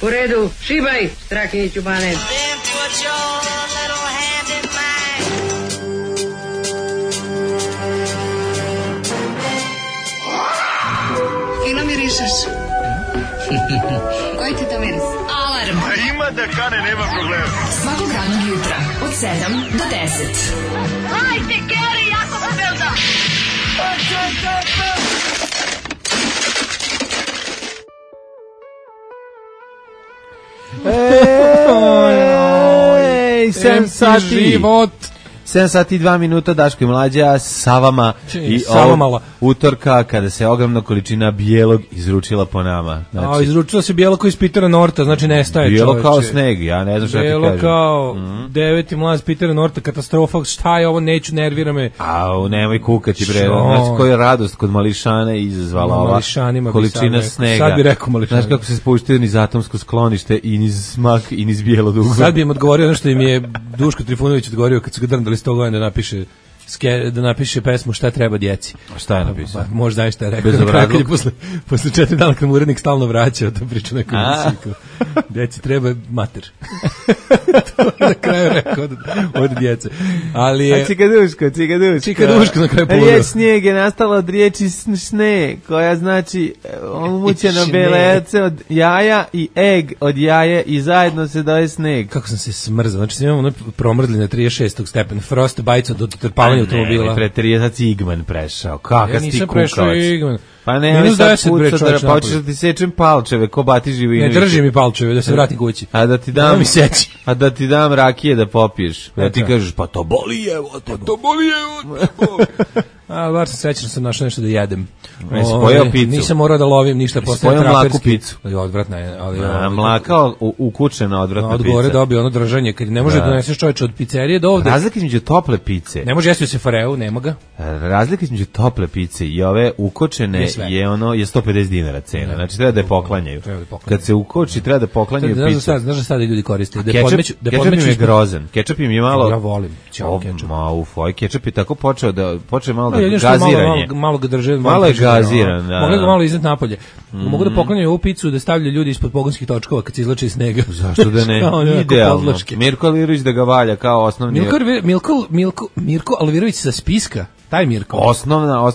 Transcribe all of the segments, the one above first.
U redu, šibaj, Strahinjiću Bane. Fino mirišeš. Koji ti to miris? Alarm. A ima da kane, nema problema. Svakog radnog jutra od 7 do 10. Hajde, Geri, jako se velda. Ej, 7 sati. 7 sati i 2 minuta, Daško i Mlađa sa vama i ovog utorka kada se ogromna količina bijelog izručila po nama. Znači, izručila se bijelo kao iz Pitera Norta, znači nestaje bijelo čoveče. Kao sneg, ja ne znam šta ti kažem. Bijelo kao 9. mlaz Pitera Norta, katastrofa, šta je ovo, neću, nervira me. Nemoj kukati bre, znači koja je radost kod mališana izazvala ova količina snega. Sad bi rekao mališana. Znaš kako se spuštaju niz atomsko sklonište i niz smak i niz bijelo dugo. Sad bi im odgovorio ono što im je Duško Trifunović odgovorio kad su ga drndali 100 godina da napiše pesmu Šta treba djeci. A šta je napisao? Možda je šta je rekao. Posle 4 dana kad mu urednik stalno vraća to priču nekom musiku. Djeci treba mater. To je na kraju rekao od djece. Ali je... Čikaduško na kraju položao. Riječ snijeg je nastala od riječi sne, koja znači umućeno belece od jaja i eg od jaje i zajedno se daje sneg. Kako sam se smrzao. Znači imamo ono promrzli na 36. stepena. Frost bajca do trpavanja automobila. Ne, pre 30 Igman prešao. Kakav si ti kukavac? Ja nisam prešao Igman. Pa ne, sad puca da počeš da ti sečem palčeve, ko Bati Živinović. Ne drži mi palčeve, da se vratim kući. A da ti dam rakije da popiješ. Da ti kažeš, pa to boli evo te. A, bar sam srećan, sam našao nešto da jedem. Spojao picu. Nisam morao da lovim ništa posle traperski. Spojao mlaku picu. Odvratna je. Mlaka ukučena odvratna pica. Odgovore dobio ono držanje, kad ne može da doneseš čovječe od pizzerije do ovde. Razlika između tople pice. Ne može jesti u sefareu, nema ga. Razlika između tople pice i ove ukočene je 150 dinara cena. Znači treba da je poklanjaju. Kad se ukoči treba da poklanjaju picu. Znaš da sada ljudi koriste. Kečap im je grozan. Kečap im je malo... Ja volim. Kečap je tako počeo malo da gaziranje. Malo ga drže. Malo je gaziran, da. Mogu ga malo iznad napolje. Mogu da poklanjaju ovu picu da stavljaju ljudi ispod pogonskih točkova kad se izlače iz snega. Zašto da ne? Idealno. Mirko Alvirović da ga valja kao osnovni... Mirko Alvirović sa spiska. Taj Mirko. Osnova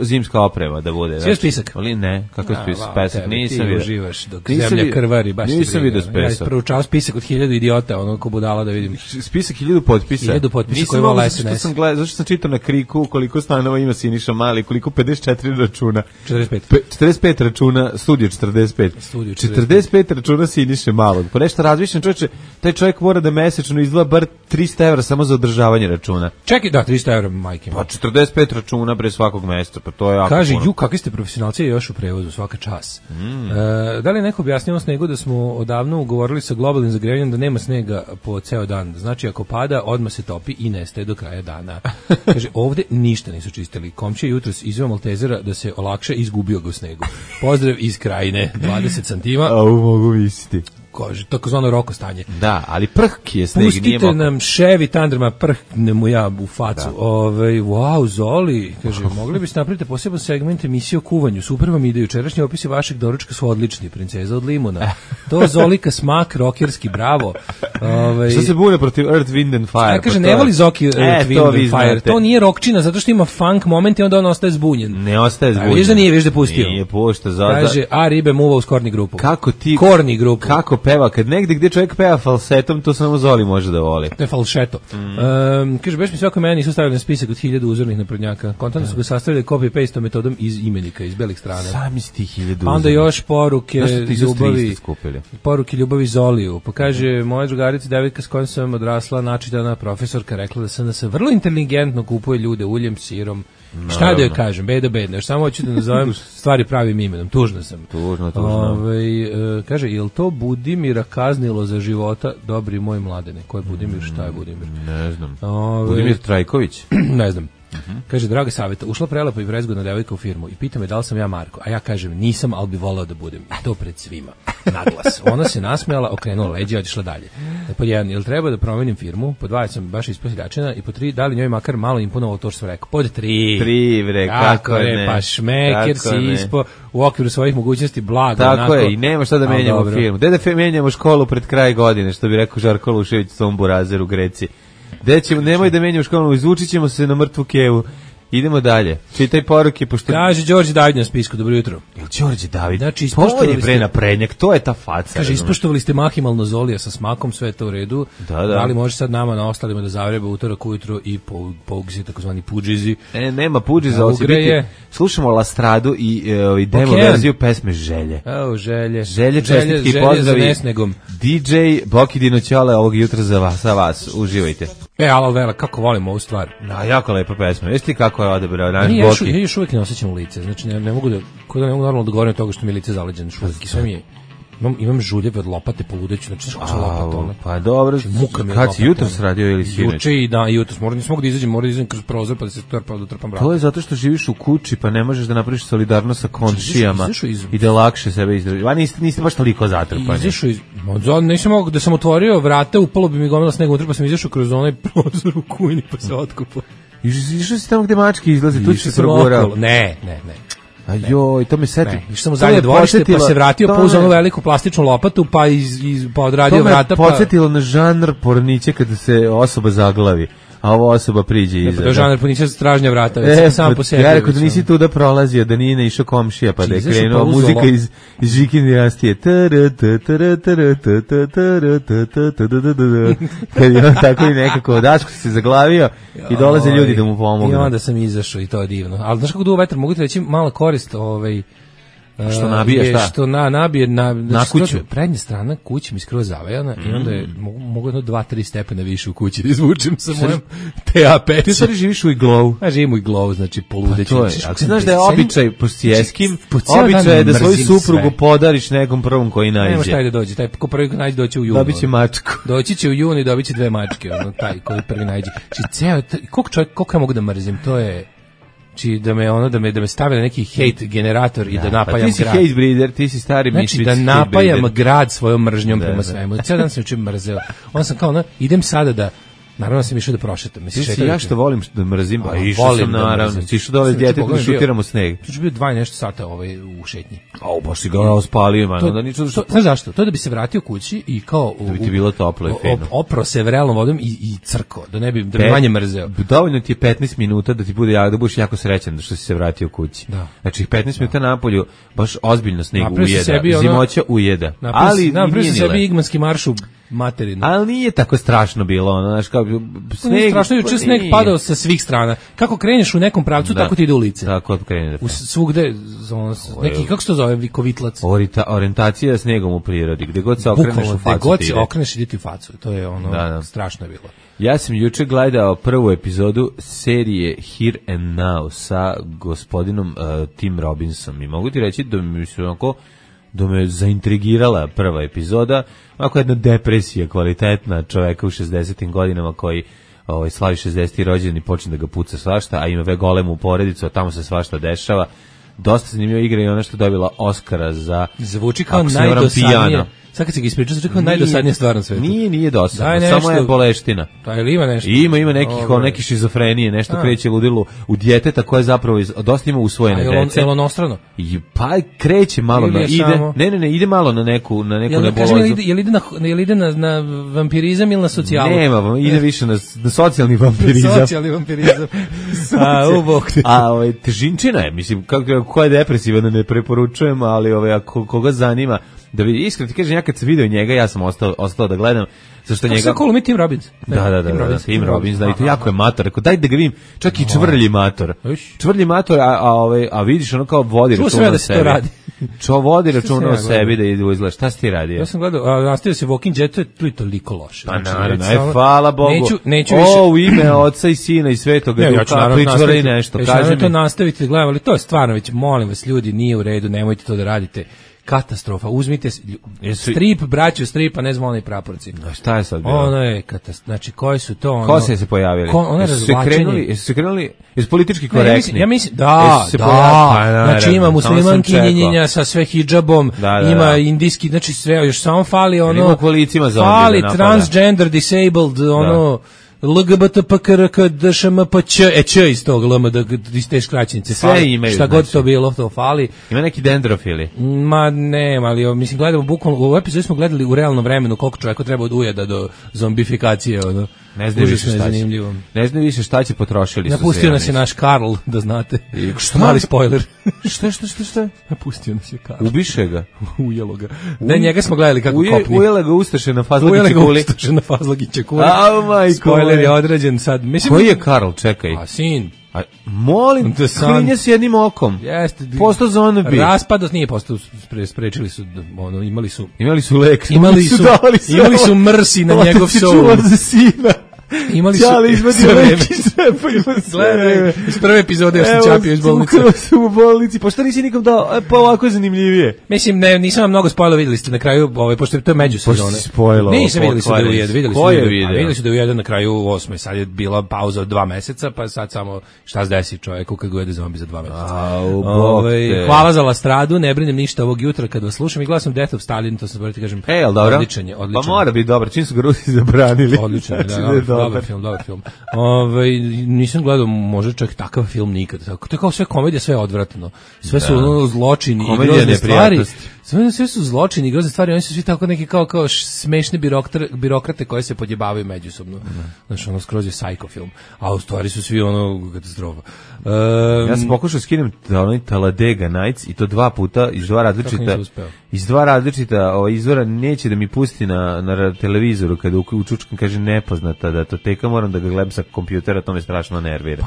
zimska oprema da bude. Sve spisak? Ali ne, kako je spisak? Nisam vidio. Ti uživaš dok zemlja krvari. Nisam vidio spisak. Ja proučao spisak od 1000 idiota, ono ko budala da vidim. Spisak 1000 potpisa. 1000 potpisa koji vole SNS. Zašto sam čitao na Kriku koliko stanova ima Siniša Mali, koliko 54 računa. 45 računa, studio 45. 45 računa Siniše Malog. Pa nešto razmišljam, čovječe, taj čovjek mora da mesečno izdvaja bar 300 € samo za održavanje računa. Čekaj, da, 300 € majke. Pa 45 računa pre svakog mjeseca, pa to je jako kaže, puno. kakvi ste profesionalci još u prevozu, svaka čas. Da li neko objasnio o snegu da smo odavno ugovorili sa globalnim zagrevanjem da nema snega po ceo dan? Znači, ako pada, odmah se topi i nestaje do kraja dana. Kaže, ovde ništa nisu čistili. Komšija jutros izveo Maltezera da se olakša i izgubio ga u snegu. Pozdrav iz Krajine, 20 centima. A mogu misliti. Kaže, takozvano roko stanje. Da, ali prhki je sneg, nije pustite mokro. nam Chevy Thunderma, prhne mu ja u facu. Wow, Zoli, kaže, mogli biste napraviti poseban segment emisije o kuvanju. Super vam ide, jučerašnji opisi vašeg doručka su odlični, princeza od limuna. To Zolika smak, rokerski, bravo. Što se bune protiv Earth, Wind and Fire? Ja kaže, ne voli Zoki Earth, Wind and Fire. To nije rokčina, zato što ima funk moment i onda on ostaje zbunjen. Ne ostaje zbunjen. Viš da nije, viš da pustio. Nije pušta. Kaže, a ribe muva uz korni grupu. Kako ti... Korni grupu. Kako peva, kad negde gdje čovjek peva falsetom, to samo Zoli može da voli. To je falšeto. Kaže, baš mi svako mene nisu stavili na spisak od 1000 uzornih naprednjaka. Kontantno su ga sastavili copy-paste metodom iz imenika, iz belih strana. Sami si ti 1000 uzornih. Onda još poruke ljubavi Zoliju. Pa kaže, moja drugarica devojka s kojom sam odrasla, načitana profesorka, rekla da sam vrlo inteligentno kupuje ljude uljem, sirom. Šta da joj kažem, bedno. Još samo hoću da nazovem stvari pravim imenom. Tužno sam. Tužno. Kaže, je li to Budimira kaznilo za života, dobri moj mladene? Ko je Budimir, šta je Budimir? Ne znam. Budimir Trajković? Ne znam. Kaže, draga saveta, ušla prelepa i prezgodna devojka u firmu i pita me da li sam ja Marko, a ja kažem nisam, ali bi voleo da budem. I to pred svima. Naglas. Ona se nasmejala, okrenula leđa i otišla dalje. Pod 1, jel treba da promenim firmu? Pod 2, sam baš isposiljačena i pod 3, da li njoj makar malo imponovalo to što sam rekao? Pod 3. 3, bre, kako ne. Pa šmeker si ispo u okviru svojih mogućnosti blago. Tako onako, je, i nema šta da menjamo firmu. Gde da menjamo školu pred kraj godine, što bi rekao Žarko Lušević Tom Burazer u Greci. Gde ćemo, nemoj da menjamo školu, izvučit ćemo se na mrtvu kevu. Idemo dalje. Čitaj poruke, pošto... Kaže Đorđe David na spisku, dobro jutro. Đorđe David, znači, to je bre naprednjak, to je ta faca. Kaže, ispoštovali ste mahimalno Zolija sa smakom, sve je to u redu. Da li može sad nama na ostalima da zavreba utorak ujutro i pougzi, takozvani pudžizi. Nema pudžiza, ovo će biti... Slušamo Lastradu i demo verziju pesme Želje. Želje, čestitki pozdravi. DJ Boki Dinoćole ovog jutra za vas. Uživajte. Alal Vela, kako volimo ovu stvar. Jako lepa pesma. Jesi ti kako je odebrao naš Boki? Ja još uvijek ne osjećam lice. Znači, ne mogu normalno da govorim od toga što mi je lice zaleđeno šuvijek. Sve mi je... Imam žuljeve od lopate poludeću, znači što lopata ona. Pa dobro, kad si jutros radio ili sinoć? Juče i jutros, nisam mogu da izađem kroz prozor pa da se trpam vrata. To je zato što živiš u kući pa ne možeš da napraviš solidarnost sa komšijama i da lakše sebe izdržiš. Niste baš toliko zatrpani. Nisam mogu da sam otvorio vrata, upalo bi mi gomila snega unutra pa sam izašao kroz onaj prozor u kujni pa se otkupao. Išao si tamo gde mačke izlaze, tu si se progurao. Ne. Ajoj, to me seti. Išao sam u zadnje dvorište, pa se vratio, pa uzeo onu veliku plastičnu lopatu, pa odradio vrata. To me podsjetilo na žanr porniće kada se osoba zaglavi, a ova osoba priđe iza. To je žanr porniće stražnja vrata, već sam po sebi. Ja rekao da nisi tu da prolazio, da nije išao komšija, pa da je krenuo muzika iz Žikin dinastije. Kad je on tako i nekako Daško se zaglavio i dolaze ljudi da mu pomognu. I onda sam izašao i to je divno. Ali znaš kako duo vetar, mogu ti reći mala korist što nabije šta? Što nabije na kuću. Prednja strana kuće mi skroz zavejana i onda je mogu 2-3 stepena više u kući da izvučem sa mojom TA pećem. Ti stvari živiš u iglovu. Živim u iglovu, znači poludeću. Pa ako znaš da je običaj posjeskim, običaj je da svoju suprugu podariš nekom prvom koji nađe. Nema šta da dođe, taj ko prvi nađe doći u junu. Dobit će mačku. Doći će u junu i dobit će 2 mačke, taj koji prvi nađe. Znači koliko ja mogu da mrzim, to je da me stave na neki hate generator i da napajam grad. Ti si hate breeder, ti si stari Znači da napajam grad svojom mržnjom prema svemu. Cijel dan sam učin mrzeo. On sam kao, idem sada da, naravno sam išao da prošetam. Ja što volim da mrzim, pa išao sam naravno. Išao dole s djetetom da šutiramo sneg. To će bio 2 nešto sata u šetnji. Baš si ga ospalio, man. Znaš zašto? To je da bi se vratio kući i kao... Da bi ti bilo toplo i fino. Opro se vrelom vodom i crko, da bi manje mrzeo. Dovoljno ti je 15 minuta da ti bude da budeš jako srećan što si se vratio kući. Znači 15 minuta napolju baš ozbiljno sneg ujeda. Zimoća ujeda. Napravio se sebi igmanski marš u materinu. Ali nije tako strašno bilo, znaš, kao sneg. Strašno juče sneg padao sa svih strana. Kako kreneš u nekom pravcu, tako ti ide ulice. Tako krene. Svugde neki, kako se to zove, vikovitlac. Orijentacija snegom u prirodi, gde god se okreneš u facu. Gde god se okreneš ide ti u facu. To je strašno je bilo. Ja sam juče gledao prvu epizodu serije Here and Now sa gospodinom Tim Robinsom i mogu ti reći da me zaintrigirala prva epizoda, ovako jedna depresija kvalitetna čoveka u 60. godinama koji slavi 60. rođendan i počne da ga puca svašta, a ima golemu porodicu, a tamo se svašta dešava. Dosta zanimljiva igra i ona što dobila Oscara za... Zvuči kao najdosadnije. Sad kad se ga ispričao, zvuči kao najdosadnije stvar na svetu. Nije dosadno, samo je boleština. Ili ima nešto? Ima neki šizofrenije, nešto kreće ludilo u djeteta koje zapravo dosta ima usvojene dece. Je li onostrano? Pa kreće malo, ide malo na neku nebulozu. Je li ide na vampirizam ili na socijalu? Nema, ide više na socijalni vampirizam. Socijalni vampirizam. Težinčina je, mislim, ko je depresivan ne preporučujem, ali ako koga zanima, da vidi, iskreno ti kažem, ja kad sam video njega, ja sam ostao da gledam, zašto njega... Kako se mi Tim Robbins? Da, Tim Robbins, da, i to jako je mator, rekao, daj da ga vidim, čak i čvrlji mator. Čvrlji mator, a vidiš ono kao vodi računa o sebi. Vodi računa o sebi da izgleda. Šta si ti radio? Ja sam gledao, nastavio se Walking Dead, to je toliko loše. Pa naravno, hvala Bogu. Neću više... U ime Oca i Sina i Svetoga Duha, pričvali nešto, kaži mi. Ja ću naravno to nastaviti da gledam, ali to je stvarno već, molim vas ljudi, nije u redu, nemojte to da radite. katastrofa. Uzmite strip, braćo stripa, ne znam onaj praporci. A šta je sad bilo? Ono je katastrofa. Znači, koji su to? Ko se pojavili? Ono razvlačenje. Jesu se krenuli, jesu politički korektni? Ja mislim, da. Znači, ima muslimankinjenja sa sve hidžabom, ima indijski, znači sve, još samo fali ono... Ima kolicima za fali transgender, disabled, ono... LGBTPKRK DŠMPČ iz tog LMD iz te skraćenice sve imaju, šta god to bilo to fali. Ima neki dendrofili? Ma ne, ali mislim gledamo bukvalno u epizodi smo gledali u realnom vremenu koliko čovjeka treba od ujeda do zombifikacije ono. Ne znam više šta će. Ne znam više šta će potrošili. Napustio nas je naš Karl, da znate. Što mali spoiler. Šta? Napustio nas je Karl. Ubiše ga. Ujelo ga. Ne, njega smo gledali kako kopni. Ujela ga Ustaše na Fazlagiće kuli. Ujela ga Ustaše na Fazlagiće kuli. Spoiler je određen sad. Mislim, koji je Karl, čekaj? A sin. Molim, klinje s jednim okom. Jeste. Postao zombie. Raspados nije postao, sprečili su, ono, imali su lek. Imali su mrsi na njegov soul. Za sina. Imali su gledaj, iz prve epizode što čapio iz bolnice. U bolnici, pa što nisi nikom dao, pa ovako je zanimljivije. Mislim, nisam vam mnogo spojila, vidjeli ste na kraju, pošto to je međusezone. Nisam, vidjeli su da je vidjeli su da je jedan na kraju 8. Sad je bila pauza od 2 meseca, pa sad samo šta se desi čoveku kad gojede zombi za 2 meseca. Hvala za lastradu, ne brinem ništa ovog jutra kad vas slušam i gledam Death of Stalin, to sam morati kažem. Odličan je. Pa mora biti dobar, čim su ga Rusi zabranili. Odličan, dobar film. Nisam gledao možda čak takav film nikad. To je kao sve komedija, sve je odvratno. Sve su ono zločini i grozne stvari. Sve su zločini i grozne stvari. Oni su svi tako neki kao smešne birokrate koje se podjebavaju međusobno. Znači ono skroz je psycho film. A u stvari su svi ono katastrofa. Ja sam pokušao skinem onaj Talladega Nights i to 2 puta iz dva različita izvora, neće da mi pusti na televizoru kada učučkam kaže nepoznata datoteka, moram da ga gledam sa kompjutera, to me strašno nervira.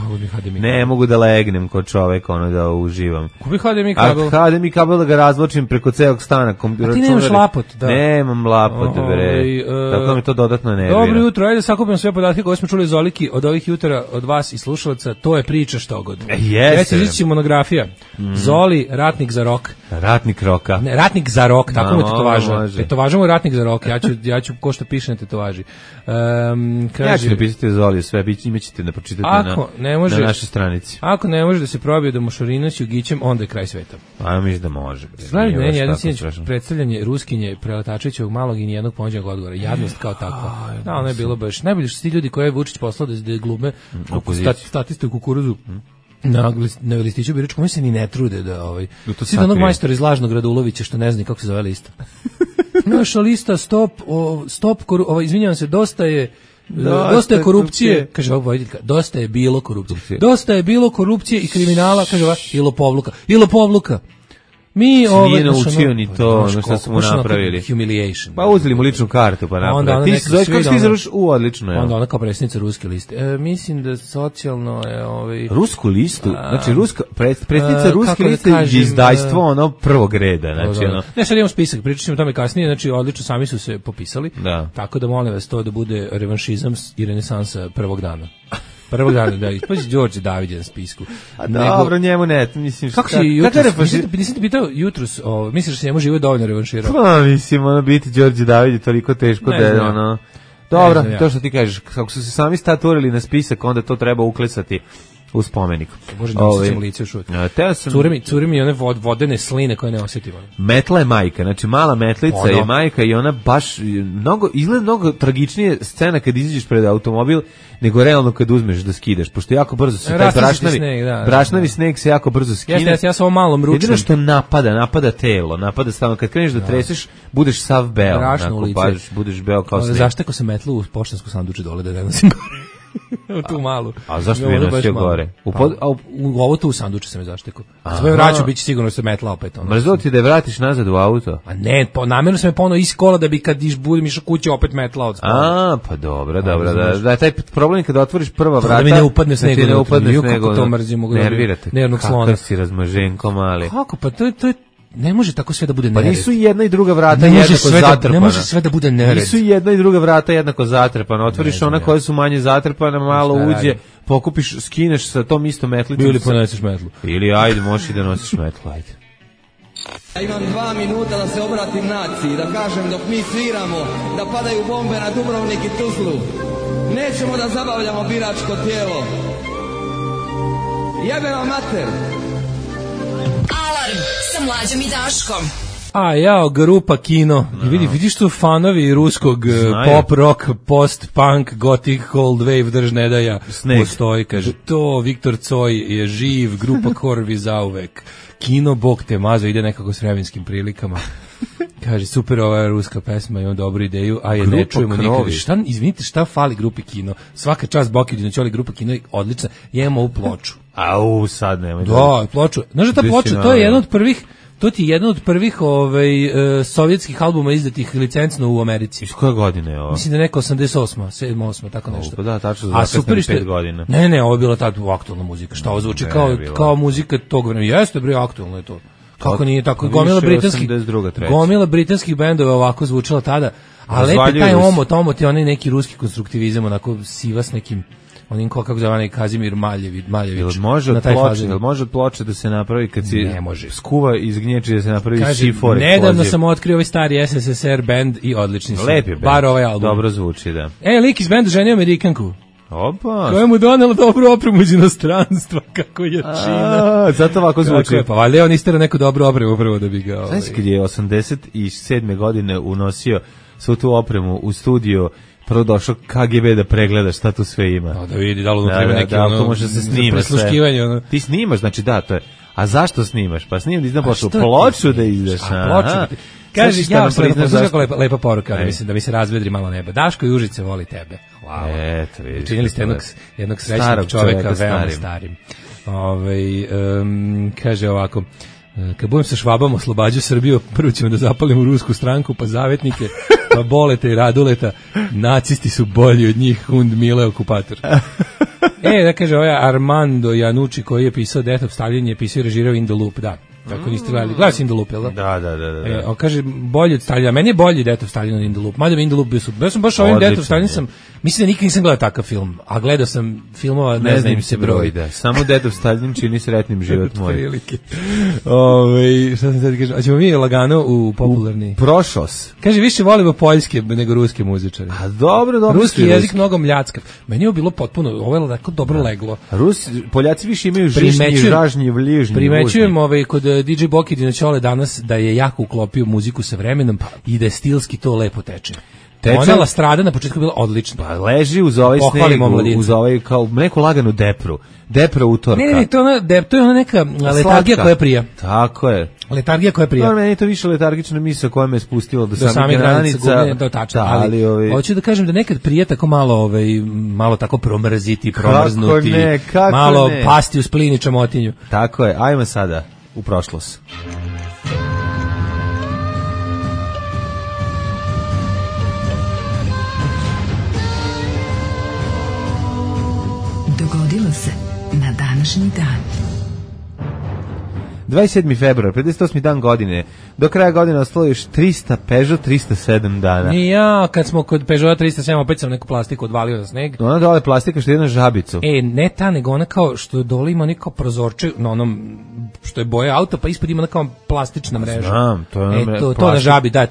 Ne mogu da legnem kod čoveka da uživam. Kupi HDMI kabel. HDMI kabel da ga razločim preko celog stana. A ti nemaš lapot, da. Nemam lapot, bre. Tako mi to dodatno nervira. Dobro jutro, ajde sakupim sve podatke koje smo čuli Zoliki od ovih jutra od vas i slušalaca, to je priča štogod. Jeste. Ići monografija. Zoli, ratnik za rok. Ratnik roka. Ne, ratnik za rok, tako mu tetovaža. Tetovaža mu ratnik za rok. Ja ću ko što piše na tetovaži. Ja ću napisati Zoli sve, imaćete da pročitate na našoj stranici. Ako ne može da se probije da Mošorina s Jugićem, onda je kraj sveta. A mislim da može. Gledaj, ne, jedan sinoć predstavljanje Ruskinje Preletačevićevog malog i nijednog ponuđenog odgovora. Jadnost kao takva. Da, ono je bilo baš. Najbolje što su ti ljudi koje je Vučić poslao da glume statiste u kukuruzu. Na listiću biračkom, oni se ni ne trude da svi onog majstora iz Lažnog Radulovića što ne zna kako se zove lista. Naša lista izvinjavam se, dosta je korupcije, kaže ova voditeljka, dosta je bilo korupcije. Dosta je bilo korupcije i kriminala, kaže ova, i lopovluka. Mi nije naučio ni to, što smo napravili. Humiliation. Pa uzeli mu ličnu kartu, pa napravili. Ti se zoveš, kako ti izraš? Odlično je. Onda ona kao predsjednica ruske liste. Mislim da socijalno je... Rusku listu? Znači, predsjednica ruske liste je izdajstvo ono prvog reda. Ne, sad imamo spisak, pričat ćemo o tome kasnije, znači odlično, sami su se popisali. Tako da molim vas to da bude revanšizam i renesansa prvog dana. Prvog dana, da, ispazi Đorđe David na spisku. A dobro, njemu ne, mislim... Kako si jutros, nisam te pitao jutros, misliš da se njemu živo dovoljno revanširao? Pa, mislim, biti Đorđe David je toliko teško da je, Dobro, to što ti kažeš, kako su se sami staturili na spisak, onda to treba uklesati u spomenik. Bože, ne osjećam lice još uvijek. Curi mi one vodene sline koje ne osjetimo. Metla je majka, znači mala metlica je majka i ona baš izgleda mnogo tragičnije scena kad izađeš pred automobil nego realno kad uzmeš da skidaš, pošto jako brzo se taj brašnavi sneg se jako brzo skine. Ja sam ovo malom ručem. Jedino što napada telo, napada stavno. Kad kreneš da treseš, budeš sav beo. Budeš beo kao sneg. Zašteko sam metlu u poštansku sanduče dole da ne nosim gore. Tu malu. A zašto bi nosio gore? U ovo tu u sanduče sam je zaštekao. Svoje vraću biće sigurno se metla opet. Mrzo ti da je vratiš nazad u auto? A ne, namjerno sam je ponovno iz kola da bi kad budem išao kući opet metla od spola. Pa dobro. Da je taj problem kada otvoriš prva vrata. Da mi ne upadne sneg. Kako to mrzim. Nervirate. Nervnog slona. Kakav si razmaženko mali. Kako? Pa to je ne može tako sve da bude nered. Pa nisu jedna i druga vrata jednako zatrpana. Ne može sve da bude nered. Nisu jedna i druga vrata jednako zatrpana. Otvoriš ona koja su manje zatrpana, malo uđe, pokupiš, skineš sa tom istom metlicom. Ili poneseš metlu. Ili ajde, možeš i da nosiš metlu, ajde. Ja imam 2 minuta da se obratim naciji, da kažem dok mi sviramo, da padaju bombe na Dubrovnik i Tuzlu. Nećemo da zabavljamo biračko tijelo. Jebe vam mater! Alarm sa Mlađom i Daškom. A jao, grupa Kino. I vidiš tu fanovi ruskog pop, rock, post-punk, gothic, cold wave, drž ne daja. Postoji, kaže, to Viktor Coj je živ, grupa Korvi zauvek. Kino, Bog te mazo, ide nekako s vremenskim prilikama. Kaže, super ova ruska pesma, imam dobru ideju, a je ne čujemo nikad. Izvinite, šta fali grupi Kino? Svaka čast Boki Dinoćoli, grupa Kino je odlična. Imamo ovu ploču. Au, sad nemoj. Da, ploču. Znaš da ta ploča, to je jedan od prvih, to ti je jedan od prvih sovjetskih albuma izdatih licencno u Americi. Iz koje godine je ovo? Mislim da je neka 88, 7, 8, tako nešto. Pa da, tačno za zakasnem 5 godina. Ne, ovo je bila ta aktualna muzika. Šta ovo zvuči kao muzika tog vremena. Jeste, bre, aktualno je to. Kako nije tako? Gomila britanskih bendova ovako zvučala tada. A lepi taj omot je onaj neki ruski konstruktivizam, onako siva s nekim onim kako zove Kazimir Maljević. Može od ploče da se napravi kad si skuva iz gnječi da se napravi šifor. Nedavno sam otkrio ovaj stari SSSR band i odlični su. Lepi band. Bar ovaj album. Dobro zvuči, da. Lik iz benda ženio Amerikanku. Opa. Koja mu donela dobru opremu iz inostranstva, kako je čina. Zato ovako zvuči. Pa valjda on istera neku dobru opremu upravo da bi ga... Znaš kad je 87. godine unosio svu tu opremu u studio, prvo došao KGB da pregleda šta tu sve ima. Da vidi, da li treba neki ono, može se snima sve. Ti snimaš, znači da, to je. A zašto snimaš? Pa snimam da izdam ploču da izdaš. Ploču. Kaže, znaš kako lepa poruka, da mi se razvedri malo neba. Daško i Užice voli tebe. Hvala. Eto, vidiš. Učinili ste jednog srećnog čoveka veoma starim. Kaže ovako, kad budem sa Švabom oslobađao Srbiju, prvo ćemo da zapalimo rusku stranku, pa zavetnike, pa Boleta i Raduleta, nacisti su bolji od njih, Hund Mile okupator. Da kaže, ovaj Armando Janucci koji je pisao Death of Stalin je pisao i režirao In the Loop, da. Tako niste gledali. Gledali si In the Loop, jel da? Da. On kaže, bolji od Stalina. Meni je bolji Death of Stalin od In the Loop. Mada bi In the Loop bio super. Ja sam baš ovim Death of Stalin mislim da nikad nisam gledao takav film. A gledao sam filmova, ne znam im se broj. Samo Death of Stalin čini sretnim život moj. Šta sam sad kažem? Hoćemo mi lagano u popularni... Prošlost. Kaže, više volimo poljske nego ruske muzičare. A dobro. Ruski jezik mnogo mljackav. Meni je bilo potpuno, ovo je tako dobro leglo. Poljaci više imaju žišnji, žažnji, vližnji. Primećujem kod DJ Boki Dinoćole danas da je jako uklopio muziku sa vremenom i da je stilski to lepo teče. Ona Lastrada na početku bila odlična. Pa leži uz ovaj sneg, uz ovaj kao neku laganu depru. Depra utorka. Ne, to je ona neka letargija koja prija. Tako je. Letargija koja prija. Meni je to više letargična misa koja me spustila do samih granica. To tačno, ali hoću da kažem da nekad prija tako malo tako promrziti, promrznuti, malo pasti u splin i čamotinju. Tako je, ajmo sada u prošlost. Dogodilo se na današnji dan. 27. februar, 58. dan godine. Do kraja godine ostalo još 300 Peugeot 307 dana. I ja, kad smo kod Peugeot 307, opet sam neku plastiku odvalio na sneg. Ona dole plastika što je jedna žabicu. Ne ta, nego ona kao što dole ima neko prozorče na onom što je boja auta, pa ispod ima neka plastična mreža. Znam, to je to na žabi, da,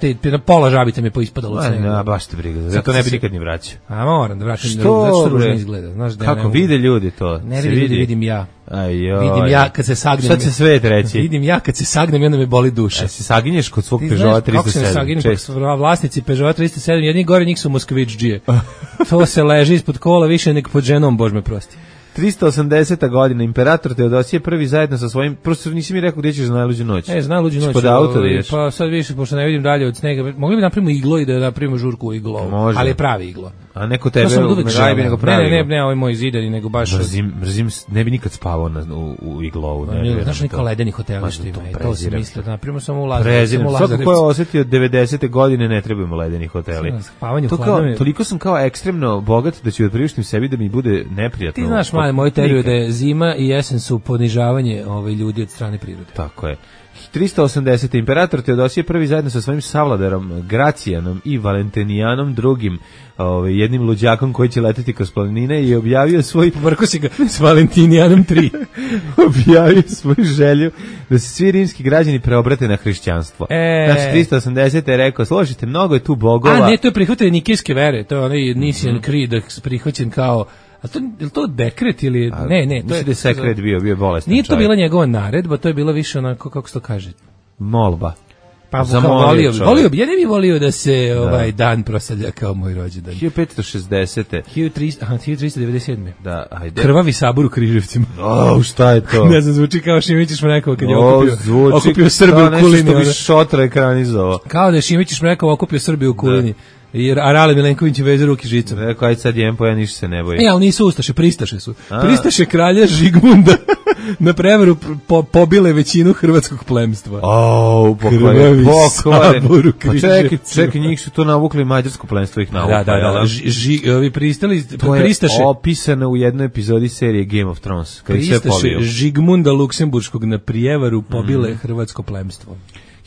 pola žabica mi je poispadalo od snega. Ne, baš te briga, zato ne bi nikad ni vraćao. A moram da vraćam, zato ružno izgleda. Znaš, kako vide ljudi to? Ne vidi ljudi, vidim ja. Ajoj. Vidim ja kad se sagnem. Šta će svet reći? Vidim ja kad se sagnem i onda me boli duša. Se saginješ kod svog Peugeota 307? Kako se saginem kod vlasnici Peugeota 307? Jedni gore njih su Moskvić-džije. To se leži ispod kola više nego pod ženom, Bož me prosti. 380. godina, imperator Teodosije prvi zajedno sa svojim, prosto nisi mi rekao gdje ćeš za najluđu noć. Za najluđu noć. Pod auto da ideš. Pa sad više, pošto ne vidim dalje od snega, mogli bi napravimo iglo i da napravimo žurku u iglo. Može. Ali je pravi iglo. A neko tebe ne gajbi nego pravi iglo. Ne, ovaj moj zidani, nego baš... Mrzim, ne bi nikad spavao u iglovu. Znaš neka ledeni hoteli što ima, to sam mislio da napravimo samo u Lazarevcu. Svako ko je osjetio 90. godine ne trebamo ledeni hoteli. Toliko sam kao ekstremno bogat da ću priuštim sebi da mi bude neprijatno. Ti znaš, moju teoriju da je zima i jesen su ponižavanje ljudi od strane prirode. Tako je. 380. Imperator Teodosije prvi zajedno sa svojim savladarom Gracijanom i Valentinijanom drugim, jednim luđakom koji će leteti kroz planine, i objavio svoj... Vrko si ga s Valentinijanom 3. Objavio svoju želju da se svi rimski građani preobrate na hrišćanstvo. Znači 380. je rekao, složite, mnogo je tu bogova. A ne, to je prihvatanje nikejske vere, to je onaj Nicene Creed prihvaćen kao... A to, je li to dekret ili... Ne, to je... da je sekret bio bolestan. Nije to bila njegova naredba, to je bila više onako, kako se to kaže? Molba. Pa volio bi, ja ne bih volio da se ovaj dan proslavlja kao moj rođendan. 1560. 1397. Da, ajde. Krvavi sabor u Križevcima. Šta je to? Ne znam, zvuči kao Šimićić Mrekov kad je okupio Srbiju u Kulini. Nešto bi Šotra ekranizovao. Kao da je Šimićić Mrekov okupio Srbiju u Kulini. A Rale Milenković je veže ruki žicom. Rekao, ajde sad jem, ja ništa se ne bojim. Ali nisu ustaše, pristaše su. Pristaše kralja Žigmunda na prevaru pobile većinu hrvatskog plemstva. Krvavi sabor u Križevcima. Čekaj, njih su to navukli, mađarsko plemstvo ih navukli. Da. Ovi pristaše. To je opisano u jednoj epizodi serije Game of Thrones. Pristaše Žigmunda Luksemburškog na prijevaru pobile hrvatsko plemstvo.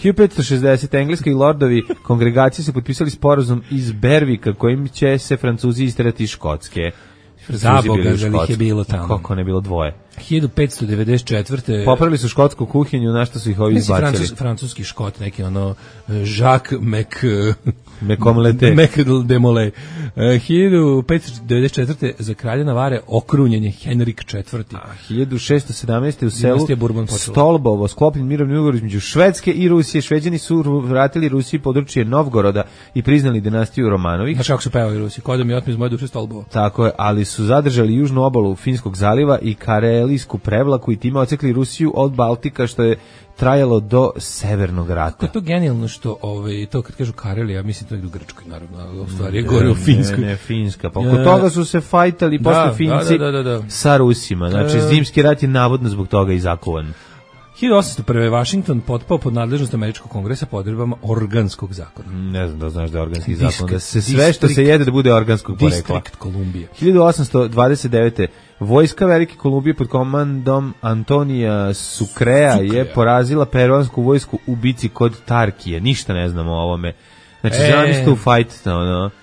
1560. Engleski lordovi kongregacije su potpisali sporazum iz Bervika kojim će se Francuzi isterati iz Škotske. Zaboga da ih je bilo tamo. Kako ne bilo dvoje. 1594. Popravili su škotsku kuhinju, na što su ih ovi izbacili. Francuski Škot, neki ono Jacques Demolay. 1594. za kralja Navare okrunjen je Henrik IV. 1617. u selu Stolbovo sklopljen mirovni ugovor između Švedske i Rusije. Šveđani su vratili Rusiji područje Novgoroda i priznali dinastiju Romanovih. Znaš kako su pevali Rusi? Kodom je otmi iz moje duše Stolbovo. Tako je, ali su zadržali južnu obalu Finskog zaliva i Karelijsku prevlaku i time ocekli Rusiju od Baltika, što je trajalo do Severnog rata. Kako je to genijalno što to kad kažu Karelija, mislim to je u Grčkoj naravno, ali u stvari je gore u Finskoj. Ne, Finska. Pa oko toga su se fajtali posle Finci sa Rusima. Znači zimski rat je navodno zbog toga i zakovan. 1801. Washington potpao pod nadležnost Američkog kongresa po odredbama organskog zakona. Ne znam da znaš da je organski zakon, da se sve što se jede da bude organskog porekla. Distrikt Kolumbija. 1829. Vojska Velike Kolumbije pod komandom Antonija Sucrea je porazila peruansku vojsku u bici kod Tarkije. Ništa ne znamo o ovome. Znači, zamislite u fajt,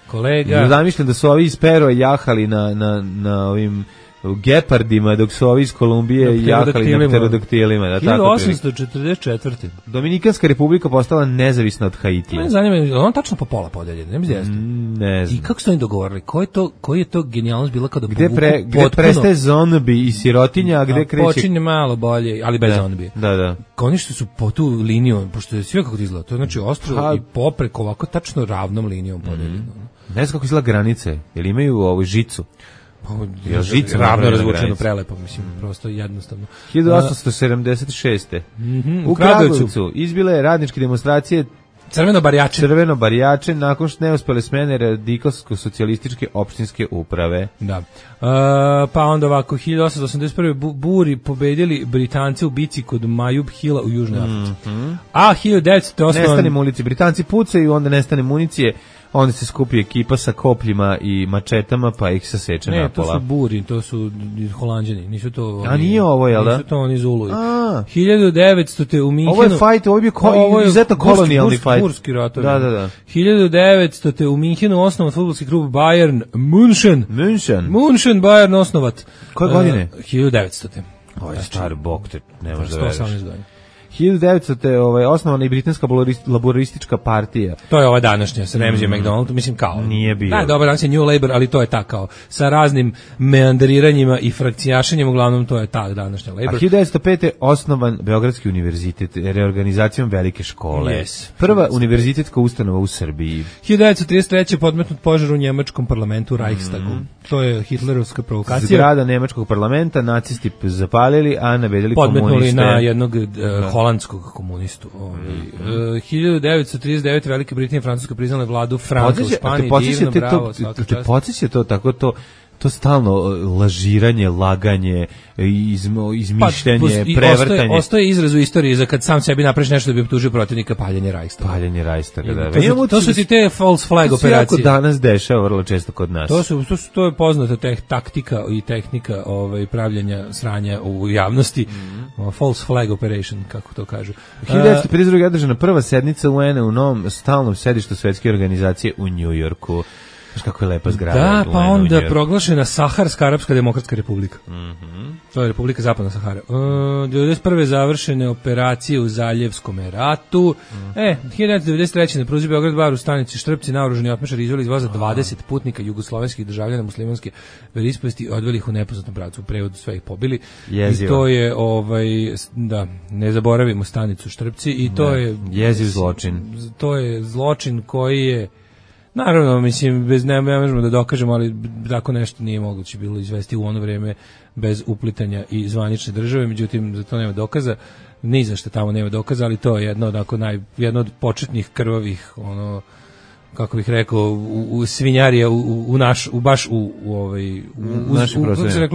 kolega. Zamišljam da su ovi iz Perua jahali na ovim gepardima, dok su ovi iz Kolumbije jahali na pterodaktilima. 1844. Dominikanska republika postala nezavisna od Haitija. Ne zanima, je on tačno po pola podeljena, ne znam. I kako su oni dogovorili? Koji je to genijalnost bila kada gde prestaje zombi i sirotinja, a gde kreće? Počinje malo bolje, ali bez zombi. Da. Oni što su po tu liniju, pošto je sve kako to izgleda, to je znači ostrvo i popreko ovako tačno ravnom linijom podeljeno. Ne znam kako izgleda granice, jer imaju ovu žicu. Žica ravno razvučeno, prelepo, mislim, prosto jednostavno. 1876. U Kragujevcu izbile radničke demonstracije Crveno barjače nakon što neuspele smene radikalsko-socijalističke opštinske uprave. Da. Pa onda ovako, 1881. Buri pobedili Britance u bici kod Majub Hila u Južnoj Africi. A 1908. Nestane municije. Britanci pucaju, onda nestane municije. Onda se skupi ekipa sa kopljima i mačetama, pa ih saseče napola. Ne, to su Buri, to su Holanđani, nisu to oni. A nije ovo, jel da? Nisu to oni Zuluji. 1900. u Minhenu. Ovo je fajt, ovo je izuzetno kolonijalni fajt. Burski ratovi. Da. 1900. u Minhenu osnovan fudbalski klub Bayern München. München Bayern osnovat. Koje godine? 1900. Ovo je star bok, te ne možeš da veriš. 118 godina. 1900. Osnovana i britanska laboristička partija. To je ova današnja sa Ramsay McDonald, mislim kao. Nije bio. Da, dobro, danas je New Labour, ali to je ta kao sa raznim meandriranjima i frakcijašenjem, uglavnom to je ta današnja Labour. A 1905. osnovan Beogradski univerzitet reorganizacijom velike škole. Yes. Prva univerzitetska ustanova u Srbiji. 1933. podmetnut požar u njemačkom parlamentu Reichstagu. To je hitlerovska provokacija. Zgrada nemačkog parlamenta nacisti zapalili, a nabedili komuniste. Podmetnuli na jednog holandskog komunistu. 1939. Velika Britanija i Francuska priznale vladu Franka u Španiji. Divno, bravo, svaka čast. Te podsjeća to tako to to stalno lažiranje, laganje, izmišljanje, prevrtanje. Ostaje izraz u istoriji za kad sam sebi napraviš nešto da bi optužio protivnika, paljenje Reichstaga. Paljenje Reichstaga, da. To su ti te false flag operacije. To se jako danas dešava vrlo često kod nas. To je poznata taktika i tehnika pravljenja sranja u javnosti. False flag operation, kako to kažu. 1952. održana prva sednica UN-a u novom stalnom sedištu Svetske organizacije u Njujorku. Znaš kako je lepa zgrada. Da, pa onda proglašena Saharska Arapska demokratska republika. To je Republika Zapadna Sahara. 1991. završene operacije u Zaljevskom ratu. 1993. na pruzi Beograd-Bar u stanici Štrpci naoružani otmašari izveli iz voza 20 putnika jugoslovenskih državljana muslimanske veroispovesti i odveli ih u nepoznatom pravcu. U prevodu sve ih pobili. Jezivo. I to je, ne zaboravimo stanicu Štrpci i to je... Jeziv zločin. To je zločin koji je... Naravno, mislim, ne možemo da dokažemo, ali tako nešto nije moguće bilo izvesti u ono vreme bez uplitanja i zvanične države, međutim, za to nema dokaza, ni za što tamo nema dokaza, ali to je jedno od početnih krvavih, kako bih rekao, u svinjarija, u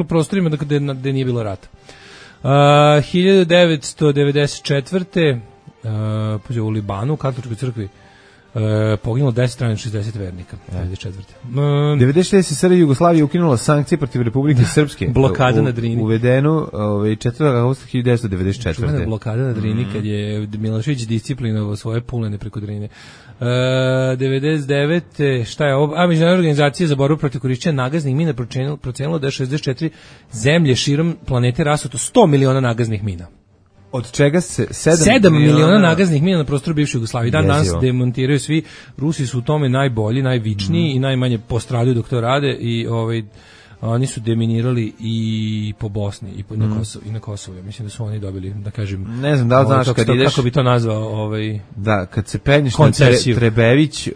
prostorima gde nije bilo rata. 1994. U Libanu, u katoličkoj crkvi, poginulo 10 strana 60 vernika. 96. SR Jugoslavija ukinula sankcije protiv Republike Srpske. Blokada na Drini. Uvedenu 4. augusta 1994. Čuvena blokada na Drini kad je Milošević disciplinovao svoje pulene preko Drine. 99. Šta je ovo? Međunarodna organizacija za borbu protiv korišćenja nagaznih mina procenilo da je 64 zemlje širom planete rasuto 100 miliona nagaznih mina. Od čega se 7 miliona nagaznih mina na prostoru bivše Jugoslavije. Danas demontiraju svi. Rusi su u tome najbolji, najvičniji i najmanje postradaju dok to rade i oni su deminirali i po Bosni i na Kosovu. Mislim da su oni dobili, da kažem, ne znam da li znaš kad ideš, kako bi to nazvao, da, kad se penješ na Trebević,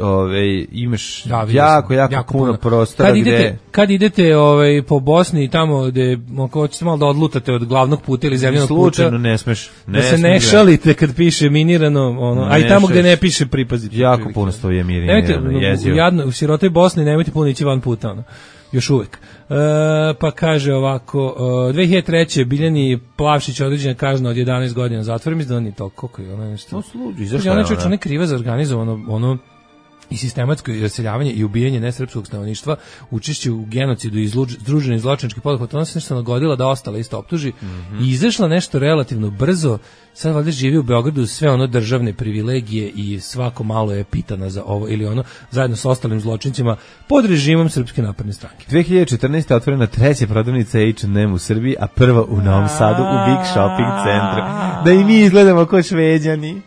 imaš jako puno prostora kad idete po Bosni i tamo gde hoćete malo da odlutate od glavnog puta ili zemljanog puta, slučajno ne smeš, da se ne šalite kad piše minirano, a i tamo gde ne piše pripazite. Jako puno stoje minirano. U sirotoj Bosni nemojte puno ići van puta, još uvek. Pa kaže ovako, 2003. Biljani Plavšić određena kazna od 11 godina zatvora, mislim da on je to, koliko je ono nešto. Ona je kriva za organizovano i sistematsko raseljavanje i ubijanje nesrpskog stanovništva, učešće u genocidu i združeni zločinački poduhvat. Ona se nešto nagodila da ostala isto optuži i izašla nešto relativno brzo. Sad valjda živi u Beogradu, sve ono državne privilegije i svako malo je pitana za ovo ili ono, zajedno sa ostalim zločincima pod režimom Srpske napredne stranke. 2014. otvorena treća prodavnica H&M u Srbiji, a prva u Novom Sadu u Big Shopping centru. Da i mi izgledamo kao Šveđani.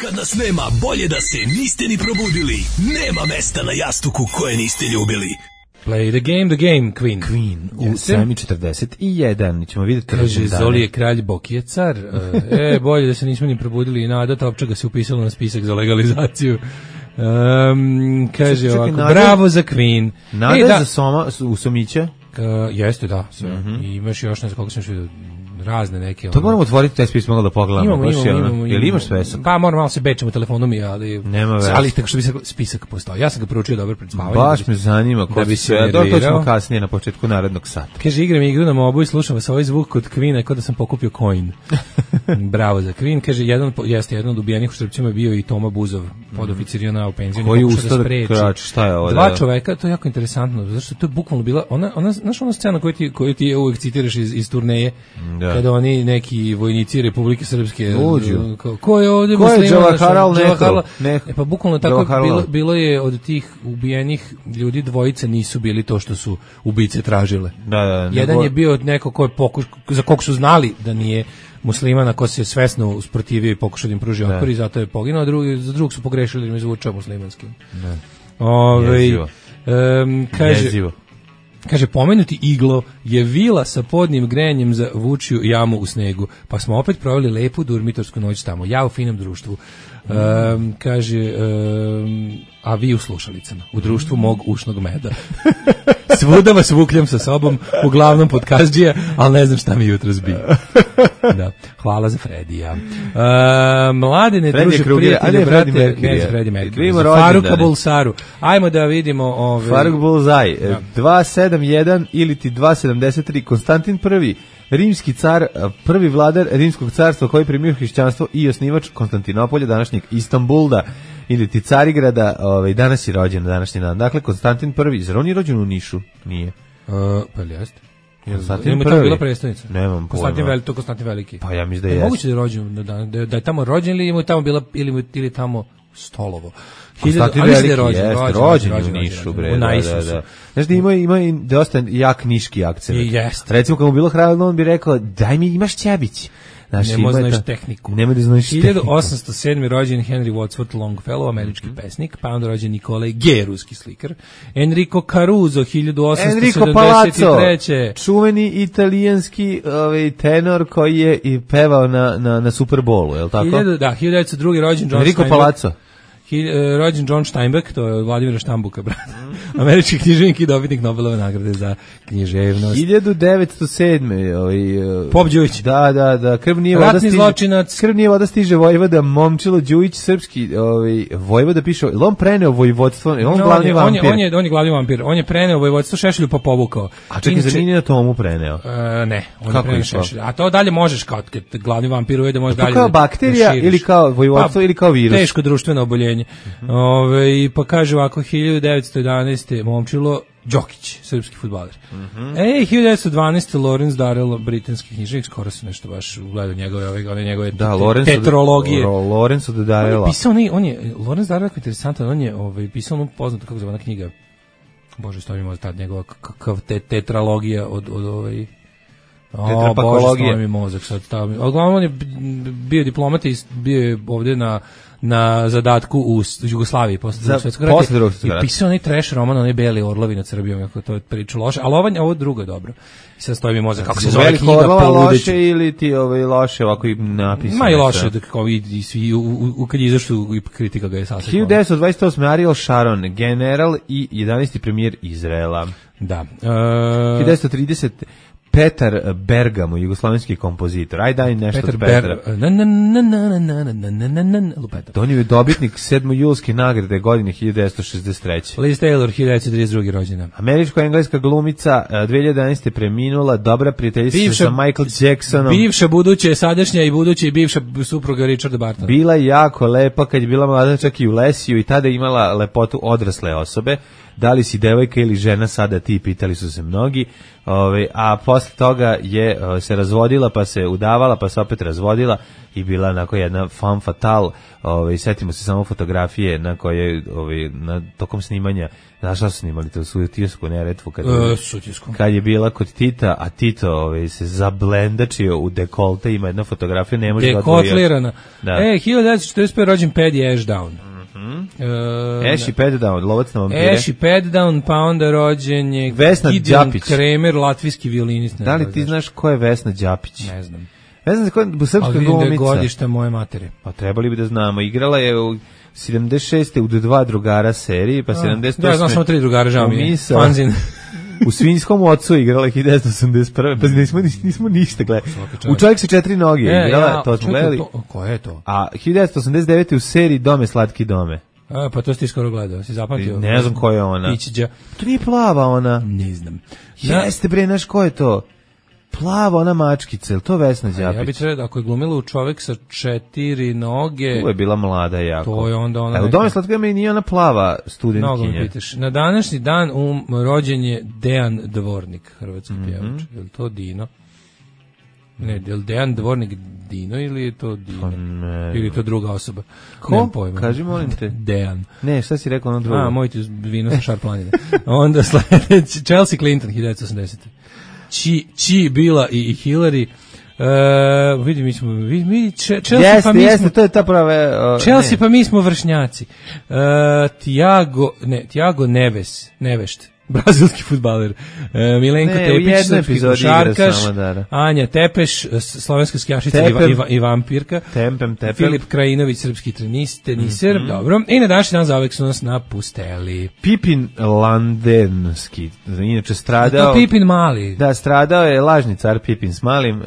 Kad nas nema, bolje da se niste ni probudili. Nema mesta na jastuku koje niste ljubili. Play the game, Queen. Queen u 7:41. Ćemo vidjeti. Kaže, Zoli je kralj, Boki je car. Bolje da se nismo ni probudili i Nada Topčaga se upisalo na spisak za legalizaciju. Kaže ovako, bravo za Queen. Nada za Usomića? Jeste, da, sve. I imaš još ne znam koliko sam što vidio razne neke. To moramo otvoriti taj spis malo da pogledamo. Imamo. Jel imaš spisak? Pa moram malo se bečem u telefonu mi, ali nema veze. Ali tako što bi se spisak postao. Ja sam ga proučio dobro pred spavanjem. Baš me zanima ko bi se. To ćemo kasnije na početku narednog sata. Kaže, igram igru na mobu i slušam vas ovaj zvuk kod Queena kao da sam pokupio coin. Bravo za Queen. Kaže, jedan od ubijenih u Štrpcima bio i Toma Buzov, podoficir JNA u penziji. Koji ustao da šta je ovo? Dva čoveka, to je jako interesantno, zato što to je bukvalno bila ona scena koju ti uvek citiraš iz turneje, kada oni neki vojnici Republike Srpske ko je ovdje Džavaharlal pa bukvalno tako bilo je od tih ubijenih ljudi, dvojica nisu bili to što su ubice tražile. Jedan je bio neko ko je za kog su znali da nije muslimana, ko se svesno usprotivio i pokušao da im pruži otpor i zato je poginuo, a za drugog su pogrešili da im zvučao muslimanskim. Kaže, pomenuti iglo je vila sa podnim grejanjem za vučiju jamu u snegu, pa smo opet proveli lepu durmitorsku noć tamo, ja u finem društvu. Kaže, a vi u slušalicama, u društvu mog ušnog meda. Svuda vas vukljam sa sobom, uglavnom podkazđija, ali ne znam šta mi jutros bi. Da. Hvala za Fredija. Mladine, druže, prijatelje, brate, ne za Freddy Mercury, za Faruka Bulsaru. Ajmo da vidimo... Faruk Bulzaj, 271 ili ti 273, Konstantin I, rimski car, prvi vladar rimskog carstva koji primio hrišćanstvo i osnivač Konstantinopolja, današnjeg Istanbulda, ili ti Carigrada, danas je rođen na današnji dan. Dakle, Konstantin I, zar on je rođen u Nišu? Nije. Pa li jeste? Konstantin tamo bila predstavnica. Nemam pojma. Konstantin Veliki. Pa ja mislim da je. Moguće da je rođen da je tamo rođen ili mu tamo bila ili tamo stolovo. Konstantin Veliki je rođen u Nišu, bre. Da. Znaš da ima dosta jak niški akcent. Recimo kad mu bilo hladno, on bi rekao: "Daj mi, imaš ćebić." Nemo znaš tehniku. 1807. rođen Henry Wadsworth Longfellow, američki pesnik, pa onda rođen Nikolaj G, ruski slikar. Enrico Caruso, 1873. Enrico Palazzo, čuveni italijanski tenor koji je i pevao na Super Bowlu, je li tako? 1902. rođen John Enrico Palazzo. Rođen John Steinbeck, to je Vladimira Štambuka, brat. Američki književnik i dobitnik Nobelove nagrade za književnost. 1907. Pop Đujić. Da, ratni zločinac. Krv nije voda stiže Vojvoda, Momčilo Đujić, srpski Vojvoda piše, on preneo vojvodstvo, on glavni vampir. On je glavni vampir, on je preneo vojvodstvo Šešelju pa povukao. A čekaj, za nije na tomu preneo? Ne, on je preneo Šešelju. A to dalje možeš kao glavni vampir ujede, možeš dalje. Kao bakterija ili kao vojvodstvo ili kao virus? Teško društveno oboljenje. Pa kaže ovako, 1911. Momčilo Đokić, srpski fudbaler. 1912. Lawrence Darrell, britanski književnik, skoro se nešto baš ugledao njegove tetrologije. Lawrence od Darrella. Lawrence Darrell, interesantan, on je pisao onu poznatu, kako zove ona knjiga, bože, što mi možda tad njegova tetralogija od tetrapakologije. Bože, mi mozak sad stavio. Uglavnom, on je bio diplomat i bio je ovdje na zadatku u Jugoslaviji posle drugog svjetskog rata. I pisao onaj trash roman, onaj Beli orlovi nad Srbijom, ako to je priču loše, ali ovo drugo je dobro. I sad stoji mi mozak, kako se zove knjiga loše ili ti loše ovako i napisano? Ma i loše, kao i svi, kad je izašlo i kritika ga je sasvim. 1928. Ariel Sharon, general i 11. premijer Izraela. Da. 1930. Petar Bergamo, jugoslovenski kompozitor. Aj daj nešto od Petra. On je dobitnik 7. julske nagrade godine 1963. Liz Taylor, 1932. rođena. Američko-engleska glumica, 2011. preminula, dobra prijateljica sa Michael Jacksonom. Bivša, buduća, sadašnja i buduća i bivša supruga Richarda Bartona. Bila jako lepa kad je bila mlada, čak i u Lesiju, i tada je imala lepotu odrasle osobe. Da li si devojka ili žena sada ti, pitali su se mnogi, a posle toga je se razvodila, pa se udavala, pa se opet razvodila i bila onako jedna femme fatale. Setimo se samo fotografije na koje na tokom snimanja, znaš šta su snimali, to su Sutjesku Neretvu kad je bila kod Tita, a Tito se zablendačio u dekolte, ima jedna fotografija, ne može da odvojiti. Dekotlirana. 1945. rođen Paddy Ashdown. Ashy Paddown, lovac na vampire. Ashy Paddown, pa onda rođen je Vesna Đapić, Kramer, latvijski violinist. Da li ti znaš ko je Vesna Đapić? Ne znam. Ne znam ko je srpska glumica. Ali godište moje matere. Pa trebali bi da znamo. Igrala je u 76. u 2 drugara seriji, pa 78. Da, znam samo 3 drugara, žao mi je. Fanzin. U Svinjskom ocu igrala 1981. Pa nismo ništa gledali. U Čovjek sa 4 noge igrala, to smo gledali. Ko je to? A 1989. u seriji Dome slatki dome. Pa to si ti skoro gledao, si zapamtio? Ne znam ko je ona. To nije plava ona. Ne znam. Jeste bre, znaš ko je to? Plava ona mačkica, ili to Vesna Đapić? Ja bih trebao, ako je glumila u Čovjek sa 4 noge... To je bila mlada jako. To je onda ona... U Dome slatki dome nije ona plava studentkinja. Na današnji dan rođen je Dejan Dvornik, hrvatski pjevač. Je li to Dino? Ne, je li Dejan Dvornik Dino ili je to Dino? Ili je to druga osoba? Ko? Nemam pojma. Kaži, molim te. Dejan. Ne, šta si rekao ono drugo? Moj ti vino sa Šar planine. Onda sledeći, Chelsea Clinton, 1980. Chi Bila i Hillary. Vidi, mi smo Chelsea, pa mi smo, to je ta prava Chelsea, pa mi smo vršnjaci. Tiago Nevešt. brazilski fudbaler. Milenko Tepić, srpski košarkaš, Anja Tepeš, slovenska skijašica i vampirka, Filip Krajinović, srpski teniser, dobro. I na današnji dan zauvek su nas napusteli. Pipin Landenski, inače stradao... To Pipin Mali. Da, stradao je lažni car Pipin s Malim,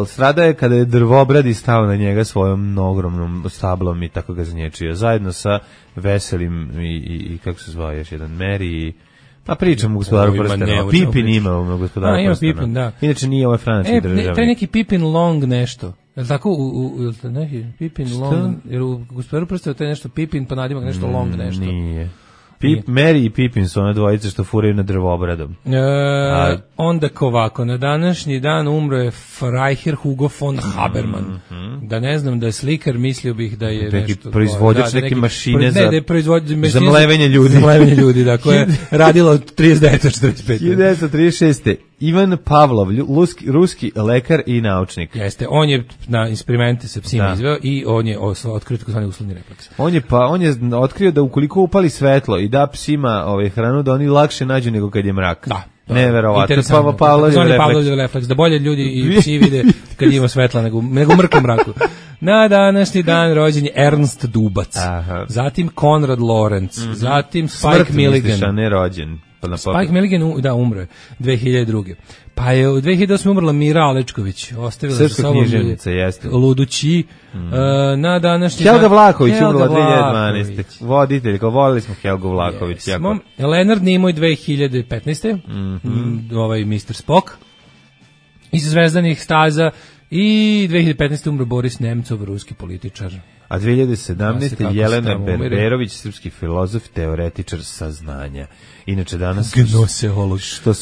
stradao je kada je drvobradi stao na njega svojom ogromnom stablom i tako ga zanječio, zajedno sa Veselim i kako se zvao još jedan, Meri. Pa pričam u Gospodaru prstena. Pipin ima u Gospodaru prstena. Pipin, da. Inače nije ovaj francuski državnik. Taj neki Pipin Long nešto. Je li tako? Neki Pipin Long, jer u Gospodaru prstena to je nešto Pipin, pa nadimak nešto Long nešto. Nije. Mary i Pipin su one dvojice što furaju na drvobradom. Onda ovako, na današnji dan umro je Freiherr Hugo von Habermann. Da ne znam da je slikar, mislio bih da je nešto... Proizvođač neke mašine za mlevenje ljudi. Za mlevenje ljudi, da, koja je radila od 39-45. 1936. Ivan Pavlov, ruski lekar i naučnik. Jeste, on je na eksperimente sa psima izveo i on je otkrio takozvani uslovni refleks. On je otkrio da ukoliko upali svetlo i da psima hranu, da oni lakše nađu nego kad je mrak. Da. Neverovatno. Pavlov refleks. Da bolje ljudi i psi vide kad ima svetla nego u mrklom mraku. Na današnji dan rođen je Ernst Dubac. Aha. Zatim Konrad Lorenz. Zatim Spike Milligan. Smrt ne rođen. Spike Milligan, umro je 2002. Pa je u 2008. umrla Mira Alečković, ostavila za sobom Ludući. Na današnji Helga Vlaković umrla 2012. Voditelj, volili smo Helgu Vlaković. Leonard Nimoy 2015. Ovaj Mr. Spock iz Zvezdanih staza i 2015. umro Boris Nemcov, ruski političar. A 2017. Jelena Berberović, srpski filozof, teoretičar saznanja. Inače danas što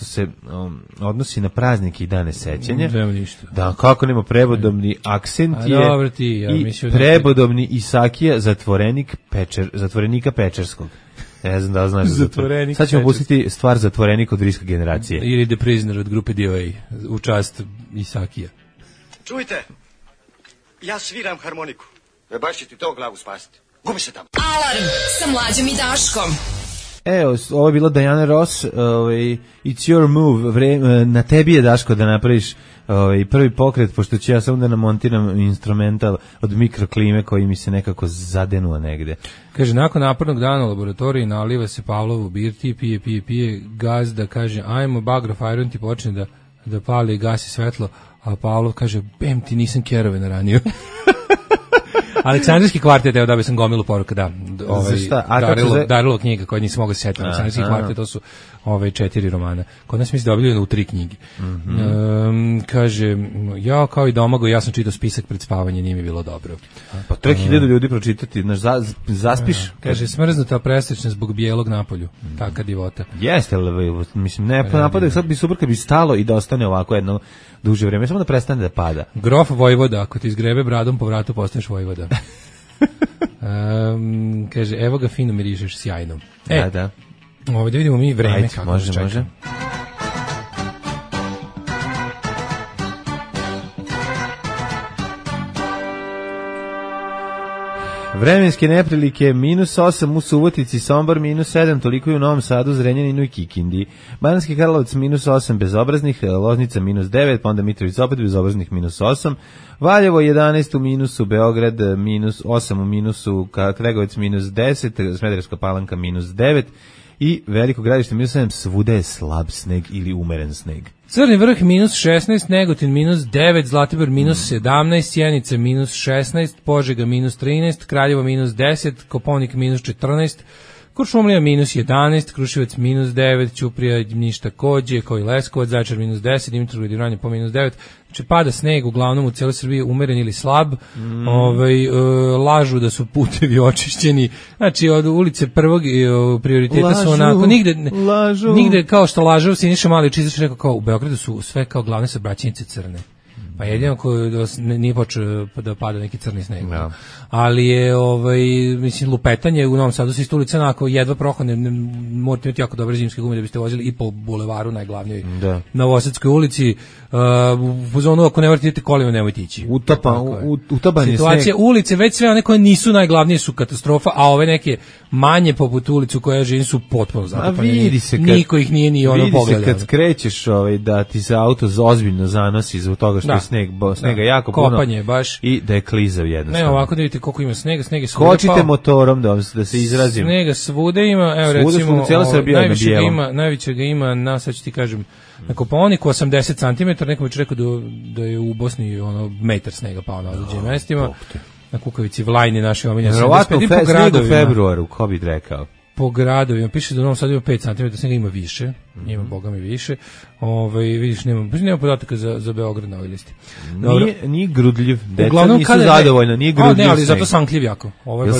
se odnosi na praznike i dane sećanja. Da, kako nema prevodobni akcent je prevodobni Isakija, zatvorenika Pečerskog. Ne znam da li znaš. Sad ćemo pustiti stvar Zatvorenik od Riska generacije. Ili The Prisoner od grupe DOA u čast Isakija. Čujte, ja sviram harmoniku. Baš će ti to glavu spasiti. Gubi se tamo. Alarm sa Mlađom i Daškom. Evo, ovo je bila Diana Ross, It's Your Move, na tebi je, Daško, da napraviš prvi pokret, pošto ću ja samo da namontiram instrumental od mikroklime koji mi se nekako zadenuo negde. Kaže, nakon napornog dana u laboratoriji naliva se Pavlovu birti, pije, gazda kaže, ajmo, Bagraf Iron ti počne da pali i gasi svetlo, a Pavlov kaže, bem ti nisam kerove naranio. Aleksandrijski kvartet, evo da bi sam gomilu poruka, da. Darilo knjiga koja nisam mogao se setiti. Aleksandrijski kvartet, to su 4 romana. Kod nas misli da objavljeno u 3 knjige. Kaže, ja kao i Domago, ja sam čitao spisak pred spavanje, nije mi bilo dobro. Pa 3000 ljudi pročitati, zaspiš? Kaže, smrznuta presečna zbog bijelog napolju. Taka divota. Jeste, mislim, ne napadaju, sad bi super kad bi stalo i da ostane ovako jedno duže vrijeme, samo da prestane da pada. Grof Vojvoda, ako ti izgrebe bradom po vratu, postaneš Vojvoda. Kaže, evo ga, fino mirišeš, sjajno. Da. Ovdje da vidimo mi vreme kako može, čeka. Može. Vremenske neprilike, -8 u Subotici, Sombor -7, toliko i u Novom Sadu, Zrenjaninu i Kikindi. Banatski Karlovac -8 bezobraznih, Loznica -9, pa onda Mitrovica opet bezobraznih -8, Valjevo 11 u minusu, Beograd -8 u minusu, Kregovec -10, Smederevska Palanka -9 i Veliko Gradište -7, svuda je slab sneg ili umeren sneg. Crni Vrh -16, Negotin -9, Zlatibor -17, Sjenica -16, Požega -13, Kraljevo -10, Koponik -14, Kuršumlija -11, Kruševac -9, Ćuprija ništa takođe, kao i Leskovac, Zaječar -10, Dimitrovgrad i Vranje po -9. Znači pada sneg uglavnom u celoj Srbiji, umeren ili slab. Lažu da su putevi očišćeni. Znači od ulice prvog prioriteta su onako nigde kao što lažu Siniša Mali Čizaš rekao kao u Beogradu su sve kao glavne saobraćajnice crne. Pa jedino koji nije počeo da pada neki crni sneg. Ali je, mislim, lupetanje u Novom Sadu sa ulica onako jedva prohodne, morate imati jako dobre zimske gume da biste vozili i po bulevaru najglavnijoj Novosadskoj ulici. U zonu ako ne morate idete kolima, nemojte ići. Utaban je situacija ulice, već sve one koje nisu najglavnije su katastrofa, a ove neke manje poput ulicu koja živim su potpuno zatrpane. Niko ih nije ni ono pogledao. Vidi se kad skrećeš da ti se auto ozbiljno zanosi zbog toga što je snega jako kopanje, puno baš. I da je klizav jednostavno. Ne, ovako da vidite koliko ima snega je svuda. Kočite motorom da se izrazim. Snega svude ima, evo recimo, najviše ga ima, sad ću ti kažem, na Kopaoniku 80 cm, neko bi rekao da je u Bosni metar snega pao na određenim mestima. Na Kukavici, Vlajni, naši omiljeni. Verovatno sneg u februaru, ko bi rekao. Po gradovima, piše da u Novom Sadu ima 5 cm, snega ima više, ima boga mi više. Vidiš, nema podataka za Beograd na ovoj listi. Nije grudljiv, deca nisu zadovoljna, nije grudljiv. Ne, ali zato sankljiv jako. Ovo je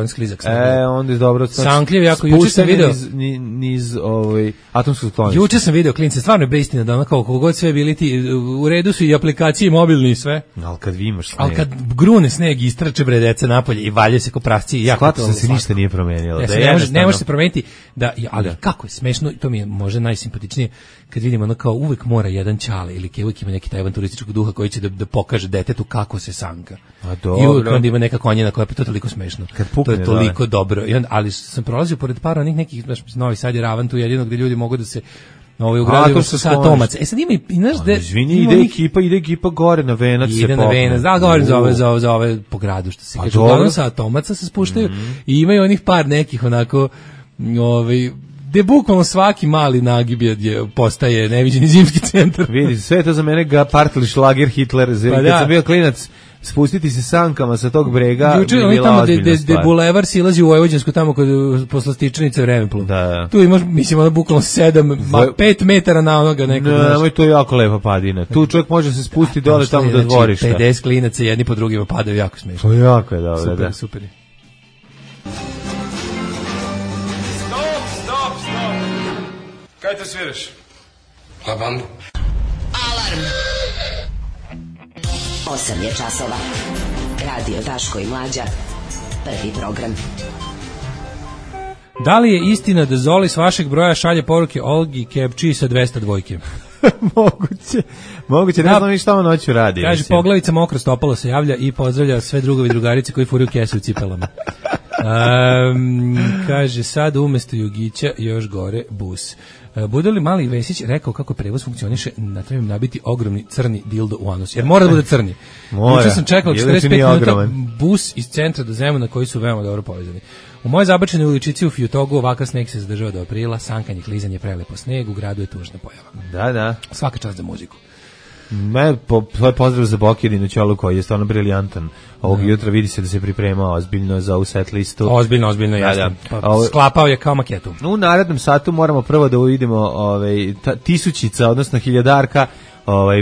sklizak. Onda je dobro. Sankljiv jako, juče sam video niz atomskog skloništa. Juče sam video, klince, stvarno je beistina da kao kogod sve bili ti, u redu su i aplikacije mobilni i sve. Ali kad vi imaš sneg. Ali kad grune sneg, istrače bre deca napolje i valje se ko pravci. Shvato se ništa nije promenilo. Ne može se promeniti, ali kako je smešno, to mi je možda najsimpatičnije, kad vidimo kao uvek mora jedan ćale ili uvek ima neki taj avanturističkog duha koji će da pokaže detetu kako se sanka. I uvek onda ima neka konjena koja je to toliko smešno. To je toliko dobro. Ali sam prolazio pored par onih nekih, Novi Sad je ravan tu jedino gde ljudi mogu da se u gradu su sa Atomaca. Sad ima i znaš da ide ekipa gore na Venac se popne. Govorim za ove po gradu što se kaže. Uglavnom sa Atomaca se spuštaju i imaju onih par nekih onako gde bukvalno svaki mali nagib postaje neviđeni zimski centar. Vidi, sve to za mene partili šlager Hitler. Kad sam bio klinac, spustiti se sankama sa tog brega juče je bila ozbiljna stvar. Juče bulevar silazi u Vojvođansku tamo kod poslastičanice Vremenplov. Tu imaš, mislim, bukvalno 5 metara na onoga nekog. Ne, to je jako lepa padina. Tu čovjek može se spustiti dole tamo do dvorišta. 50 klinaca jedni po drugima padaju, jako smešno. To jako je dobro, super. Kaj te sviraš? La bandu. Alarm. 8 je časova. Radio Daško i Mlađa. Prvi program. Da li je istina da Zoli s vašeg broja šalje poruke Olgi Kepči sa 200 dvojke? Moguće, ne znam ni šta on noću radi. Kaže, poglavica mokro stopalo se javlja i pozdravlja sve drugovi i drugarice koji furaju kese u cipelama. Kaže, sad umesto Jugića još gore bus. Bude li Mali Vesić rekao kako prevoz funkcioniše, na trebam nabiti ogromni crni dildo u anus. Jer mora da bude crni. Juče sam čekao 45 minuta bus iz centra do Zemuna koji su veoma dobro povezani. U mojoj zabačenoj uličici u Fjutogu ovakav sneg se zadržava do aprila, sankanje, klizanje, prelepo sneg, u gradu je tužna pojava. Da. Svaka čast za muziku. Svoj pozdrav za Bokjedinu Ćolu koji je stvarno briljantan. Ovog jutra vidi se da se pripremao ozbiljno za ovu set listu. Ozbiljno, jasno. Sklapao je kao maketu. U narednom satu moramo prvo da uvidimo tisućica, odnosno hiljadarka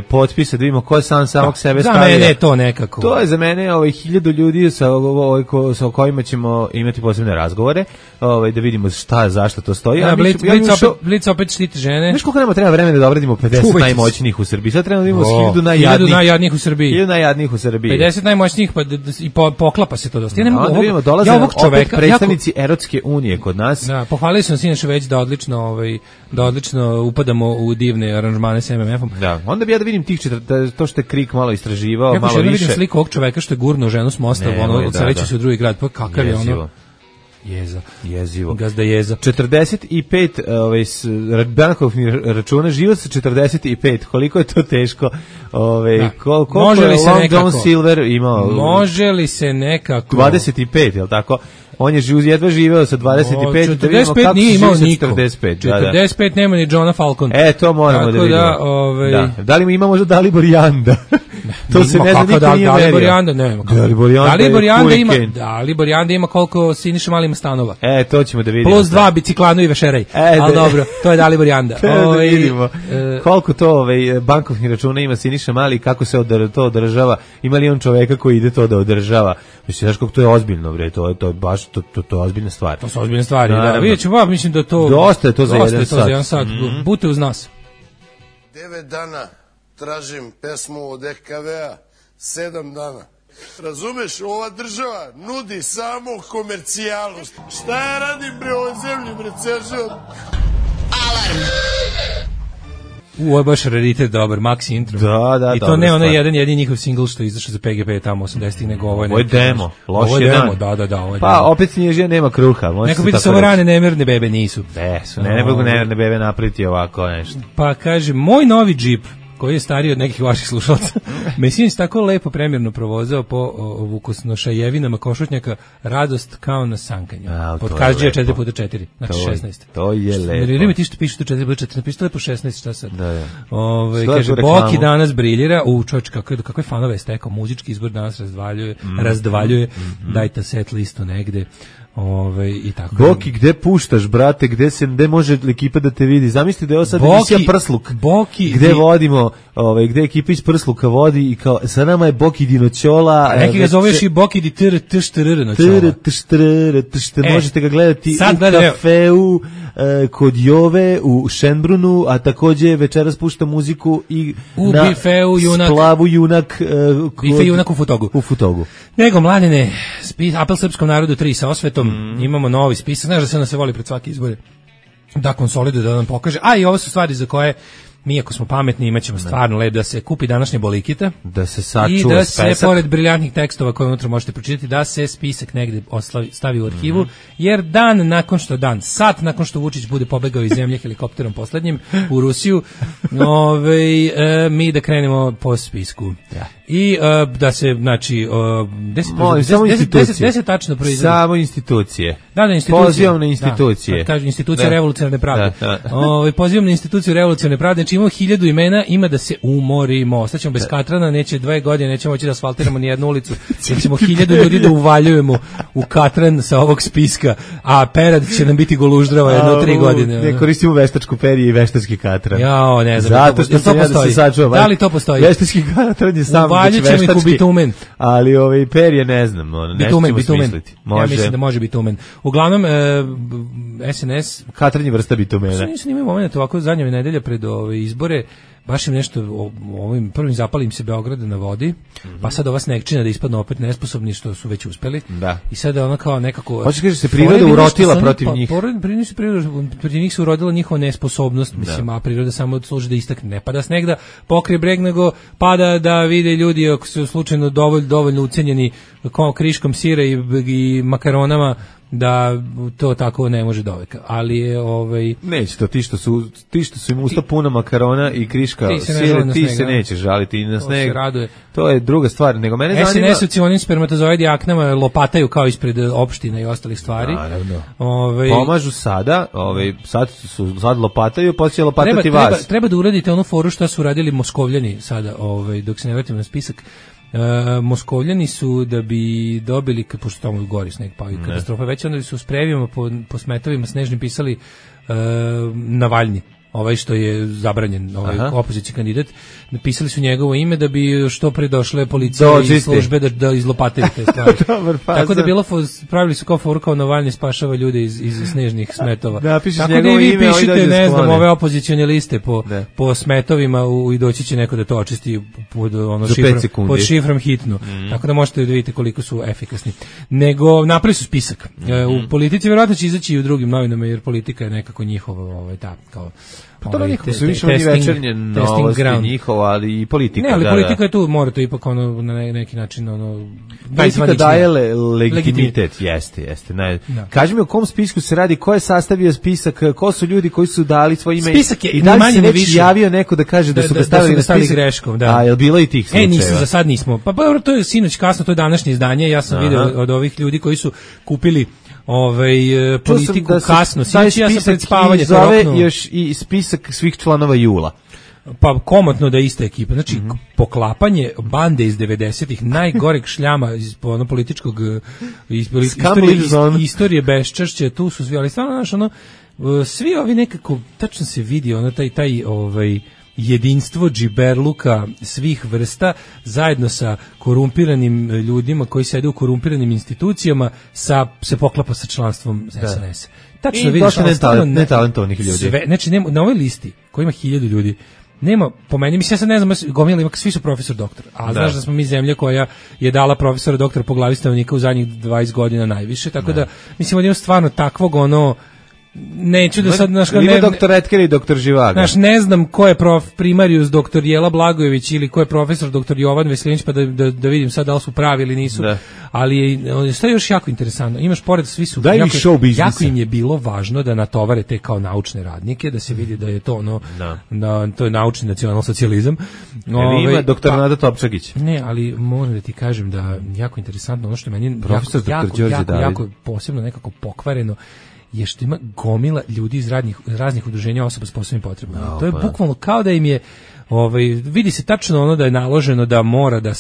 potpisa, da vidimo ko je samog sebe stavio. Za mene je to nekako. To je za mene 1000 ljudi sa kojima ćemo imati posebne razgovore, da vidimo zašto to stoji. Blic opet štiti žene. Znaš koliko nama treba vremena da obradimo 50 najmoćnijih u Srbiji? Sad treba da vidimo 1000 najjadnijih u Srbiji. 1000 najjadnijih u Srbiji. 50 najmoćnijih, i poklapa se to dosta. Da vidimo, dolaze opet predstavnici Erotske unije kod nas. Da, pohvalili smo sinoć već da odlično upadamo u divne aranžmane s MMF-om. Da, onda bi ja da vidim to što je Krik malo istraživao, malo više. Ja vidim sliku ovog čoveka što je gurnuo ženu s mosta, odseleći se u drugi grad, pa kakav je ono... Jezivo. Gazda jeza. 45 bankovnih računa, život sa 45. Koliko je to teško? Koliko je Long John Silver imao? Može li se nekako... 25, je li tako? On je jedva živeo sa 25. 45 nije imao niko. 45 nema ni Johna Falcon. To moramo da vidimo. Da li imamo možda Dalibor Janda? To se ne zna, niko nije merio. Dalibor Janda ima koliko Siniša Mali ima stanova. To ćemo da vidimo. Plus 2 biciklanu i vešeraj. Ali dobro, to je Dalibor Janda. Da vidimo. Koliko to bankovnih računa ima Siniša Mali, kako se to održava, ima li on čoveka koji ide to da održava. Mislim, znaš kako to je ozbiljno, bre, to je baš, to je ozbiljna stvar. To su ozbiljne stvari, da. Vidjet ću, mislim da to... Dosta je to za jedan sat. Bute uz nas. 9 dana tražim pesmu od EKV-a 7 dana. Razumeš, ova država nudi samo komercijalnu. Šta ja radim bre ovoj zemlji, bre, ceo život? Alarm! Ovo je baš raritet dobar, Maxi intro. Da, i to ne onaj jedini njihov singl što je izašao za PGP tamo 80-ih, nego ovo je neki. Ovo je demo, loš je demo. Da, ovo je pa, demo. opet Snježija nema kruha. Neko bi da se ovo rane nemerne bebe nisu. Ne mogu nemerne bebe napraviti ovako nešto. Pa kaže, moj novi džip, koji je stariji od nekih vaših slušalaca, me sinoć tako lepo premjerno provozao po vukosnošajevinama košutnjaka, radost kao na sankanju. Pod Kažđija 4x4, znači 16. To je lepo. Nerviraj me ti što piše to 4x4, napiši to lepo 16, šta sad? Da. Kaže, Boki danas briljira, čovječ, kakve fanove je stekao, muzički izbor danas razdvaljuje, dajte set listu negde. I tako. Boki, gde puštaš, brate, gde može ekipa da te vidi? Zamisli da je ovo sad emisija Prsluk. Boki, gde vodimo, gde ekipa iz Prsluka vodi i kao, sa nama je Boki Dinoćola. Neki ga zoveš i Boki di tr možete ga gledati u kafeu kod Jove u Šenbrunu, a takođe večeras pušta muziku i u bifeu Junak. Splavu Junak. Bife Junak u Futogu. Nego, mladine, apel srpskom narodu 3 sa osvetom. Imamo novi spisak, znaš da se nas se voli pred svake izbore da konsoliduje, da nam pokaže, a i ovo su stvari za koje mi ako smo pametni imaćemo stvarno lep da se kupi današnje bolikite, da se sačuva i da se pored briljantnih tekstova koje unutra možete pročitati, da se spisak negde stavi u arhivu, jer sat nakon što Vučić bude pobegao iz zemlje helikopterom poslednjim u Rusiju, mi da krenemo po spisku. I da se, znači, gde se tačno proizvodi? Samo institucije. Da, institucije. Pozivam na institucije. Kaže, institucija revolucionarne pravde. Pozivam na instituciju revolucionarne pravde. Znači, imamo 1000 imena, ima da se umorimo. Ostaćemo bez katrana, neće 2 godine, nećemo moći da asfaltiramo ni jednu ulicu. Nećemo 1000 ljudi da uvaljujemo u katran sa ovog spiska, a perad će nam biti goluždrava jedno 3 godine. Ne koristimo veštačku perje i veštački katran. Jao, ne znam. Zato što sam ja da se sačuvam. Da li to postoji? Veštački katran je samo ćemo ih u bitumen. Ali perje ne znam, bitumen. Ja mislim da može bitumen. Uglavnom, SNS... Katranje vrsta bitumena. Nisam imao moment ovako zadnje nedelje pred izbore, baš im nešto, ovim prvim zapalim se Beograda na vodi, pa sad ova snegčina da ispadnu opet nesposobni što su već uspeli. Da. I sada ona kao nekako... Hoće kaže se priroda urotila protiv njih. Protiv njih se urodila njihova nesposobnost, mislim, a priroda samo služi da istakne. Ne pada sneg da pokrije breg, nego pada da vide ljudi ako su slučajno dovoljno ucenjeni kriškom sira i makaronama, da to tako ne može doveka, ali je neće to, ti što su im usta puna makarona i kriška sira, ti se neće žaliti na sneg, to je druga stvar, nego mene zanima... SNS-ovci onim spermatozoidi aknama lopataju kao ispred opština i ostalih stvari. Naravno. Pomažu sada, sad lopataju, pa će lopatati vas. Treba da uradite onu foru što su uradili Moskovljani sada, dok se ne vratimo na spisak. Moskovljani su da bi dobili, pošto tamo gori sneg pa i katastrofa već, onda su s previjama po smetovima snežnim pisali Navalni, što je zabranjen, opozicijski kandidat, napisali su njegovo ime da bi što pre došle policije i službe da izlopataju te stvari. Tako da pravili su kao foru kao Navalni spašava ljude iz snežnih smetova. Tako da i vi pišite, ne znam, ove opozicione liste po smetovima i doći će neko da to očisti pod šifrom hitno. Tako da možete da vidite koliko su efikasni. Nego napravili su spisak. U politici verovatno će izaći i u drugim novinama, jer politika je nekako njihova, kao... Pa to nekako su više oni večernje novosti njihova, ali i politika. Ne, ali politika je tu, mora to ipak na neki način politika daje legitimitet, jeste. Kaži mi o kom spisku se radi, ko je sastavio spisak, ko su ljudi koji su dali svoje ime i da li se već javio neko da kaže da su ga stavili na spisak greškom. A je li bilo i tih slučajeva? Nisam, za sad nismo. Pa to je sinoć kasno, to je današnje izdanje, ja sam video od ovih ljudi koji su kupili politiku kasno. Taj spisak zove još i spisak svih članova Jula. Pa komotno da je ista ekipa. Znači, poklapanje bande iz 90-ih, najgoreg šljama iz političkog istorije beščašća, tu su svi, ali stvarno, svi ovi nekako, tačno se vidi, taj jedinstvo džiberluka svih vrsta zajedno sa korumpiranim ljudima koji sede u korumpiranim institucijama se poklapa sa članstvom SNS. Tačno vidiš, netalentovanih ljudi. Znači, na ovoj listi koji ima 1000 ljudi, nema, po meni, mislim, ja sad ne znam, gomila ima, svi su profesor doktor, a znaš da smo mi zemlja koja je dala profesora doktora po glavi stanovnika u zadnjih 20 godina najviše, tako da, mislim, ima stvarno takvog neću da sad ima doktor Etker i doktor Živaga. Ne znam ko je primarius doktor Jela Blagojević ili ko je profesor doktor Jovan Veselinić, pa da vidim sad da li su pravi ili nisu. Ali što je još jako interesantno, imaš pored svi su jako im je bilo važno da natovare te kao naučne radnike, da se vidi da je to to je naučni nacionalsocijalizam. Ima doktor Nada Topčagić. Ne, ali moram da ti kažem da jako interesantno ono što meni jako posebno nekako pokvareno je što ima gomila ljudi iz raznih udruženja osoba s posebnim potrebama. To je bukvalno kao da im je vidi se tačno da je naloženo da mora da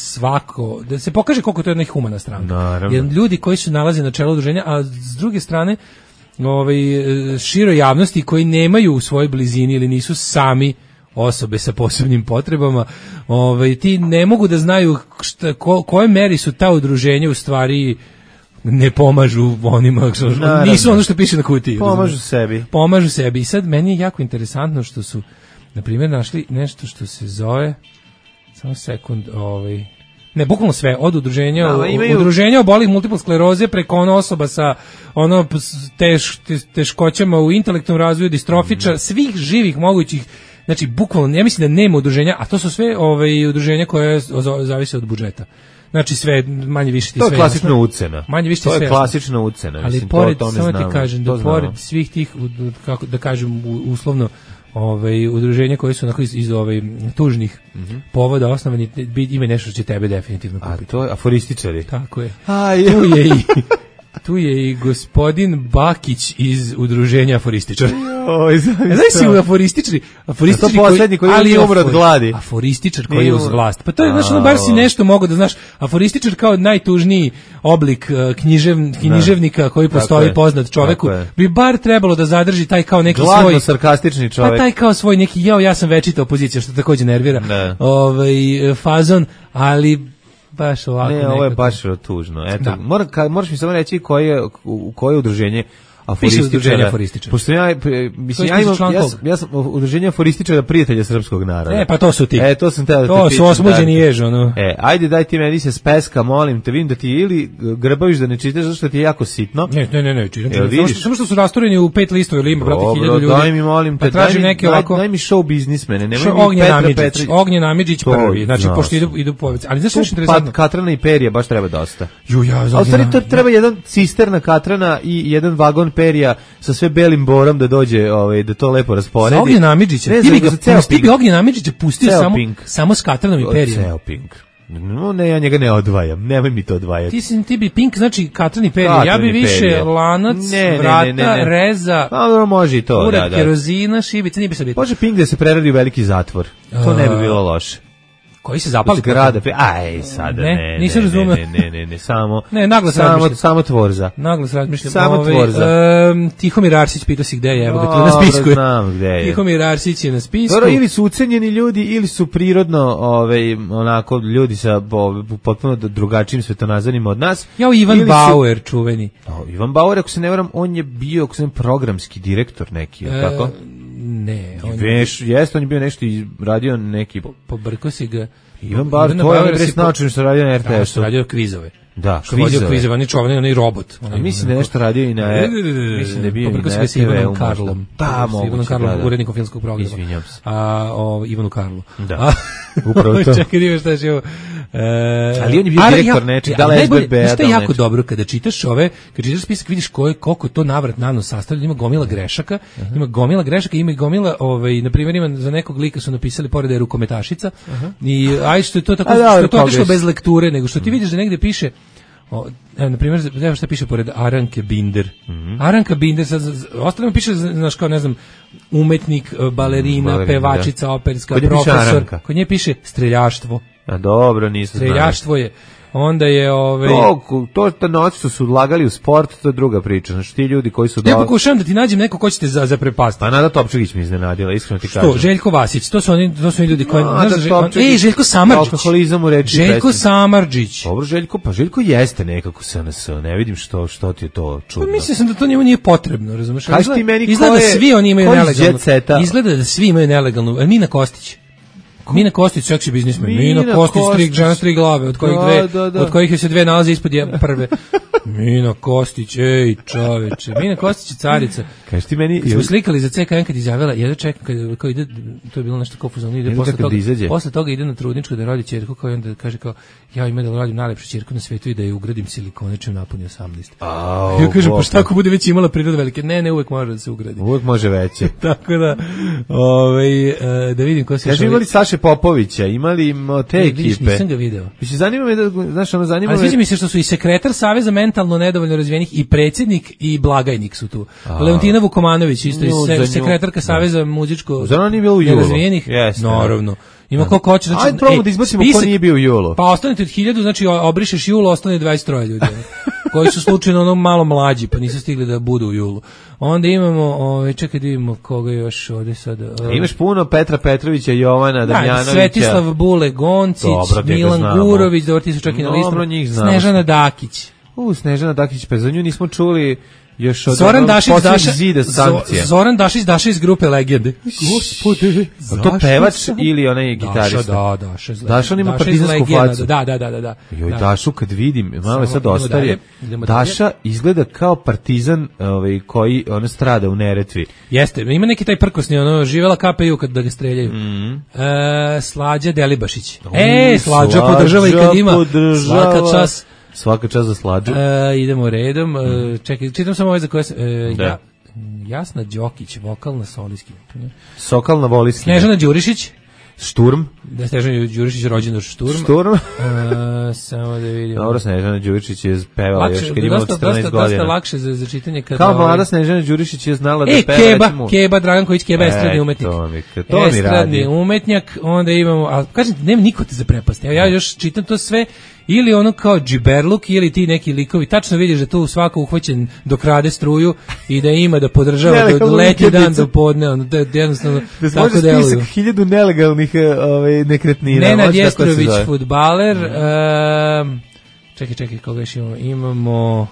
da se pokaže koliko to je jedna humana stranka. Jer ljudi koji se nalaze na čelu udruženja, a s druge strane široj javnosti koji nemaju u svojoj blizini ili nisu sami osobe sa posebnim potrebama, ti ne mogu da znaju koje meri su ta udruženja u stvari ne pomažu onima, nisu ono što piše na kutiji. Pomažu sebi. I sad meni je jako interesantno što su, na primjer, našli nešto što se zove, samo sekund, ne, bukvalno sve, od udruženja obolih multiple skleroze preko osoba sa teškoćama u intelektualnom razvoju, distrofiča, svih živih mogućih. Znači, bukvalno, ja mislim da nema udruženja, a to su sve udruženja koje zavise od budžeta. Znači sve manje više ti sve. To je klasična ucena. Manje više ti sve. To je klasična ucena, ali mislim, pored, to samo ti kažem da pored svih tih, kako da kažem uslovno, udruženja koji su onako iz tužnih povoda osnovani, ima nešto što će tebe definitivno kupiti. A to je aforističari. Tako je. Tu je i gospodin Bakić iz udruženja aforističara. Znaš si u aforističari? To poslednji koji je umro od gladi. Aforističar koji je uz vlast. Pa to je, znaš, bar si nešto mogo da znaš. Aforističar kao najtužniji oblik književnika koji postoji poznat čoveku, bi bar trebalo da zadrži taj kao neki svoj... Gladno sarkastični čovek. Pa taj kao svoj neki, ja sam večita opozicija, što takođe nervira. Fazon, ali... baš ovako. Ne, ovo je baš tužno. Eto, moraš mi samo reći koje udruženje aforističara. Pošto ja sam udruženje aforističara prijatelja srpskog naroda. Pa to su ti. To sam teo da te pitam. To su osmuđeni jež, ono. Ajde, daj ti meni se speska, molim te, vidim da ti ili grbaviš da ne čitaš, zato što ti je jako sitno. Ne, čitam. Samo što su rastureni u 5 listova, ili ima, brate, 1000 ljudi. Daj mi, molim te, daj mi show biznismene, nemoj mi Petra Petrić. Ognjen Amidžić prvi, znači, pošto idu poveci. Ali znaš što je interesantno? Katrana i perija baš treba dosta. Ali stvari, to treba jedan cisterna Katrana i jedan vagon perija sa sve belim borom da dođe, da to lepo rasporedi. Za Ognjena Amidžića, ti bi Ognjena Amidžića pustio samo s Katranom i perijem. Ceo Pink. No, ne, ja njega ne odvajam, nemoj mi to odvajati. Ti bi Pink, znači Katran i perije, ja bi više lanac, vrata, reza, može i to, urak, kerozina, šibica, nije bi sad biti. Može Pink da se preradi u veliki zatvor, to ne bi bilo loše. Koji se zapali? Sada ne. Nisam razumeo. Ne, samo. Ne, naglas razmišljam. Samo Tvorza. Naglas razmišljam. Samo Tvorza. Tihomir Arsić pitao si gde je, evo ga tu na spisku. Znam gde je. Tihomir Arsić je na spisku. Dobro, ili su ucenjeni ljudi, ili su prirodno, onako, ljudi sa potpuno drugačijim svetonazorima od nas. Ivan Bauer, čuveni. Ivan Bauer, ako se ne varam, on je bio, ako se ne programski direktor neki, tako? Ne, on je bio nešto i radio neki... Pobrko si ga... Ivan Bauer, to je res naučen što radio na RTS-u. Radio kvizove. Da, kvizove, on je čovan, on je robot. Mislim da je nešto radio i na... Mislim da je bio i na RTV-u. S Ivanom Karlom. Da, moguće. Ivanom Karlom, urednikom filmskog programa. Izvinjam se. Ivanu Karlu. Da, upravo to. Čekaj, nije šta je ovo. Ali on je bio direktor nečeg, da li SBB-a. Što je jako dobro, kada čitaš spisak, vidiš koliko to navrat nanos sastavlja, ima gomila grešaka, ima gomila, na primjer, ima za nekog lika su napisali pored da je rukometašica, i što je to tako, što je to otišlo bez lekture, nego što ti vidiš da negde piše, na primjer, evo šta piše pored Aranke Binder. Aranka Binder, ostalima piše, znaš, kao, ne znam, umetnik, balerina, pevačica, operska, profesor. Kod nje piše streljaštvo. A dobro, nisu znali. Streljaštvo je. Onda je to noći su ulagali u sport, to je druga priča. Znači ti ljudi koji su... Ja pokušavam da ti nađem neko ko će te zaprepastiti. Pa Nada Topčagić mi iznenadila, iskreno ti kažem. Što? Željko Vasić, to su oni ljudi koji... Željko Samardžić. Alkoholizam u reči. Željko Samardžić. Dobro, Željko jeste nekako SNS, ne vidim što ti je to čudno. Pa mislim da to njemu nije potrebno, razumeš? Kaži ti meni Izgleda da svi oni imaju nelegalnu. Izgleda da svi imaju nelegalnu. Mina Kostić. Mina Kostić, seksi biznismen. Mina Kostić, žena s 3 glave, od kojih se 2 nalaze ispod prve. Mina Kostić, ej čoveče. Mina Kostić je carica. Kaži ti meni... Smo slikali za CKN kad izjavila, jedno čekam kad ide, to je bilo nešto kao fuzon, ide posle toga ide na trudničku da rodi ćerku, kao onda kaže kao, ja ima da radim najlepšu ćerku na svetu i da je ugradim silikoničem napuni 18. Ja kažem, pa šta ako bude već imala priroda velike? Ne, uvek može da se ugradi. Uvek može veće. Tako da, da vidim ko se... Kaži, imali Saše Popovića, imali te ekipe. Nisam ga video. Zanima me da, znaš, ono zanima me... Ali sviđa mi se što su i sekretar Saveza mentalno nedovoljno razvijenih i predsjednik i blagajnik su tu. Leontina Vukomanović, isto sekretarka Saveza muzičko nerazvijenih. Naravno. Ima koliko hoće, znači... Ajde, probamo da izbacimo ko nije bio u julu. Pa ostanete od 1000, znači obrišeš julu, ostane 23 ljudi. Koji su slučajno ono malo mlađi, pa nisu stigli da budu u julu. Onda imamo, čekaj da vidimo koga još ovdje sad... Imaš puno Petra Petrovića, Jovana Damjanovića. Svetislav Bule Goncić, Milan Gurović, dobro ti su čak i na listu. Snežana Dakić. Snežana Dakić, pa za nju nismo čuli... Još od Zoran Dašić iz grupe Legende. Gospode. To pevač ili onaj gitarista? Daša on ima partizansku facu. Da. Joj, Dašu kad vidim, malo je sad ostarije. Daša izgleda kao partizan koji ona strada u Neretvi. Jeste, ima neki taj prkosni, živela KPU kad da ga streljaju. Slađa Delibašić. Slađa podržava i kad ima. Svaka čas. Svaka čast za Slađu. Idemo redom. Čekaj, čitam samo ove za koje se... Jasna Đokić, vokalna solistki. Sokalna voliskinja. Snežana Đurišić. Šturm. Snežana Đurišić rođena Šturm. Samo da vidimo. Dobro, Snežana Đurišić je pevala još kad imala 14 godina. Dosta lakše za čitanje. Kao mlada Snežana Đurišić je znala da peva. Keba, Draganković, Keba, estradni umetnik. To mi radi. Estradni umetnjak, onda imamo, ali kažem, nema niko te za prepast. Ja još čitam to sve, ili ono kao džiberluk, ili ti neki likovi, tačno vidiš da tu svako uhvaćen dok rade struju i da ima da podržava do letnji dan do podne, ono, da jednostavno tako deluju. Može spisak 1000 nelegalnih nekretnina. Nenad Jestrović, fudbaler, čekaj, koga još imamo? Imamo...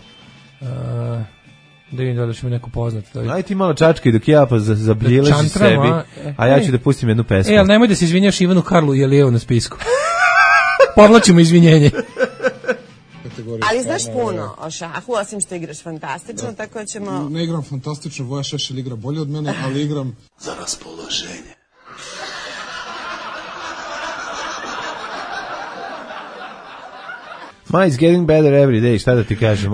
da vidim da li ćemo neko poznati. Aj ti malo čačkaj dok ja pa zabljileši sebi, a ja ću da pustim jednu pesmu. Ali nemoj da se izvinjaš Ivanu Karlu, jer je na spisku. Povlačimo izvinjenje. Ali znaš puno o šahu, osim što igraš fantastično, tako da ćemo... Ne igram fantastično, Voja Šešelj igra bolje od mene, ali igram za raspoloženje. It's getting better every day, šta da ti kažem?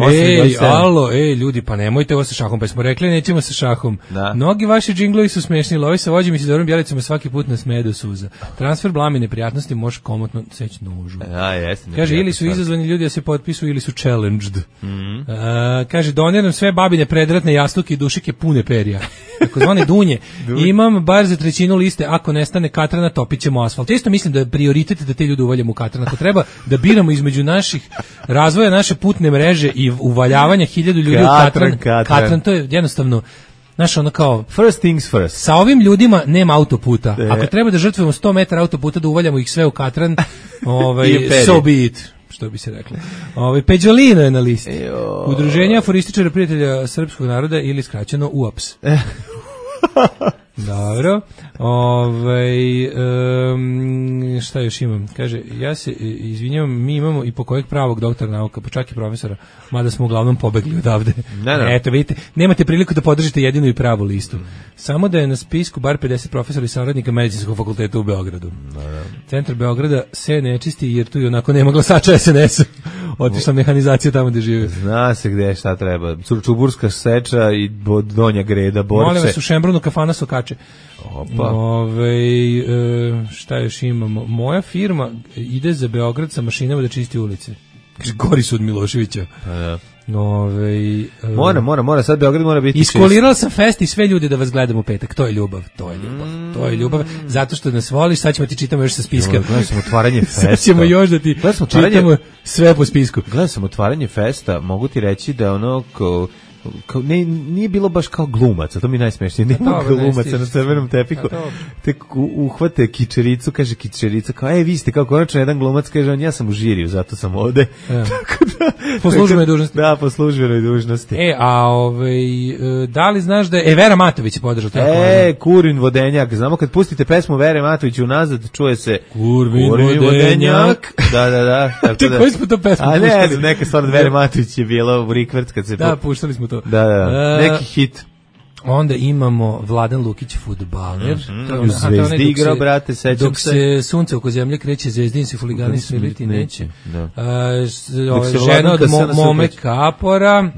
Ljudi, pa nemojte ovo sa šahom, pa smo rekli nećemo sa šahom. Mnogi vaši džinglovi su smešni, lovi sa vođim i sa Dorom Bjelicama svaki put na sme do suza. Transfer blami neprijatnosti može komotno seći nožu. Kaže, ili su izazvani ljudi da se potpisu, ili su challenged. Kaže, doniram sve babine predratne jastuke i dušike pune perja. Tako zvane dunje. Imam bar za 1/3 liste, ako nestane katrana, topit ćemo asfalt. Isto mislim da je prioritet da te ljude uvaljamo u katran. Ako treba da biramo između naših razvoja naše putne mreže i uvaljavanja 1000 ljudi u katran, to je jednostavno, znaš, ono kao... First things first. Sa ovim ljudima nema autoputa. Ako treba da žrtvujemo 100 metara autoputa, da uvaljamo ih sve u katran, so be it, što bi se reklo. Peđolino je na listi. Udruženje aforističara prijatelja srpskog naroda ili skraćeno UAPS. Dobro. Šta još imam? Kaže, ja se izvinjavam, mi imamo i po kojeg pravog doktora nauka, pa čak i profesora, mada smo uglavnom pobegli odavde. Eto, vidite, nemate priliku da podržite jedinu i pravu listu. Samo da je na spisku bar 50 profesora i saradnika Medicinskog fakulteta u Beogradu. Centar Beograda se ne čisti jer tu i onako nema glasača SNS-a. Otišla mehanizacija tamo gde žive. Zna se gde šta treba. Čuburska seča i Donja Greda, Borče. Molim vas, u Šembrunu kafana Sokače. Šta još imamo? Moja firma ide za Beograd sa mašinama da čisti ulice. Kaže, gori su od Miloševića. Mora, sad Beograd mora biti čist. Iskolirala sam fest i sve ljude da vas gledam u petak. To je ljubav. Zato što nas voliš, sad ćemo ti čitamo još sa spiska. Gledam sam otvaranje festa. Sad ćemo još da ti čitamo sve po spisku. Gledam sam otvaranje festa, mogu ti reći da nije bilo baš kao glumaca, to mi je najsmešnije, nema glumaca na crvenom tepiku, tek uhvate kičericu, kaže kičerica, kao, vi ste kao konačno jedan glumac, kaže on, ja sam u žiriju, zato sam ovde. Po službenoj dužnosti. Da, po službenoj dužnosti. Da li znaš da je Vera Matović podržao? Kurvin vodenjak, znamo kad pustite pesmu Vere Matović unazad, čuje se Kurvin vodenjak. Da. Koji smo to pesmu puštali? A ne znam, neka stvar od Vere Matović je bila u Rikverc kad se... Da, puštali smo to. Da, neki hit. Onda imamo Vladan Lukić, fudbaler. U Zvezdi igrao, brate, sećam se. Dok se sunce oko zemlje kreće, Zvezdin se huligani sviliti neće. Žena od Mome Kapora.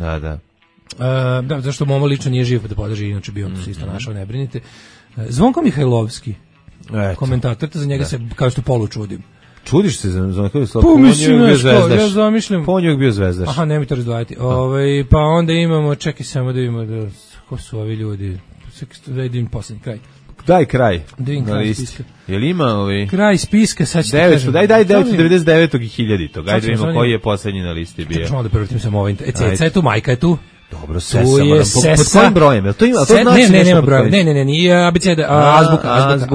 Da, zašto Momo lično nije živ, pa da podrži, inače bi on se isto našao, ne brinite. Zvonko Mihajlovski, komentator, za njega se, kao što polu čudim. Čudiš se za Zvonko Mihajlovski? Pa mislim, ja zamišljam. Pa on je bio zvezdaš. Aha, nemoj to razdvajati. Pa onda imamo, čekaj samo da imamo, ko su ovi ljudi, da idem poslednji kraj. Daj kraj na listi. Je li ima ovi? Kraj spiska, sad ćete kažem. Daj 999. i 1000. Ajde vidimo koji je poslednji na listi bio. Čekaj malo da prvrtim samo ovaj. Ceca je tu, Majka je tu. Dobro, Sesa, pod kojim brojem? To ima, to znači ne, nema broja. Ne, nije abeceda,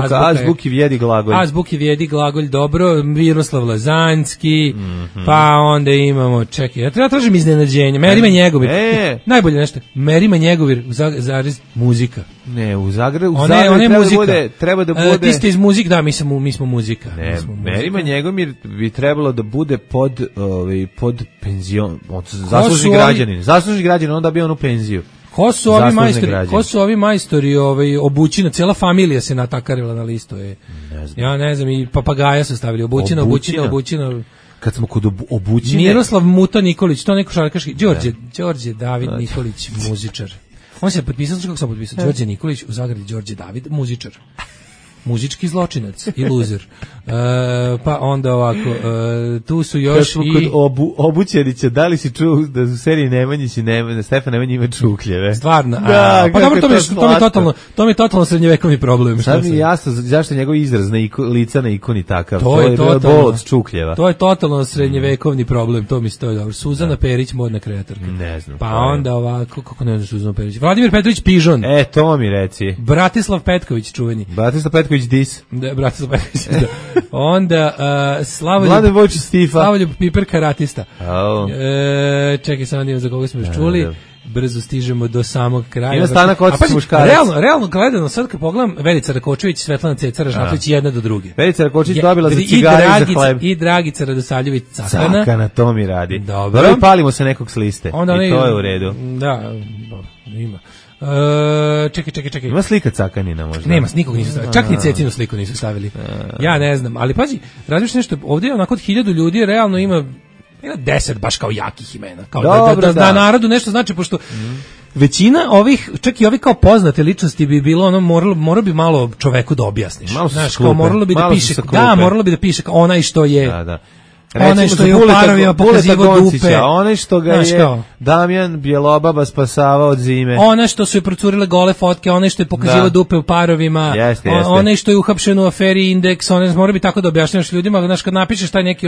azbuki vjedi glagolj. Azbuki vjedi glagolj, dobro, Miroslav Lazanski, pa onda imamo, čekaj, ja treba tražim iznenađenje, Merima Njegovir, najbolje nešto, Merima Njegovir, zarez, muzika. Ne, u Zagrebu treba da bude... Ti ste iz muzika, da, mi smo muzika. Ne, Merima Njegovir bi trebalo da bude pod penzion, zaslužni građanin, onda bi on u penziju. Ko su ovi majstori obućina, cijela familija se natakarila na listu. Ja ne znam, i papagaja su stavili, obućina. Kad smo kod obućine... Miroslav Muta Nikolić, to neko šarkaški, Đorđe David Nikolić, muzičar. On se potpisao, kako se potpisao, Đorđe Nikolić, u zagradi Đorđe David, muzičar. Muzički zločinac i luzer. Pa onda ovako, tu su još kad smo i... kod Obućenića, da li si čuo da u seriji Nemanjić i Stefan Nemanji ima čukljeve? Stvarno? Pa dobro, to mi je totalno srednjevekovni problem. Sad mi je jasno zašto njegov izraz lica na ikoni takav. To je bol od čukljeva. To je totalno srednjevekovni problem, to mi stoji dobro. Suzana Perić, modna kreatorka. Ne znam. Pa onda ovako, kako ne znam Suzana Perić? Vladimir Petrović Pižon. To mi reci. Bratislav Petković, čuveni. Bratislav Petković Dis. Da, Bratislav Petković, da. Onda Slavoljub Piper karatista. Čekaj, samo da imam za koga smo još čuli. Brzo stižemo do samog kraja. Ima Stanak Ocis muškarac. Realno gledano, sad kad pogledam, Verica Rakočević, Svetlana Ceca Ražnatović, jedna do druge. Verica Rakočević dobila za cigare i za hleb. I Dragica Radosavljević Cakana. Cakana, to mi radi. Dobro, i palimo se nekog s liste. I to je u redu. Da, ima. Čekaj. Ima slika Cakanina možda? Nema, nikog nisu stavili. Čak ni Cecinu sliku nisu stavili. Ja ne znam, ali pazi, različno nešto, ovdje onako od 1000 ljudi realno ima 10 baš kao jakih imena. Kao da narodu nešto znači, pošto većina ovih, čak i ovi kao poznate ličnosti bi bilo, ono, moralo bi malo čoveku da objasniš. Znaš, kao moralo bi da piše kao onaj što je... Da. Onaj što je u parovima pokazivo dupe. Onaj što ga je Damjan Bjelobaba spasavao od zime. Onaj što su je procurile gole fotke, onaj što je pokazivo dupe u parovima. Onaj što je uhapšen u aferi Indeks. Mora bi tako da objašnjavaš ljudima. Znaš, kad napišeš taj neki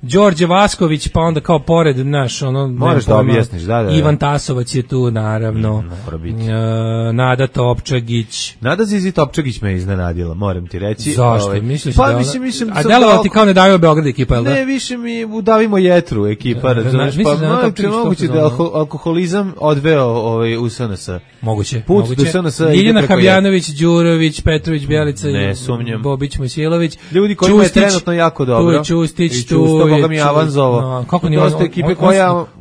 Đorđe Vasković, pa onda kao pored, znaš, moraš da objasniš, da. Ivan Tasovac je tu, naravno. Nada Topčagić. Nada Zizi Topčagić me iznenadila, moram ti reći. Zašto? Misliš da a delovao ti kao ne daju Beograd ekipa, jel da? Ne, više mi udavimo jetru ekipa, razumeš, pa moguće da alkoholizam odveo u SNS. Moguće. Put do SNS. Ljiljana Habjanović, Đurović, Petrović, Bjelica, Bobić, Mojsilović. Ljudi kojima je trenutno jako dobro. Tu je Čustić, tu je... Boga mi Avanzovo. Kako nije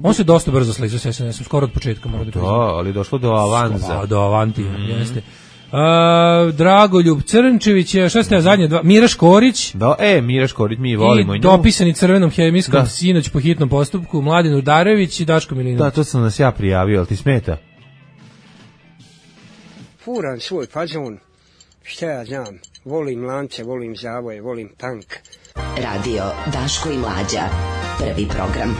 on se dosta brzo sličio sa SNS-om, skoro od početka. Da, ali došlo do Avanza. Do Avantija, jeste. Dragoljub Crnčević, šta ste zadnje dva? Mira Škorić. Mira Škorić, mi volimo i dopisani crvenom hemijskom sinoć po hitnom postupku, Mladen Udarević i Daško Milinović. Da, to sam nas ja prijavio, ali ti smeta? Furan svoj fazon, šta ja znam, volim lance, volim zavoje, volim tank. Radio Daško i Mlađa, prvi program.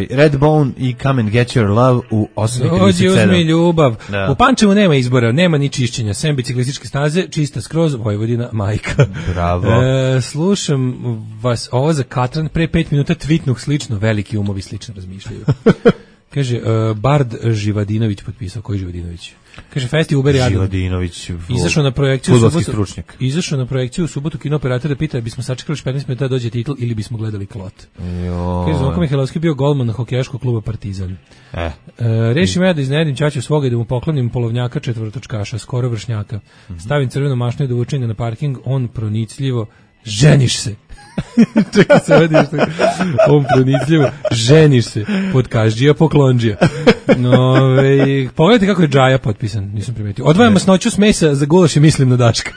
Redbone i Come and Get Your Love u 8:37. Dođi, uzmi ljubav. U Pančevu nema izbora, nema ni čišćenja, sem biciklističke staze, čista skroz, Vojvodina, majka. Bravo. Slušam vas ovo za Katran, pre 5 minuta tvitnuh slično, veliki umovi slično razmišljaju. Kaže, Bard Živadinović potpisao. Koji Živadinović? Kaže, Festi Uber Jadan. Živadinović, izašao na projekciju fudbalski stručnjak. Izašao na projekciju u subotu kino operatora da pita bismo sačekali 15 minuta da dođe titl ili bismo gledali Klot. Kaže, Zvonko Mihajlovski bio golman hokejaškog kluba Partizan. Rešim ja da iznenadim ćaću svoga i da mu poklonim polovnjaka četvrtočkaša, skoro vršnjaka. Stavim crvenu mašnu i dovučem ga na parking, on pronicljivo, ženiš se. Čekaj se vidi što on pronicljivo, ženiš se, podkažđija poklonđija. Pogledajte kako je Džaja potpisan, nisam primetio. Odvajam masnoću s mesa za gulaš i mislim na Daška.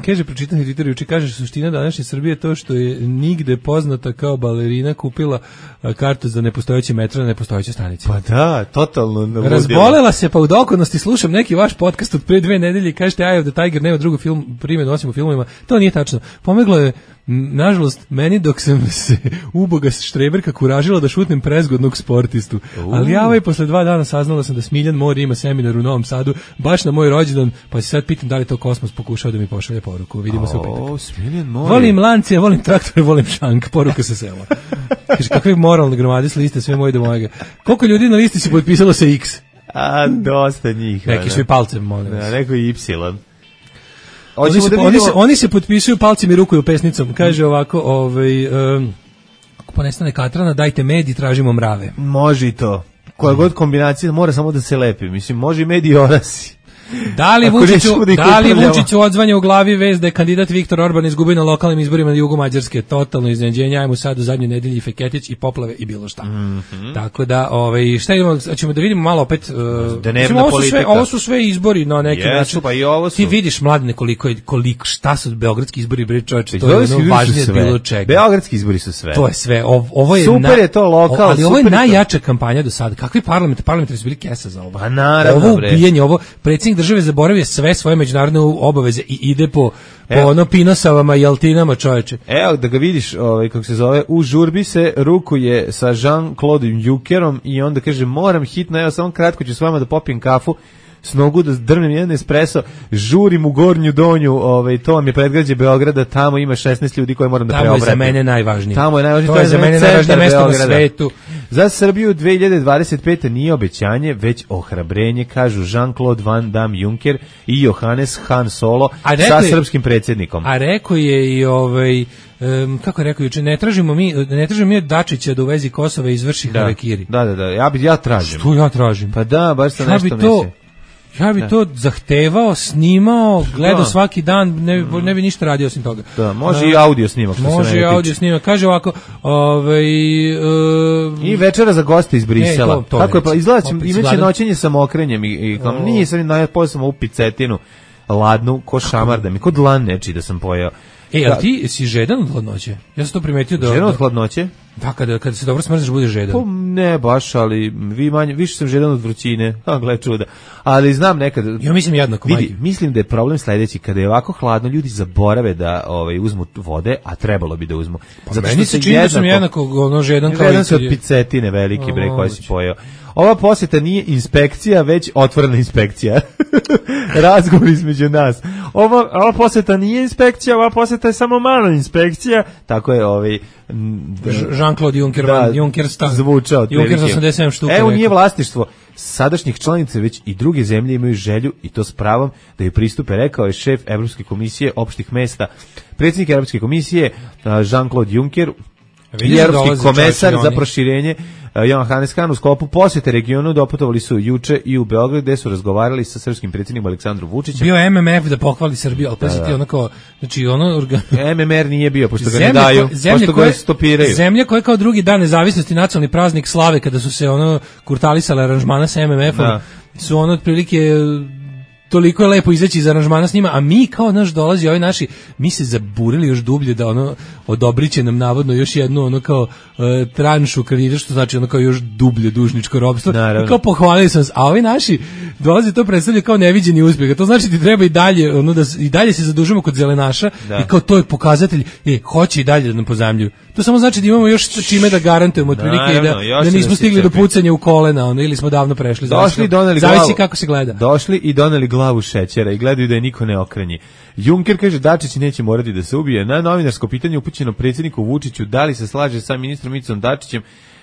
Kaže, pročitam na Twitteru juče, kaže, suština današnje Srbije je to što je nigde poznata kao balerina kupila kartu za nepostojeće metra na nepostojeće stanice. Pa da, totalno navodila. Razbolela se, pa u dokonosti slušam neki vaš podcast od pre 2 nedelje i kažete Eye of the Tiger nema drugu primjenu osim u filmovima. To nije tačno. Pomeglo je, nažalost, meni dok sam se uboga štreberka kuražila da šutnem prezgodnog sportistu. Ali ja posle 2 dana saznala sam da Smiljan Mori ima seminar u Novom Sadu, baš na moj rođendan, pa se sad pitam da li to Kosmos pokušao da mi pošalje poruku. Vidimo se u petak. Smiljan Mori. Volim lancije, volim traktore, volim šank. Poruka sa sela. Kaže, kakve moralne gromade s liste, sve moje do mojega. Koliko ljudi na listi se potpisalo sa X? Dosta njih. Neki su i palcem, molim vas. Neko i Y. Oni se potpisuju palcem i rukuju pesnicom. Kaže ovako, ako ponestane Katrana, dajte med i tražimo mrave. Može i to. Koja god kombinacija, mora samo da se lepi. Mislim, može i med i orasi. Da li Vučiću odzvanja u glavi vez da je kandidat Viktor Orban izgubio na lokalnim izborima na jugu Mađarske? Totalno iznenađenje, ajmo sad u zadnjoj nedelji Feketić i poplave i bilo šta. Tako da, šta idemo, ćemo da vidimo malo opet, ovo su sve izbori na neki način. Pa i ovo su. Ti vidiš, Mladene, koliko šta su beogradski izbori, bre čoveče, to je ono važnije od bilo čega. Beogradski izbori su sve. To je sve, ovo je super je to lokal, ali ovo je najjača kampanja do sada. Kakvi parlamentarni su bili kesa za ovo? Pa naravno, ovo ubijanje, ovo predsjednik države zaboravio sve svoje međunarodne obaveze i ide po ono Pinosavama i Altinama, čoveče. Evo da ga vidiš, kako se zove, u žurbi se rukuje sa Jean-Claude Junckerom i onda kaže, moram hitno, evo samo kratko ću s vama da popijem kafu, s nogu da drvnem jedan espresso, žurim u Gornju Donju, to vam je predgrađe Beograda, tamo ima 16 ljudi koje moram da preobratim. Tamo je za mene najvažnije. Tamo je najvažnije, to je za mene najvažnije mesto na svetu. Za Srbiju 2025. nije obećanje, već ohrabrenje, kažu Jean-Claude Van Damme Juncker i Johannes Han Solo sa srpskim predsjednikom. A rekao je i kako je rekao juče, ne tražimo mi od Dačića da u vezi Kosova izvrši harakiri. Da, ja tražim. Što ja tražim? Pa da, baš sam nešto mislim. Ja bi to zahtevao, snimao, gledao svaki dan, ne bi ništa radio osim toga. Da, može i audio snimak. Može i audio snimak. Kaže ovako, i večera za goste iz Brisela. Kako je, izgleda, imaće noćenje sa mokrenjem i nije sam najpojao sam ovu picetinu, ladnu, ko šamar da mi, kod lan neči da sam pojao. Ali ti si žedan od hladnoće? Ja sam to primetio da... Žedan od hladnoće? Da, kada se dobro smrzneš, budeš žedan. Pa ne baš, ali više sam žedan od vrućine. Gle čuda. Ali znam nekad... Ja mislim jednako, vidi, mislim da je problem sledeći. Kada je ovako hladno, ljudi zaborave da uzmu vode, a trebalo bi da uzmu. Pa meni se čini da sam jednako žedan kao... Žedan se od picetine veliki, bre, koji si pojeo. Ova posjeta nije inspekcija, već otvorena inspekcija. Razgovor između nas. Ova posjeta nije inspekcija, ova posjeta je samo mala inspekcija. Tako je Jean-Claude Juncker, Juncker stan. Zvučao. Juncker za 87 štuka. Evo nije vlastištvo sadašnjih članica, već i druge zemlje imaju želju, i to s pravom, da ju pristupe, rekao je šef Evropske komisije opštih mesta. Predsjednik Evropske komisije Jean-Claude Juncker i Evropski komesar za proširenje Johannes Han u sklopu posjete regionu doputovali su juče i u Beograd, gde su razgovarali sa srpskim predsjednikom Aleksandrom Vučićem. Bio MMF da pohvali Srbiju, ali pazite onako, znači MMR nije bio, pošto ga ne daju, pošto ga stopiraju. Zemlja koja kao drugi dan nezavisnosti, nacionalni praznik slave, kada su se kurtalisale aranžmana sa MMF-om, su otprilike toliko je lepo izaći iz aranžmana s njima, a mi kao dolazi ovi naši, mi se zaburili još dublje da odobrit će nam navodno još jednu kao tranšu kredita, što znači kao još dublje dužničko ropstvo. I kao pohvalili sam se, a ovi naši dolazi to predstavlja kao neviđeni uspjeh. To znači ti treba i dalje, i dalje se zadužimo kod zelenaša i kao to je pokazatelj, hoće i dalje da nam pozajmljuju. To samo znači da imamo još čime da garantujemo otprilike da nismo stigli do pucanja u kolena, ili smo davno prešli. Zavisi kako se gleda. Došli i doneli glavu šećera i gledaju da je niko ne okrenji. Juncker kaže Dačić neće morati da se ubije. Na novinarsko pitanje upućeno predsjedniku Vučiću da li se slaže sa ministrom Icom Dačićem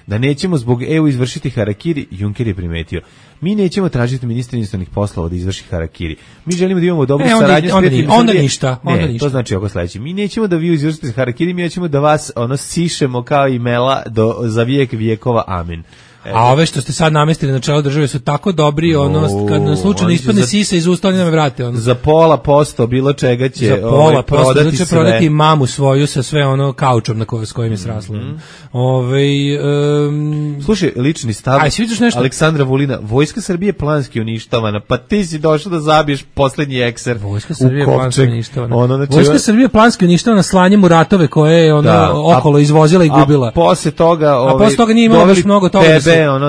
da nećemo zbog EU izvršiti harakiri, Juncker je primetio. Mi nećemo tražiti ministra inostranih poslova da izvrši harakiri. Mi želimo da imamo dobru saradnju s prijateljima. Onda ništa. To znači oko sledeće. Mi nećemo da vi izvršite harakiri, mi nećemo da vas sišemo kao i mela za vijek vijekova. Amin. A ove što ste sad namestili na čelo države su tako dobri, kad nam slučajno ispadne sisa iz usta, oni nam vrate. Za 0,5% bilo čega će prodati sve. Prodati mamu svoju sa sve kaučom s kojim je sraslo. Slušaj, lični stav Aleksandra Vulina, Vojska Srbije planski uništavana, pa ti si došao da zabiješ poslednji ekser u Kopčeg. Vojska Srbije planski uništavana slanjem u ratove koje je okolo izvozila i gubila. A posle toga nije imalo baš mnogo toga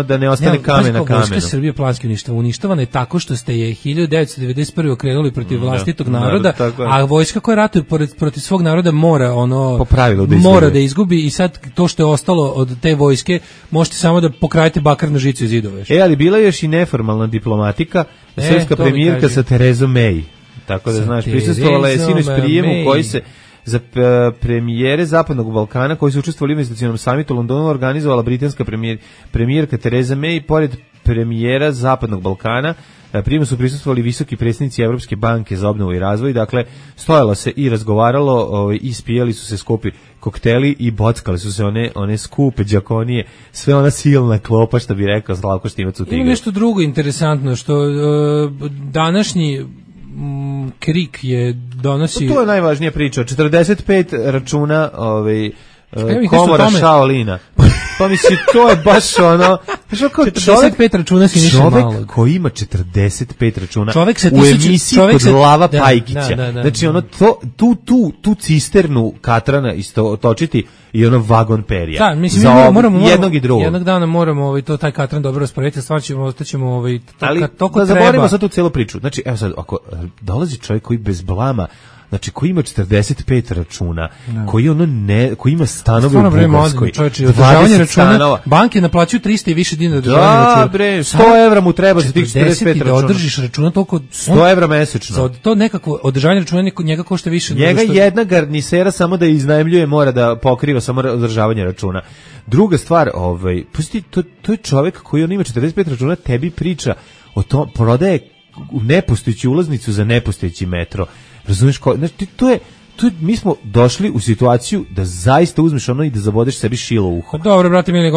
da ne ostane kamen na kamenu. Vojska Srbije planski uništavana je tako što ste je 1991. okrenuli protiv vlastitog naroda, a vojska koja ratuje protiv svog naroda mora da izgubi i sad to što je ostalo od te vojske možete samo da pokradete bakarnu žicu iz zidova. Ali bila je još i neformalna diplomatika, srpska premijerka sa Terezom May. Tako da znaš, prisustvovala je sinoć prijemu koji se za premijere Zapadnog Balkana koji su učestvovali u investicionom samitu u Londonu organizovala britanska premijerka Tereza May. Pored premijera Zapadnog Balkana prijemu su prisustvovali visoki predstavnici Evropske banke za obnovu i razvoj. Dakle, stojalo se i razgovaralo, ispijali su se skupi kokteli i bockali su se one skupe đakonije, sve ona silna klopa, što bi rekao Slavko Štimac u Tigru. Ima nešto drugo interesantno, što današnji KRIK je donosi... To je najvažnija priča. 45 računa komora Shaolina. Pa misli, to je baš 45 računa Siniše Malog. Čovek koji ima 45 računa u emisiji kod Lava Pajkića. Znači, tu cisternu katrana isto točiti i vagon perija. Da, mislim, moramo jednog i drugog. Jednog dana moramo taj katran dobro rasporediti, stvarno ostaćemo da zaboravimo sad tu celu priču. Znači, evo sad, ako dolazi čovjek koji bez blama, znači koji ima 45 računa, koji ima stanove u Bugarskoj, 20 stanova. Banke naplaćuju 300 i više dinara. Da, bre, 100 evra mu treba za tih 45 računa. Da održiš računa toliko... 100 evra mesečno. Za to nekako održavanje računa njega košta više. Njega jedna garnisera samo da iznajmljuje mora da pokriva samo održavanje računa. Druga stvar, to je čovjek koji ima 45 računa, tebi priča o tom, prodaje nepostojeću ulaznicu za nepostojeći metro. Razumiješ, znači mi smo došli u situaciju da zaista uzmeš i da zabodeš sebi šilo u uho. Dobro, brate mili,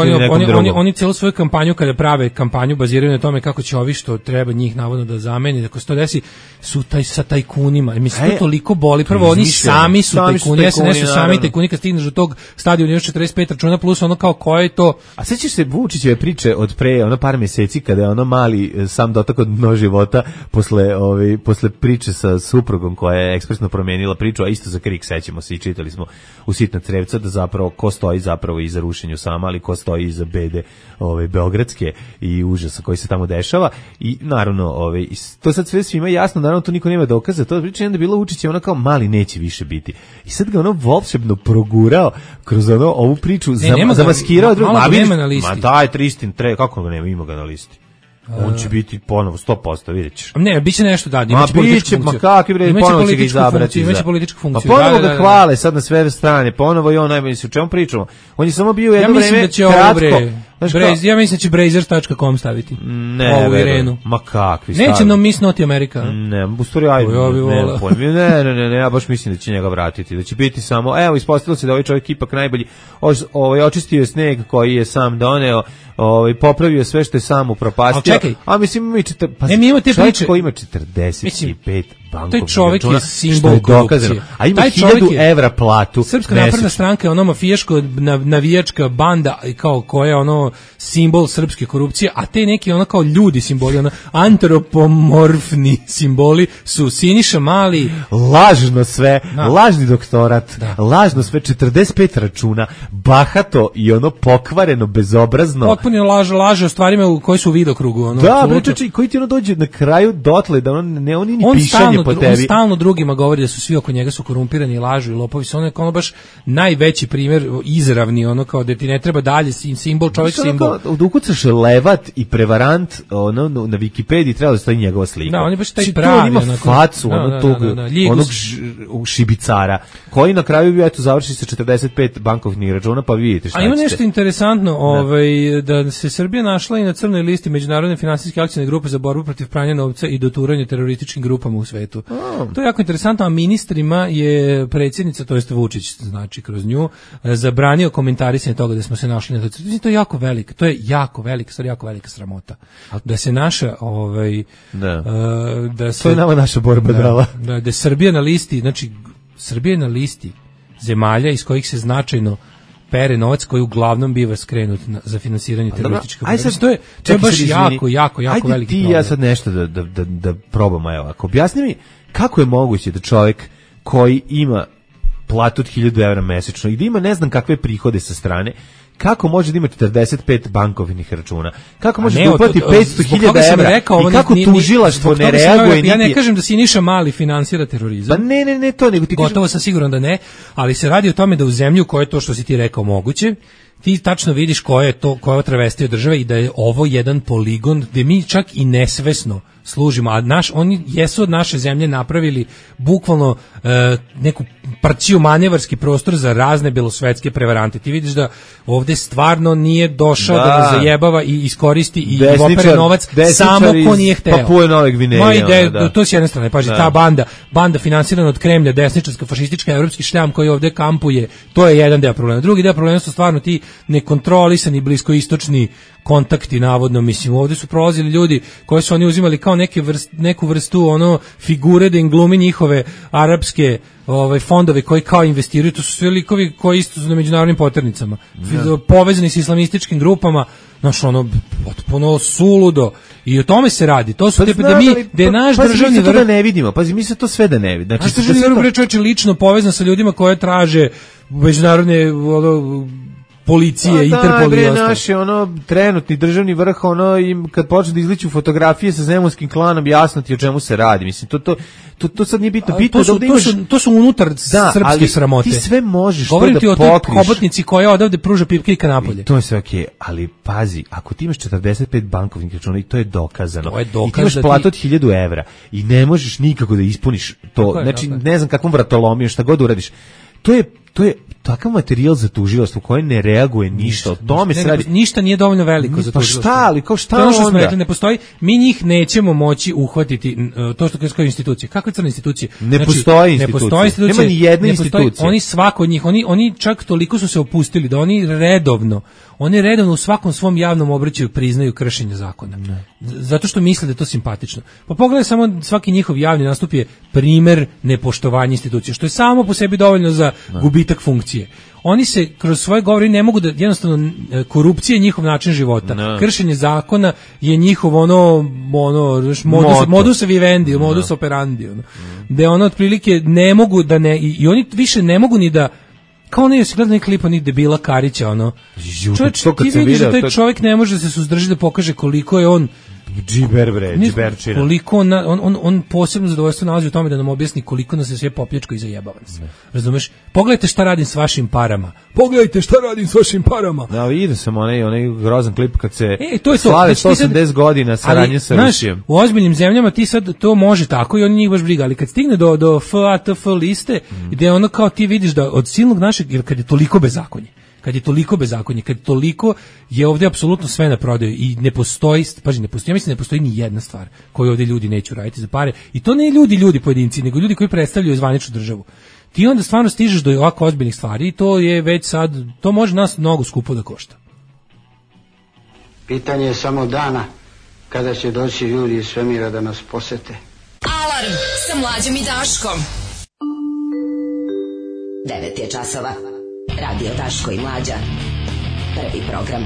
oni celu svoju kampanju, kada prave kampanju, baziraju na tome kako će ovi što treba njih navodno da zameni, ako se to desi, su sa tajkunima. Mislim, to toliko boli. Prvo, oni sami su tajkuni, SNS su sami tajkuni, kad stigneš do tog stadiona još 45 računa, plus kao koje je to... A sećaš se Vučićeve priče od pre par mjeseci, kada je mali sam dotakao dno života posle priče sa suprugom koja je ekspresno promijenila priču, a isto za KRIK, sećamo se i čitali smo u Sitna crevca da zapravo ko stoji zapravo iza rušenju sama, ali ko stoji iza bede beogradske i užasa koji se tamo dešava. I naravno to sad sve svima jasno, naravno to niko nema dokaza, to priča onda bilo Vučić je kao mali neće više biti. I sad ga volšebno progurao kroz ovu priču, zamaskirao drugo. Ma daj Tristin, kako ga nema, ima ga na listi. On će biti ponovo 100%, vidjet ćeš. Ne, bit će nešto imaće političku funkciju. Ma kakvi bre, ponovo će ga izabrati. Imaće političku funkciju. Pa ponovo ga hvale sad na sve strane, ponovo i on najbolje se o čemu pričamo. On je samo bio jedno vreme kratko. Ja mislim da će Brazers.com staviti. Ne, Irenu. Ma kakvi staviti. Neće nam Miss Noti Amerika. Ne, u stvari ne, ja baš mislim da će njega vratiti. Da će biti samo, evo, ispostavilo se da ovaj čovjek ipak najbolji, očistio je sneg koji je sam doneo, popravio sve što je sam upropastio. A mislim, mi te priče. Koji ima 45 bankovnih taj čovjek je simbol korupcije. A ima 1000 evra platu. Srpska napredna stranka je mafijaško navijačka banda kao koja je simbol srpske korupcije, a te neki kao ljudi simboli, antropomorfni simboli su Siniša Mali. Lažno sve, lažni doktorat, lažno sve, 45 računa, bahato i pokvareno, bezobrazno. Potpuno laže o stvarima koji su u vidokrugu. Da, bre, koji ti dođe na kraju dotle da on nije ni pišanje po tebi. On stalno drugima govori da su svi oko njega su korumpirani, lažu i lopovi. Su ono baš najveći primjer izravni, ono kao da ti ne treba dalje simbol, čovjek simbol. Da ukucaš levat i prevarant, ono na Wikipediji treba da stoji njegova slika. Da, on je baš taj pravi. On ima facu, onog šibicara, koji na kraju bi završi sa 45 bankovnih računa, pa vidite šta. A ima nešto interesantno, da se Srbija našla i na crnoj listi Međunarodne finansijske akcione grupe za borbu protiv pranja novca i doturanja terorističkim grupama u svetu. To je jako interesantno, a ministrima je predsjednica, to jest Vučić, znači kroz nju, zabranio komentarisanje toga da smo se našli na toj. To je jako velika, jako velika sramota. Da se naša da se, to je nama naša borba dala. Da je Srbija na listi, znači Srbija je na listi zemalja iz kojih se značajno pere novac koji uglavnom biva skrenut za finansiranje terorističkih organizacija. To je baš jako veliki problem. Ajde ti ja sad nešto da probamo, evo, ako objasni mi kako je moguće da čovjek koji ima platu od 1000 evra mesečno i da ima ne znam kakve prihode sa strane, kako može da ima 45 bankovnih računa? Kako može da uplati 500.000 evra? I kako tužilaštvo ne reaguje? Ja ne kažem da Siniša Mali finansira terorizam. Pa ne, to nego ti gotovo sam siguran da ne, ali se radi o tome da u zemlju koje je to što si ti rekao moguće, ti tačno vidiš koja je travestija države i da je ovo jedan poligon gde mi čak i nesvesno služimo, a oni jesu od naše zemlje napravili bukvalno neku parciju manevarski prostor za razne belosvetske prevarante. Ti vidiš da ovde stvarno nije došao da nas zajebava i iskoristi i opere novac samo ko nije hteo. Papuje Nove Gvineje. To s jedne strane, paži, ta banda finansirana od Kremlja, desničarska, fašistička, evropski šljam koji ovde kampuje, to je jedan deo problema. Drugi deo problema su stvarno ti nekontrolisani bliskoistočni kontakti, navodno, mislim, ovdje su prolazili ljudi koji su oni uzimali kao neku vrstu figure da im glumi njihove arapske fondove koji kao investiraju, to su sve likovi koji isto su na međunarodnim poternicama, povezani s islamističkim grupama, potpuno suludo, i o tome se radi. To su da je naš državni vrh, da ne vidimo, pazi, mi se to sve da ne vidimo. Znači, državni vrh čovječe lično povezan sa ljudima koje traže međunarodne policije, Interpol i ostalo. Naši trenutni državni vrh, im kad počne da izliču fotografije sa zemunskim klanom, jasno ti o čemu se radi. Mislim, to sad nije bitno. To su unutar srpske sramote. Ti sve možeš govorim to da pokriš. Govorim ti o toj hobotnici koja odavde pruža pipke napolje. To je sve okej, ali pazi, ako ti imaš 45 bankovnih računa i to je dokazano, i ti imaš platu od 1000 evra i ne možeš nikako da ispuniš to, znači ne znam kakvom vratolomijom, šta god uradiš, to je takav materijal za tužilaštvo koje ne reaguje ništa. O tome se radi. Ništa nije dovoljno veliko za tužilaštvo. Pa šta, ali kao šta onda? Ne postoji, mi njih nećemo moći uhvatiti, to što kao institucije. Kakve crne institucije? Ne postoji institucije. Nema ni jedne institucije. Oni svako od njih, oni čak toliko su se opustili da oni redovno u svakom svom javnom obraćaju priznaju kršenje zakona. Zato što misle da je to simpatično. Pa pogledaj, samo svaki njihov javni nastup je primer nepoštovanja institucije, što je samo po sebi dovoljno za gubitak funkcije. Oni se kroz svoje govore ne mogu da, jednostavno, korupcija je njihov način života. Kršenje zakona je njihov modus vivendi, modus operandi. Da otprilike ne mogu da ne, i oni više ne mogu ni da, kao ne, jesi gledao neki klip onih debila Karića, čovječ, ti vidiš da taj čovjek ne može se suzdržati da pokaže koliko je on džiberčina. Koliko on posebno zadovoljstvo nalazi u tome da nam objasni koliko nas je sve poplječko i zajebava nas. Razumeš? Pogledajte šta radim s vašim parama. Da, vidio sam onaj grozan klip kad se slave 180 godina saradnje sa Rusijom. U ozbiljnim zemljama ti sad to može tako i oni njih baš briga, ali kad stigne do FATF liste, gde kao ti vidiš da od silnog našeg, jer kad je toliko bezakonje, kad toliko je ovdje apsolutno sve na prodaju i ne postoji, ja mislim ne postoji ni jedna stvar koju ovdje ljudi neću raditi za pare, i to ne ljudi pojedinci, nego ljudi koji predstavljaju zvaničnu državu. Ti onda stvarno stižeš do ovako ozbiljnih stvari i to je već sad, to može nas mnogo skupo da košta. Pitanje je samo dana kada će doći ljudi iz svemira da nas posete. Alarm sa Mlađom i Daškom. 9 je časova. Radio Daško i Mlađa. Prvi program.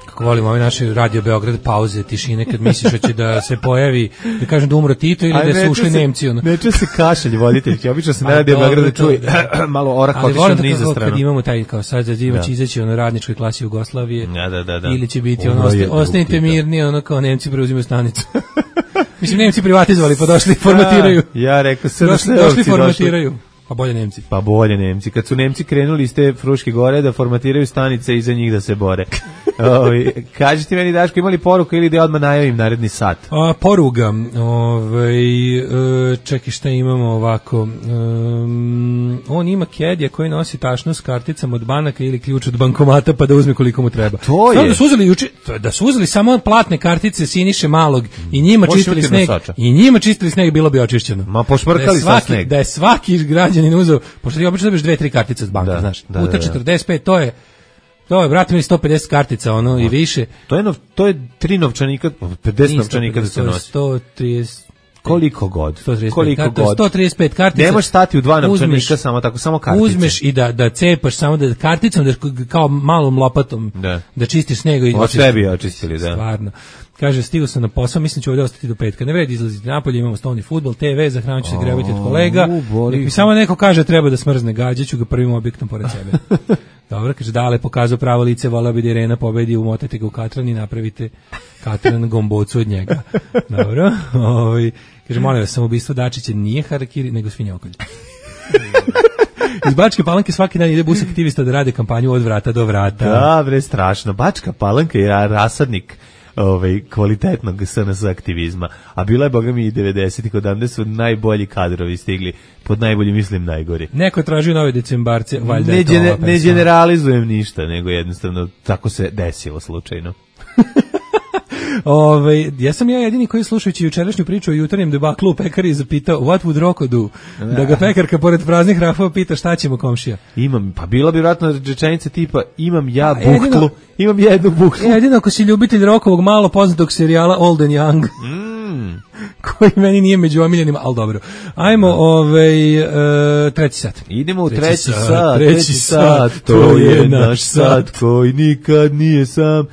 Kako volimo ove naše Radio Beograd pauze, tišine, kad misliš da će da se pojavi, da kažem da umro Tito ili da su ušli Nemci. Neće se kašalj voditeljki, obično se na Radio Beogradu čuje malo orak otišao niza stranu. Kad imamo taj, kao sad će izaći radničkoj klasi Jugoslavije, da. ili će biti ostanite mirni, kao Nemci preuzimaju stanicu. Mislim, Nemci privatizovali, pa došli i formatiraju. Ja rekao, došli formatiraju. Pa bolje Nemci. Pa bolje Nemci. Kad su Nemci krenuli iz te Fruške gore da formatiraju stanice i za njih da se bore. Kaži ti meni, Daško, imali poruku ili da odmah najavim naredni sat? Poruga. Čekaj, šta imamo ovako. On ima kedija koji nosi tašnu s karticama od banaka ili ključ od bankomata pa da uzme koliko mu treba. To je. Da su uzeli samo platne kartice Siniše Malog i njima čistili sneg. I njima čistili sneg, bilo bi očišćeno. Ma pošmrkali sa sneg. Da je svaki građanin uzeo, pošto ti obično dobiješ 2-3 kartice od banka, znaš. Puta 45, to je, brate, mi 150 kartica, i više. To je 3 novčanika, 50 novčanika da se nosi. 130... Koliko god. 135 kartica. Ne možeš stati u 2 novčanika, samo kartice. Uzmeš i da cepaš samo da karticom, da kao malom lopatom, da čistiš sneg. Od sebi očistili, da. Stvarno. Kaže, stigao sam na posao, mislim će ovdje ostati do petka. Ne vredi izlaziti napolje, imamo stolni fudbal, TV, zahranit ću se grebati od kolega. Mi samo neko kaže treba da smrzne, gađaću ga prvim objektom pored sebe. Dobro, kaže, Dale pokazao pravo lice, volao bi da Irena pobedi, umotajte ga u katran i napravite katran gombocu od njega. Dobro, kaže, molim vas, samoubistvo Dačića nije harakiri, nego svinjokolj. Iz Bačke Palanke svaki dan ide bus aktivista da rade kampanju od vrata do vrata. Da, bre, strašno. Bačka Palanka je rasadnik kvalitetnog SNS aktivizma, a bila je, boga mi, i 90-ih, odavde su najbolji kadrovi stigli, pod najbolji mislim najgori. Neko tražio nove decembarce, valjda ne generalizujem ništa, nego jednostavno tako se desilo slučajno. Ja sam jedini koji slušajući jučerašnju priču o jutarnjem debaklu u pekari zapitao what would Roko do? Da ga pekarka pored praznih rafova pita šta ćemo komšija. Pa bila bi vjerojatno rečenica tipa imam ja buhtlu, imam jednu buhtlu. Jedino ako si ljubitelj Rokovog malo poznatog serijala Old and Young. Koji meni nije među omiljenima, ali dobro. Ajmo, treći sat. Idemo u treći sat, to je naš sat koji nikad nije sam,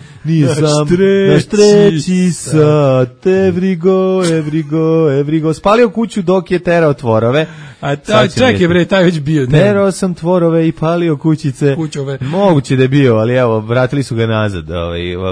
naš treći sat, every go, spalio kuću dok je terao tvorove. A čekaj bre, taj već bio. Terao sam tvorove i palio kućice. Moguće da je bio, ali evo, vratili su ga nazad.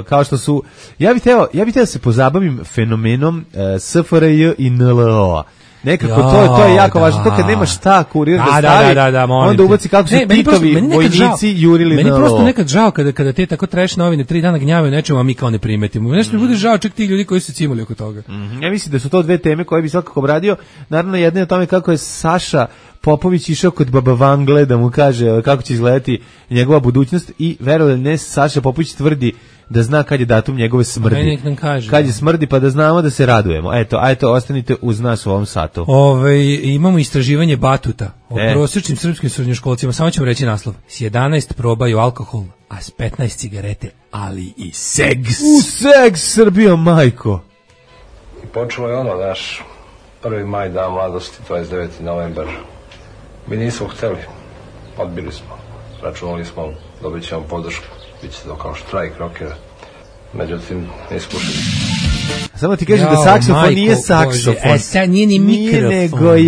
Kao što su, ja bih teo da se pozabavim fenomenom SFRJ i NLO-a. Nekako to je jako važno, to kad nema šta kurir da stavi, onda ubaci kako su Titovi vojnici jurili na NLO. Meni prosto nekad žao kada te tako trash novine 3 dana gnjavaju nečemu, a mi kao ne primetimo. Nešto mi bude žao čak tih ljudi koji su cimali oko toga. Ja mislim da su to dve teme koje bi svakako obradio. Naravno, jedna je o tome kako je Saša Popović išao kod Baba Vangle da mu kaže kako će izgledati njegova budućnost i verovali ne, Saša Popović tvrdi da zna kad je datum njegove smrti. Kad je smrti, pa da znamo da se radujemo. Eto, ostanite uz nas u ovom satu. Imamo istraživanje Batuta o prosječnim srpskim srednjoškolcima. Samo ćemo reći naslov. S 11 probaju alkohol, a s 15 cigarete, ali i segs. Segs, Srbijo, majko. I počelo je naš 1. maj, dan mladosti, 29. novembar. Mi nismo hteli, odbili smo. Računali smo, dobit ćemo podršku. Biće to kao štrajk rokera. Međutim, ne slušali. Samo ti kažem da saksofon nije saksofon. Nije ni mikrofon.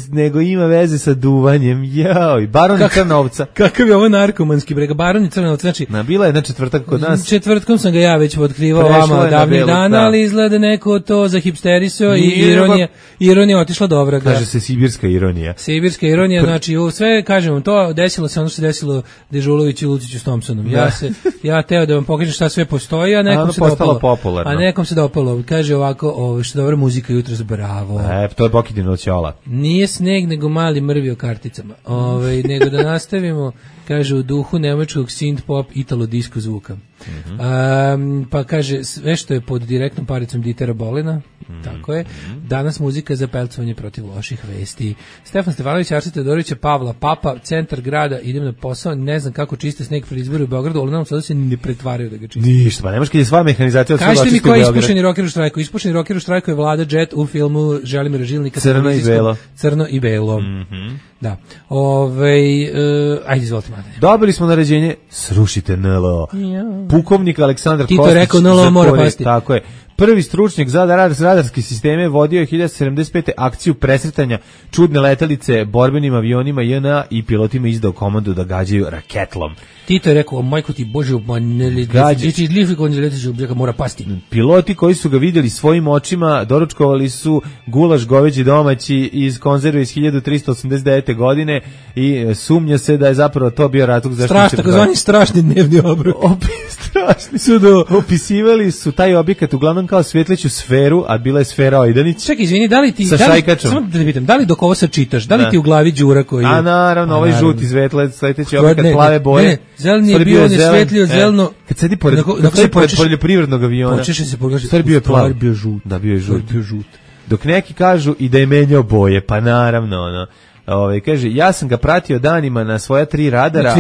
Nego ima veze sa duvanjem. Joj, Baroni Crnovca. Kakav je ovo narkomanski brega? Baroni Crnovca, znači... Bila je na četvrtak kod nas. Četvrtkom sam ga ja već otkrivao vama davnih dana, ali izgleda neko to zahipsterisao i ironija otišla do vraga. Kaže se sibirska ironija. Sibirska ironija, znači sve, kažem, to desilo se ono što se desilo Dežuloviću i Luciću s Thompsonom. Ja teo da vam pokažem šta sve postoji, a nekom se dopalo. A nekom se dopalo. Kaže ovako, što dobra muzika jutros, bravo. To je Bokidino ćola. Nije sneg, nego mali mrvi o karticama. Nego da nastavimo, kaže, u duhu nemačkog synth pop italo disco zvuka. Pa kaže, sve što je pod direktnom paricom Ditera Bolina, tako je, danas muzika za pelcovanje protiv loših vesti. Stefan Stefanović, Arsen Teodorović, Pavla Papa, centar grada, idem na posao, ne znam kako čiste sneg pred izbore u Beogradu, ali nam sada se ne pretvaraju da ga čiste. Ništa, pa nemaš kad je sva mehanizacija od svega očistiti u Beogradu. Kažete mi ko je ispušeni rocker u štrajku? Ispušeni rocker u štrajku je Vlada Jet u filmu Želimira Žilnika. Crno i belo. Da. Ajde, izvolite, Mladene. Dobili smo naređenje, srušite NLO. Pukovnik Aleksandar Kostić. Tito je rekao, NLO mora pasti. Tako je. Prvi stručnjak za radarske sisteme vodio je 1975. akciju presretanja čudne letelice borbenim avionima JNA i pilotima izdao komandu da gađaju raketlom. Tito je rekao, majko ti Bože, mora pasti. Piloti koji su ga vidjeli svojim očima doručkovali su gulaš goveđi domaći iz konzerve iz 1389. godine i sumnja se da je zapravo to bio razlog zašto se... Takozvani strašni dnevni obrok. Strašni su opisivali su taj objekat uglavnom kao svetleću sferu, a bila je sfera Ojdanić. Čekaj, izvini, da li ti... Sa šajkačom. Samo da te pitam, da li dok ovo sad čitaš, da li ti u glavi đura koji je... A naravno, ovaj žuti sledeći objekat plave boje. Ne, zeleni je bio, on je svetlio zeleno... Kad sedi pored poljoprivrednog aviona, počeš se pogledati, stvari bio je plav. Bio žut. Da, bio je žut. Dok neki kažu i da je menjao boje, pa naravno, ono. Kaže, ja sam ga pratio danima na svoja 3 radara,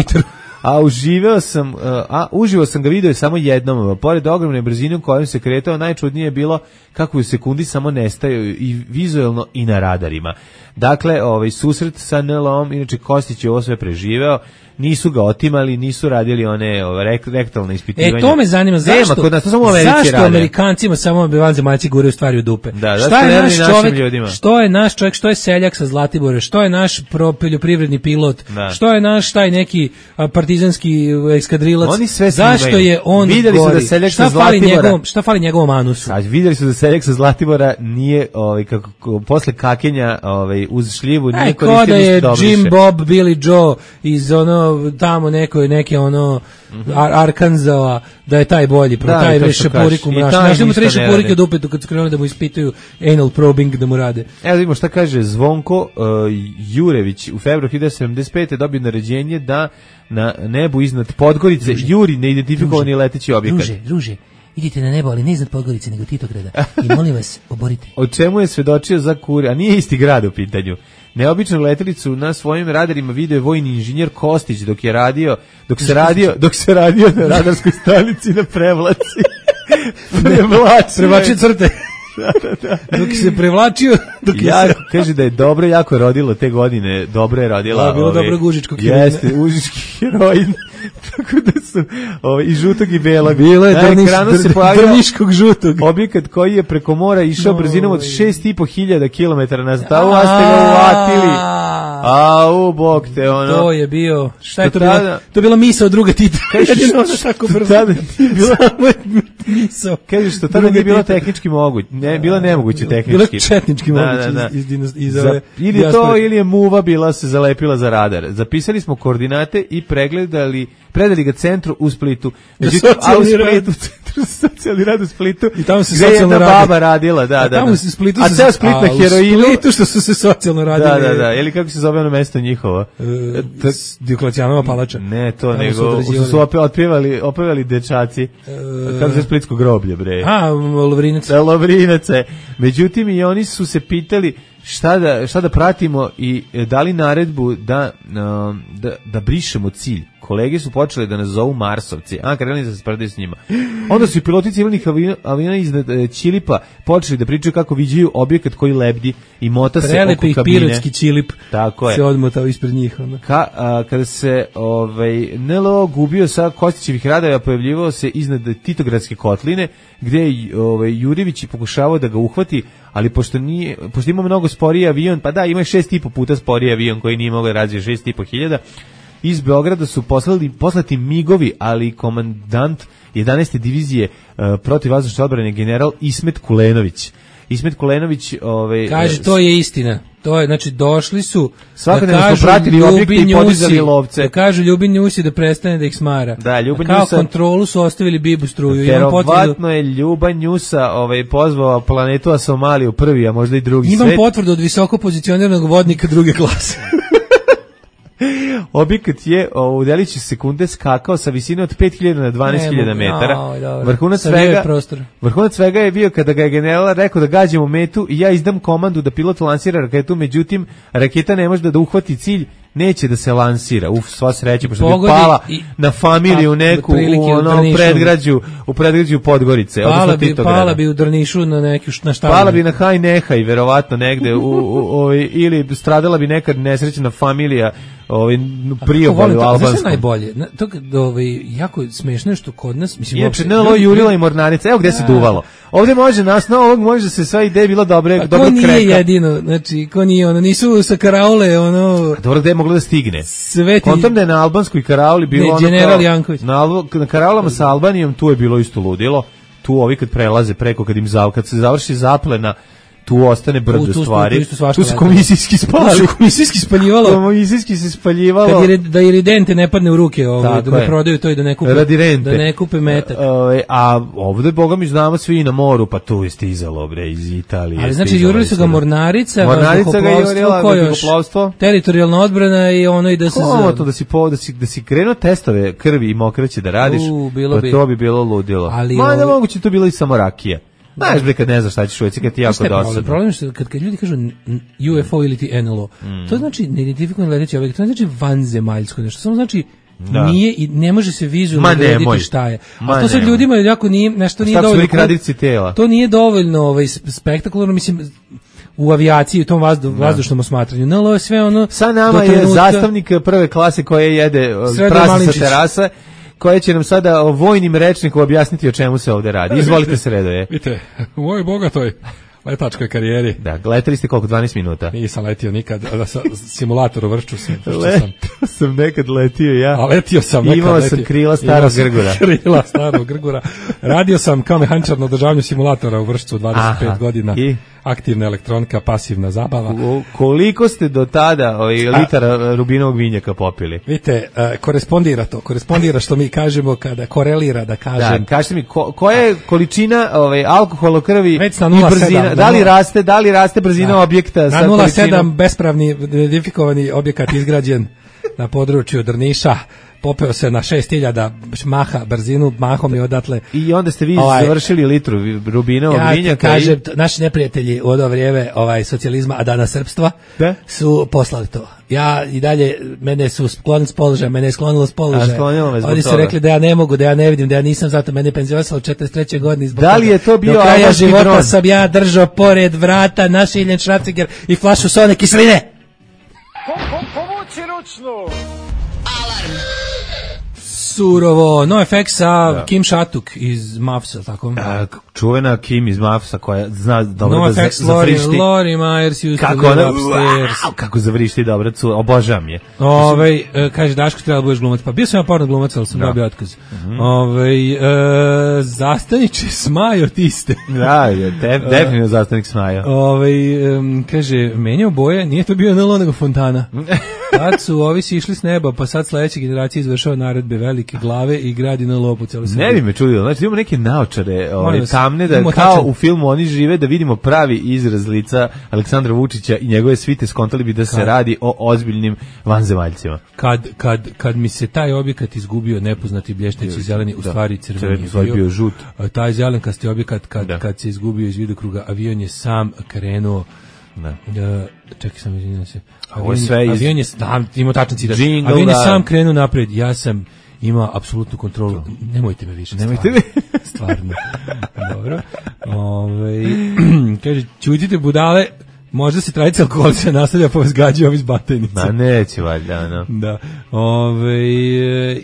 uživo sam ga video samo jednom. Pored ogromne brzine u kojoj se kretao, najčudnije je bilo kako u sekundi samo nestaju i vizuelno i na radarima. Dakle, susret sa NLO-om, inače Kostić je ovo sve preživeo, nisu ga otimali, nisu radili one rektalne ispitivanja. To me zanima, zašto? Kod nas, to samo Americi rade. Amerikancima samo vanzemaljci guraju stvari u dupe? Da, šta je naš čovjek, što je naš čovjek, što je seljak sa Zlatibora, što je naš poljoprivredni pilot, što je naš taj neki partizanski eskadrilac, zašto je on vidjeli gori? Su da seljak sa Zlatibora, šta fali njegovom anusu? Vidjeli su da seljak sa Zlatibora nije, posle kakenja uz šljivu, nije koristio ništa dobro. Jim Bob, Billy Joe iz tamo neke Arkansasa, da je taj bolji, taj šepurikum naš. Našli mu 3 šepurike od upetu kad su krenuli da mu ispituju anal probing da mu rade. Evo vidimo šta kaže Zvonko Jurević. U februaru 1975. dobio naređenje da na nebu iznad Podgorice juri neidentifikovani leteći objekat. Druže, idite na nebo, ali ne iznad Podgorice, nego Titograda. I molim vas, oborite. O čemu je svedočio za Kuri, a nije isti grad u pitanju. Neobičnu letelicu na svojim radarima video je vojni inženjer Kostić dok se radio na radarskoj stanici na Prevlaci. Prevlači crte. Dok se prevlačio, kaže da je dobro jako rodilo te godine, dobro je rodila. Bilo dobro užičkog heroina. Jeste, užički heroin. Tako da su i žutog i belog. Bilo je drniškog žutog. Objekat koji je preko mora išao brzinom od 6.500 km na stavu, a ste ga uvatili. Bog te, ono. To je bio, šta je to bilo? To je bila misao druga Tita. Tako brzo. Misao. Kažeš što tada nije bilo tehnički moguće. Ne, bilo nemoguće tehnički. Bilo četnički moguće iz ove. Ili je muva bila se zalepila za radar. Zapisali smo koordinate i predali ga centru u Splitu. Socijalni rad u Splitu. I tamo se gde je jedna baba radila, da. Tamo se Splitu. A ceo Split na heroinu. U Splitu što su se socijalno radili. Da. Ili kako se zove ono mesto njihovo? Dioklecijanova palača. Ne, to nego su opevali dečaci. Kako se Splitsko groblje, bre. Lovrinac. Međutim, i oni su se pitali šta da pratimo i dali naredbu da brišemo cilj. Kolege su počeli da nas zovu Marsovci, krenuli da se spredaju s njima. Onda su i piloti civilnih aviona iznad Ćilipa počeli da pričaju kako viđaju objekat koji lebdi i mota se oko kabine. Prelepi pirotski Ćilip se odmotao ispred njih. Kada se NLO gubio sa Kostićevih radara, pojavljivao se iznad Titogradske kotline, gde je Jurjević pokušavao da ga uhvati, ali pošto ima mnogo sporiji avion, pa da, ima 6,5 puta sporiji avion koji nije mogao da razvije 6.500, iz Beograda su poslati migovi, ali komandant 11. divizije protivvazdušne odbrane general Ismet Kulenović. Kaže, to je istina. To je, znači, došli su svakodnevno smo pratili objekte i podizali lovce. Da kažu Ljubin Njusi da prestane da ih smara. Da, Ljubin Njusa. Kao kontrolu su ostavili Bibu struju. Verovatno je Ljuban Njusa pozvao planetu Somaliju prvi, a možda i drugi svet. Imam potvrdu od visoko pozicioniranog vodnika druge klase. Objekat je u delići sekunde skakao sa visine od 5.000 na 12.000 metara. Vrhunac svega je bio kada ga je general rekao da gađamo metu i ja izdam komandu da pilot lansira raketu, međutim raketa ne može da uhvati cilj, neće da se lansira. Sva sreća, pošto bi pala na familiju neku u predgrađu Podgorice. Pala bi u Drnišu na štabu. Pala bi na Haj Nehaj, verovatno negde, ili stradala bi neka nesrećna familija priobalju albanskom. Znaš najbolje? To jako smešno je što kod nas, mislim, inače NLO jurila i mornarica. Evo gde se duvalo. Ovde može na osnovu ovog može se sva ideja bila dobro kreka. Ko nije jedino, znači ko nije ono, nisu sa karaule ono. Dobro, gde je moglo da stigne? Kontam da je na albanskoj karauli bilo ono General Janković. Na karaulama sa Albanijom tu je bilo isto ludilo. Tu ovi kad prelaze preko, kad se završi zaplena, tu ostane brdo stvari. Tu se komisijski spali. Komisijski spaljivalo. Komisijski se spaljivalo. Da iridente ne padne u ruke, da ne prodaju to i da ne kupe metak. A ovde, boga mi znamo svi i na moru, pa tu je stizalo, bre, iz Italije. Ali znači, jurili su ga mornarica, vazduhoplovstvo, teritorijalna odbrana i ono i da se... Komotno da si krenuo testove krvi i mokraće da radiš, pa to bi bilo ludilo. Ma ne moguće, to bilo i samo rakija. Znaš bre kad ne znaš šta ćeš uvijek, kad ti jako dosadno. Problem je što kad ljudi kažu UFO ili ti NLO, to znači neidentifikovani leteći objekt, to ne znači vanzemaljsko nešto, samo znači nije i ne može se vizualno odrediti šta je. A to sad ljudima jako nije, nešto nije dovoljno. To nije dovoljno spektakularno, mislim, u avijaciji, u tom vazdušnom osmatranju. NLO je sve ono... Sa nama je zastavnik prve klase koje jede prasa sa terasa, koje će nam sada vojnim rečnikom objasniti o čemu se ovde radi. Izvolite Sredoje. Vidite, u mojoj bogatoj letačkoj karijeri. Da, letali ste koliko, 12 minuta? Nisam letio nikad, simulator u Vršću sam nekad letio ja. A letio sam nekad. Imao sam krila starog Grgura. Krila starog Grgura. Radio sam kao mehančar na održavanju simulatora u Vršcu 25 godina. Aktivna elektronika, pasivna zabava. Koliko ste do tada litara rubinovog vinjaka popili? Vidite, korespondira što mi kažemo kada korelira, da kažem. Da, kažete mi, koja je količina alkohola u krvi i brzina? Da li raste brzina objekta? Na 0,7 bespravni identifikovani objekat izgrađen na području Drniša. Popeo se na 6000 maha brzinu, mahom i odatle. I onda ste vi završili litru rubinovog vinjaka. Ja kažem, naši neprijatelji u ono vrijeme socijalizma, a danas srpstva, su poslali to. Ja i dalje, mene su sklonili s položaja, mene je sklonilo s položaja. Oni su rekli da ja ne mogu, da ja ne vidim, da ja nisam, zato mene je penzionisalo u 43. godini. Da li je to bio do kraja života sam ja držao pored vrata našiljen šraciger i flašu sone kisline. Povuci ručnu! Alarm! Surovo, NoFX sa Kim Shatuk iz Mavsa, tako? Čuvena Kim iz Mavsa koja zna dobro no da zavrišti. Lori Myers used to live upstairs. Kako zavrišti dobro, obožavam je. Kaže Daško, treba da budeš glumac. Pa bio sam ja porno glumac, ali sam dobio otkaz. Zastaniče Smajo tiste. Da, definitivno zastanik Smajo. Kaže, menjao boje, nije to bio NLO nego Fontana. Tad su ovi sišli s neba, pa sad sledeća generacija izvršava naredbe velike glave i gradi NLO po celu Srbiju. Ne bi me čudilo, znači imamo neke naočare tamne, da kao u filmu oni žive, da vidimo pravi izraz lica Aleksandra Vučića i njegove svite, skontali bi da se radi o ozbiljnim vanzemaljcima. Kad mi se taj objekat izgubio, nepoznati blješteći zeleni, u stvari crveni je bio žut. Taj zelenkasti objekat kad se izgubio iz vidokruga, avion je sam krenuo. Čekaj sam, izvinjam se. Avion je imao tačan citat. Avion je sam krenuo napred, ja sam imao apsolutnu kontrolu. Nemojte me više. Stvarno. Dobro. Kaže, čutite budale, možda se tradicija alkoholica nastavlja pa vas gađaju ovi s batajnicom. Ma neće valjda, no. Da.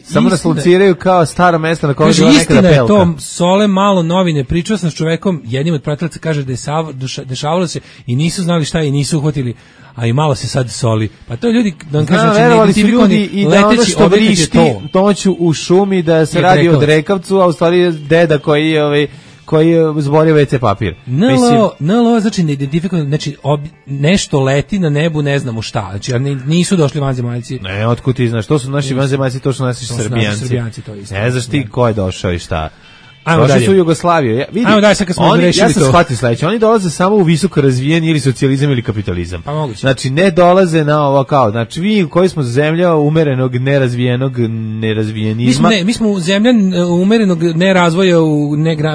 Samo nas lociraju kao staro mesto na kojem je bila nekada pelka. Istina je to, Sole malo novine, pričao sam s čovekom, jednim od pratilaca kaže da je dešavalo se i nisu znali šta i nisu uhvatili, a i malo se sad soli. Pa to ljudi, da vam kažem, verovali su ljudi i da ono što vrišti noću u šumi, da se radi o drekavcu, a u stvari je deda koji je zborio WC papir. NLO znači neidentifikovano, znači nešto leti na nebu, ne znamo šta. Znači nisu došli vanzemaljci. Ne, otkud ti znaš, to su naši vanzemaljci, to su naši Srbijanci. Ne znaš ti ko je došao i šta. Došli su u Jugoslaviju. Ajmo dalje, sad kad smo rešili to. Ja sam shvatio sledeće, oni dolaze samo u visoko razvijeni ili socijalizam ili kapitalizam. Pa moguće. Znači ne dolaze na ovo kao, znači vi koji smo zemlja umerenog, nerazvijenizma. Mi smo zemlja umerenog nerazvoja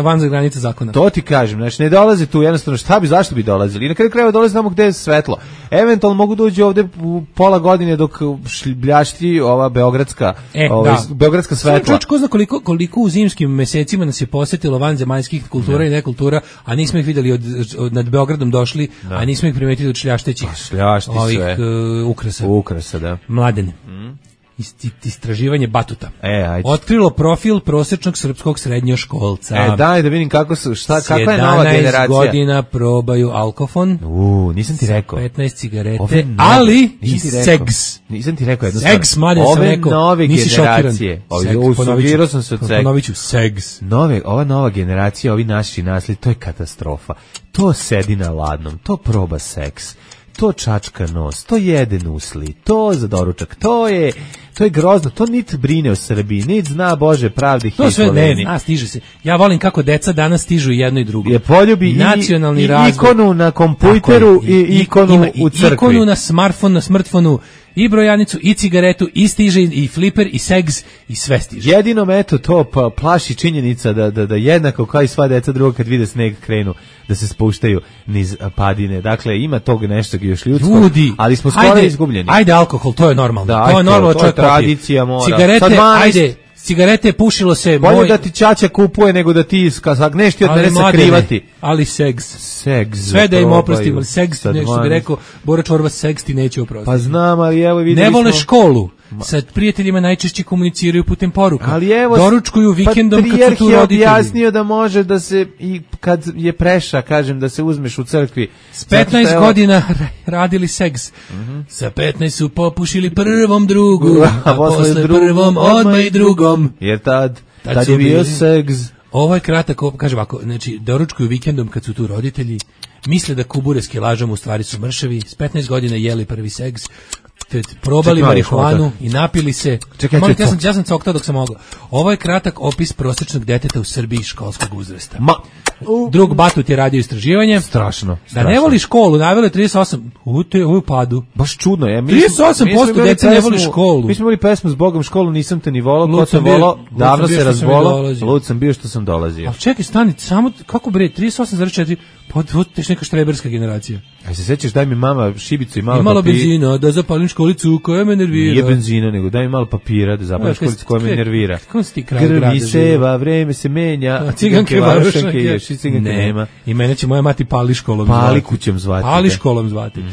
van za granice zakona. To ti kažem, znači ne dolaze tu jednostavno, zašto bi dolazili? I na kraju krajeva dolaze tamo gde je svetlo. Eventualno mogu doći ovde u pola godine dok bljašti ova beogradska svetla. Ko zna koliko u zimskim mesecima nas je posetilo vanzemaljskih kultura i nekultura, a nismo ih videli nad Beogradom došli, a nismo ih primetili od šljaštećih ovih ukrasa. Da. Mladene. Istraživanje Batuta. Otkrilo profil prosječnog srpskog srednjoškolca. Daj da vidim kakva je nova generacija. 17 godina probaju alkofon. Nisam ti rekao. 15 cigarete, ali i segs. Nisam ti rekao jednu stvar. Segs, mladen sam rekao. Nove nisi generacije. Usugirao sam se od sega. Ponovit ću, segs. Ova nova generacija, ovi naši nasli, to je katastrofa. To sedi na ladnom, to proba seks. To čačka nos, to jede nusli, to za doručak, to je grozno, to niti brine o Srbiji, niti zna Bože pravde. To sve ne, stiže se. Ja volim kako deca danas stižu jedno i drugo. Je poljubi nacionalni i razvoj. Ikonu na kompjuteru i ikonu u crkvi. Ikonu na smartfonu, i brojanicu, i cigaretu, i stiže, i fliper, i segs, i sve stiže. Jedinom eto to plaši činjenica da jednako kao i sva deca druga kad vide sneg krenu da se spuštaju niz padine. Dakle, ima tog nešto još ljudskog, ali smo skoro izgubljeni. Ajde alkohol, to je normalno. To je normalno, to je tradicija mora. Cigarete, ajde, cigarete pušilo se. Bolje da ti ćaća kupuje nego da ti sagneš ti od mene sakrivati. Ali segs. Sve da im oprostim, ali segs, nešto bi rekao, Bora Čorba, segs ti neće oprostiti. Pa znam, ali evo videli smo. Ne vole školu. Sa prijateljima najčešće komuniciraju putem poruka. Ali evo, doručkuju vikendom kad su tu roditelji. Objasnio da može da se, i kad je preša, kažem, da se uzmeš u crkvi. S 15 godina radili seks. Sa 15 su popušili prvom drugu, a posle prvom odmah i drugom. Jer tad je bio seks. Ovo je kratak, kaže ovako, znači, doručkuju vikendom kad su tu roditelji, misle da kubure s kilažom u stvari su mršavi, s 15 godina jeli prvi seks, probali marihuanu i napili se. Ja sam coktao dok sam mogao. Ovo je kratak opis prosječnog deteta u Srbiji školskog uzrasta. Drug Batut je radio istraživanje. Strašno. Da ne voli školu, navelo je 38. U padu. Baš čudno je. 38% dece ne voli školu. Mi smo imali pesmu S Bogom školu, nisam te ni volao, ko te volao, davno se razbolao, lud sam bio što sam dolazio. Ali čekaj, stani, samo, kako bre, 38,4, pa teš neka štreberska generacija. Aj se sećaš, daj mi mama šibicu i malo papira. Benzina, da zapalim školicu koja me nervira. Nije benzina, nego daj mi malo papira da zapalim školicu koja me nervira. Grmi seva, vreme se menja, ciganke varošanke, još i ciganke nema. I mene će moja mati Pali školom zvati. Pali kućem zvati. Pali školom zvati.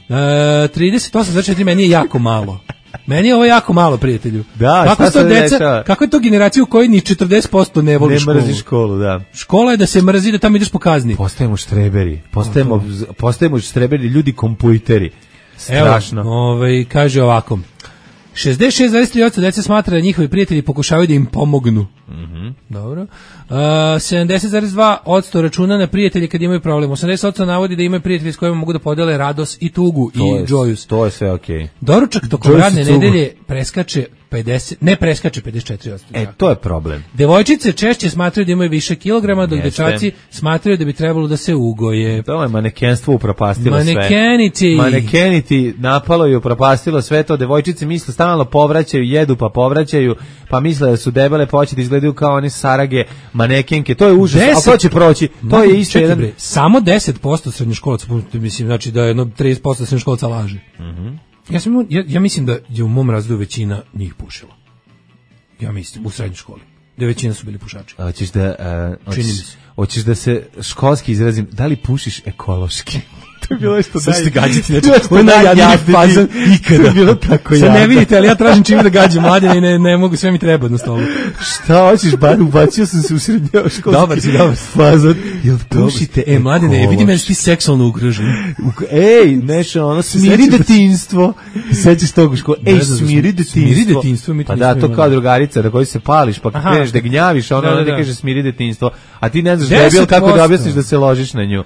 38,4 meni je jako malo. Meni je ovo jako malo, prijatelju. Da, kako je to generacija u kojoj ni 40% ne voli školu? Ne mrzi školu, da. Škola je da se mrzi, da tamo ideš po kazni. Postajemo štreberi, ljudi kompujteri. Strašno. Evo, kaže ovako. 66,3% dece smatra da njihovi prijatelji pokušavaju da im pomognu. Dobro. 70,2% računa na prijatelje kad imaju problem. 80% navodi da imaju prijatelji s kojima mogu da podele radost i tugu i džojus. To je sve okej. Doručak tokom radne nedelje preskače 54%. To je problem. Devojčice češće smatraju da imaju više kilograma, dok dečaci smatraju da bi trebalo da se ugoje. To je manekenstvo upropastilo sve. Manekeniti napalo i upropastilo sve to. Devojčice misle stalno povraćaju, jedu pa povraćaju, pa misle da su debele, početi izgledaju kao one sarage, manekenke. To je užas, ali to će proći. To je isto jedan... Samo 10% srednjoškolaca, mislim, znači da je 30% srednjoškolaca laže. Ja mislim da je u mom razredu većina njih pušila. Ja mislim, u srednjoj školi. Da većina su bili pušači. Hoćeš da se školski izrazim, da li pušiš ekološki? To je bilo što ste gađati. To je najjadniji fazan ikada. To je bilo tako jadno. Sad ne vidite, ali ja tražim čim da gađam mladine i ne mogu, sve mi treba na stolu. Šta hoćeš, ubacio sam se u srednjoškolski fazan. Jel pušite mladine, vidi me ti seksualno ugrožen. Nešto, smiri detinjstvo. Sećaš tog u školu. Smiri detinjstvo. Pa da, to kao drugarica na koju se pališ, pa kreneš da gnjaviš, ona ne kaže smiri detinjstvo. A ti ne znaš debil kako da objasniš da se ložiš na nju.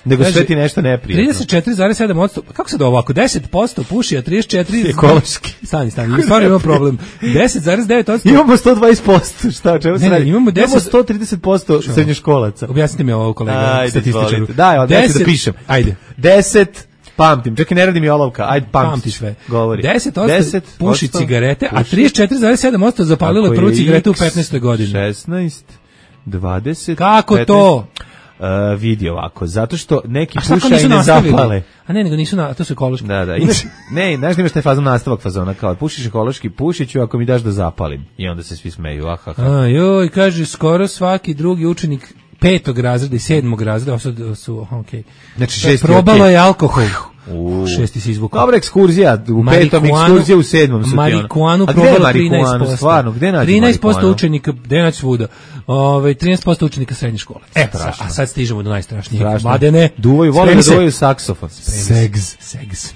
Nego sve ti nešto ne 34,7%, kako se da ovako, 10% puši, a 34... Ekološki. Stani, stvarno ima problem. 10,9%... Imamo 120%, šta, čemu se radi? Imamo 130% srednjoškolaca. Objasnite mi ovo, kolega, statističaru. Daj, ću da pišem. Ajde. 10... Pamtim, čekaj, ne radi mi olovka, ajde pamti sve. Govori. 10% puši cigarete, a 34,7% zapalilo prvu cigaretu u 15. godini. 16, 20... Kako 15, to? vidi ovako, zato što neki pušaju ne zapale. A ne, nego nisu to su ekološki. Da, ne, znaš da imaš taj nastavak fazona, kao pušiš ekološki, pušit ću ako mi daš da zapalim. I onda se svi smeju, Joj, kaže, skoro svaki drugi učenik 5. razreda i 7. razreda, su okej. Znači 6. probalo je alkohol. 6. si izvukao. Dobra ekskurzija, u 5. ekskurzija u 7. su marihuanu probalo 13%. Stvarno, gde nađi 13% učenika, gde naći svuda. 13% učenika srednje škole. A sad stižemo do najstrašnijeg. Mladene, vole da duvaju saksofon. Segs.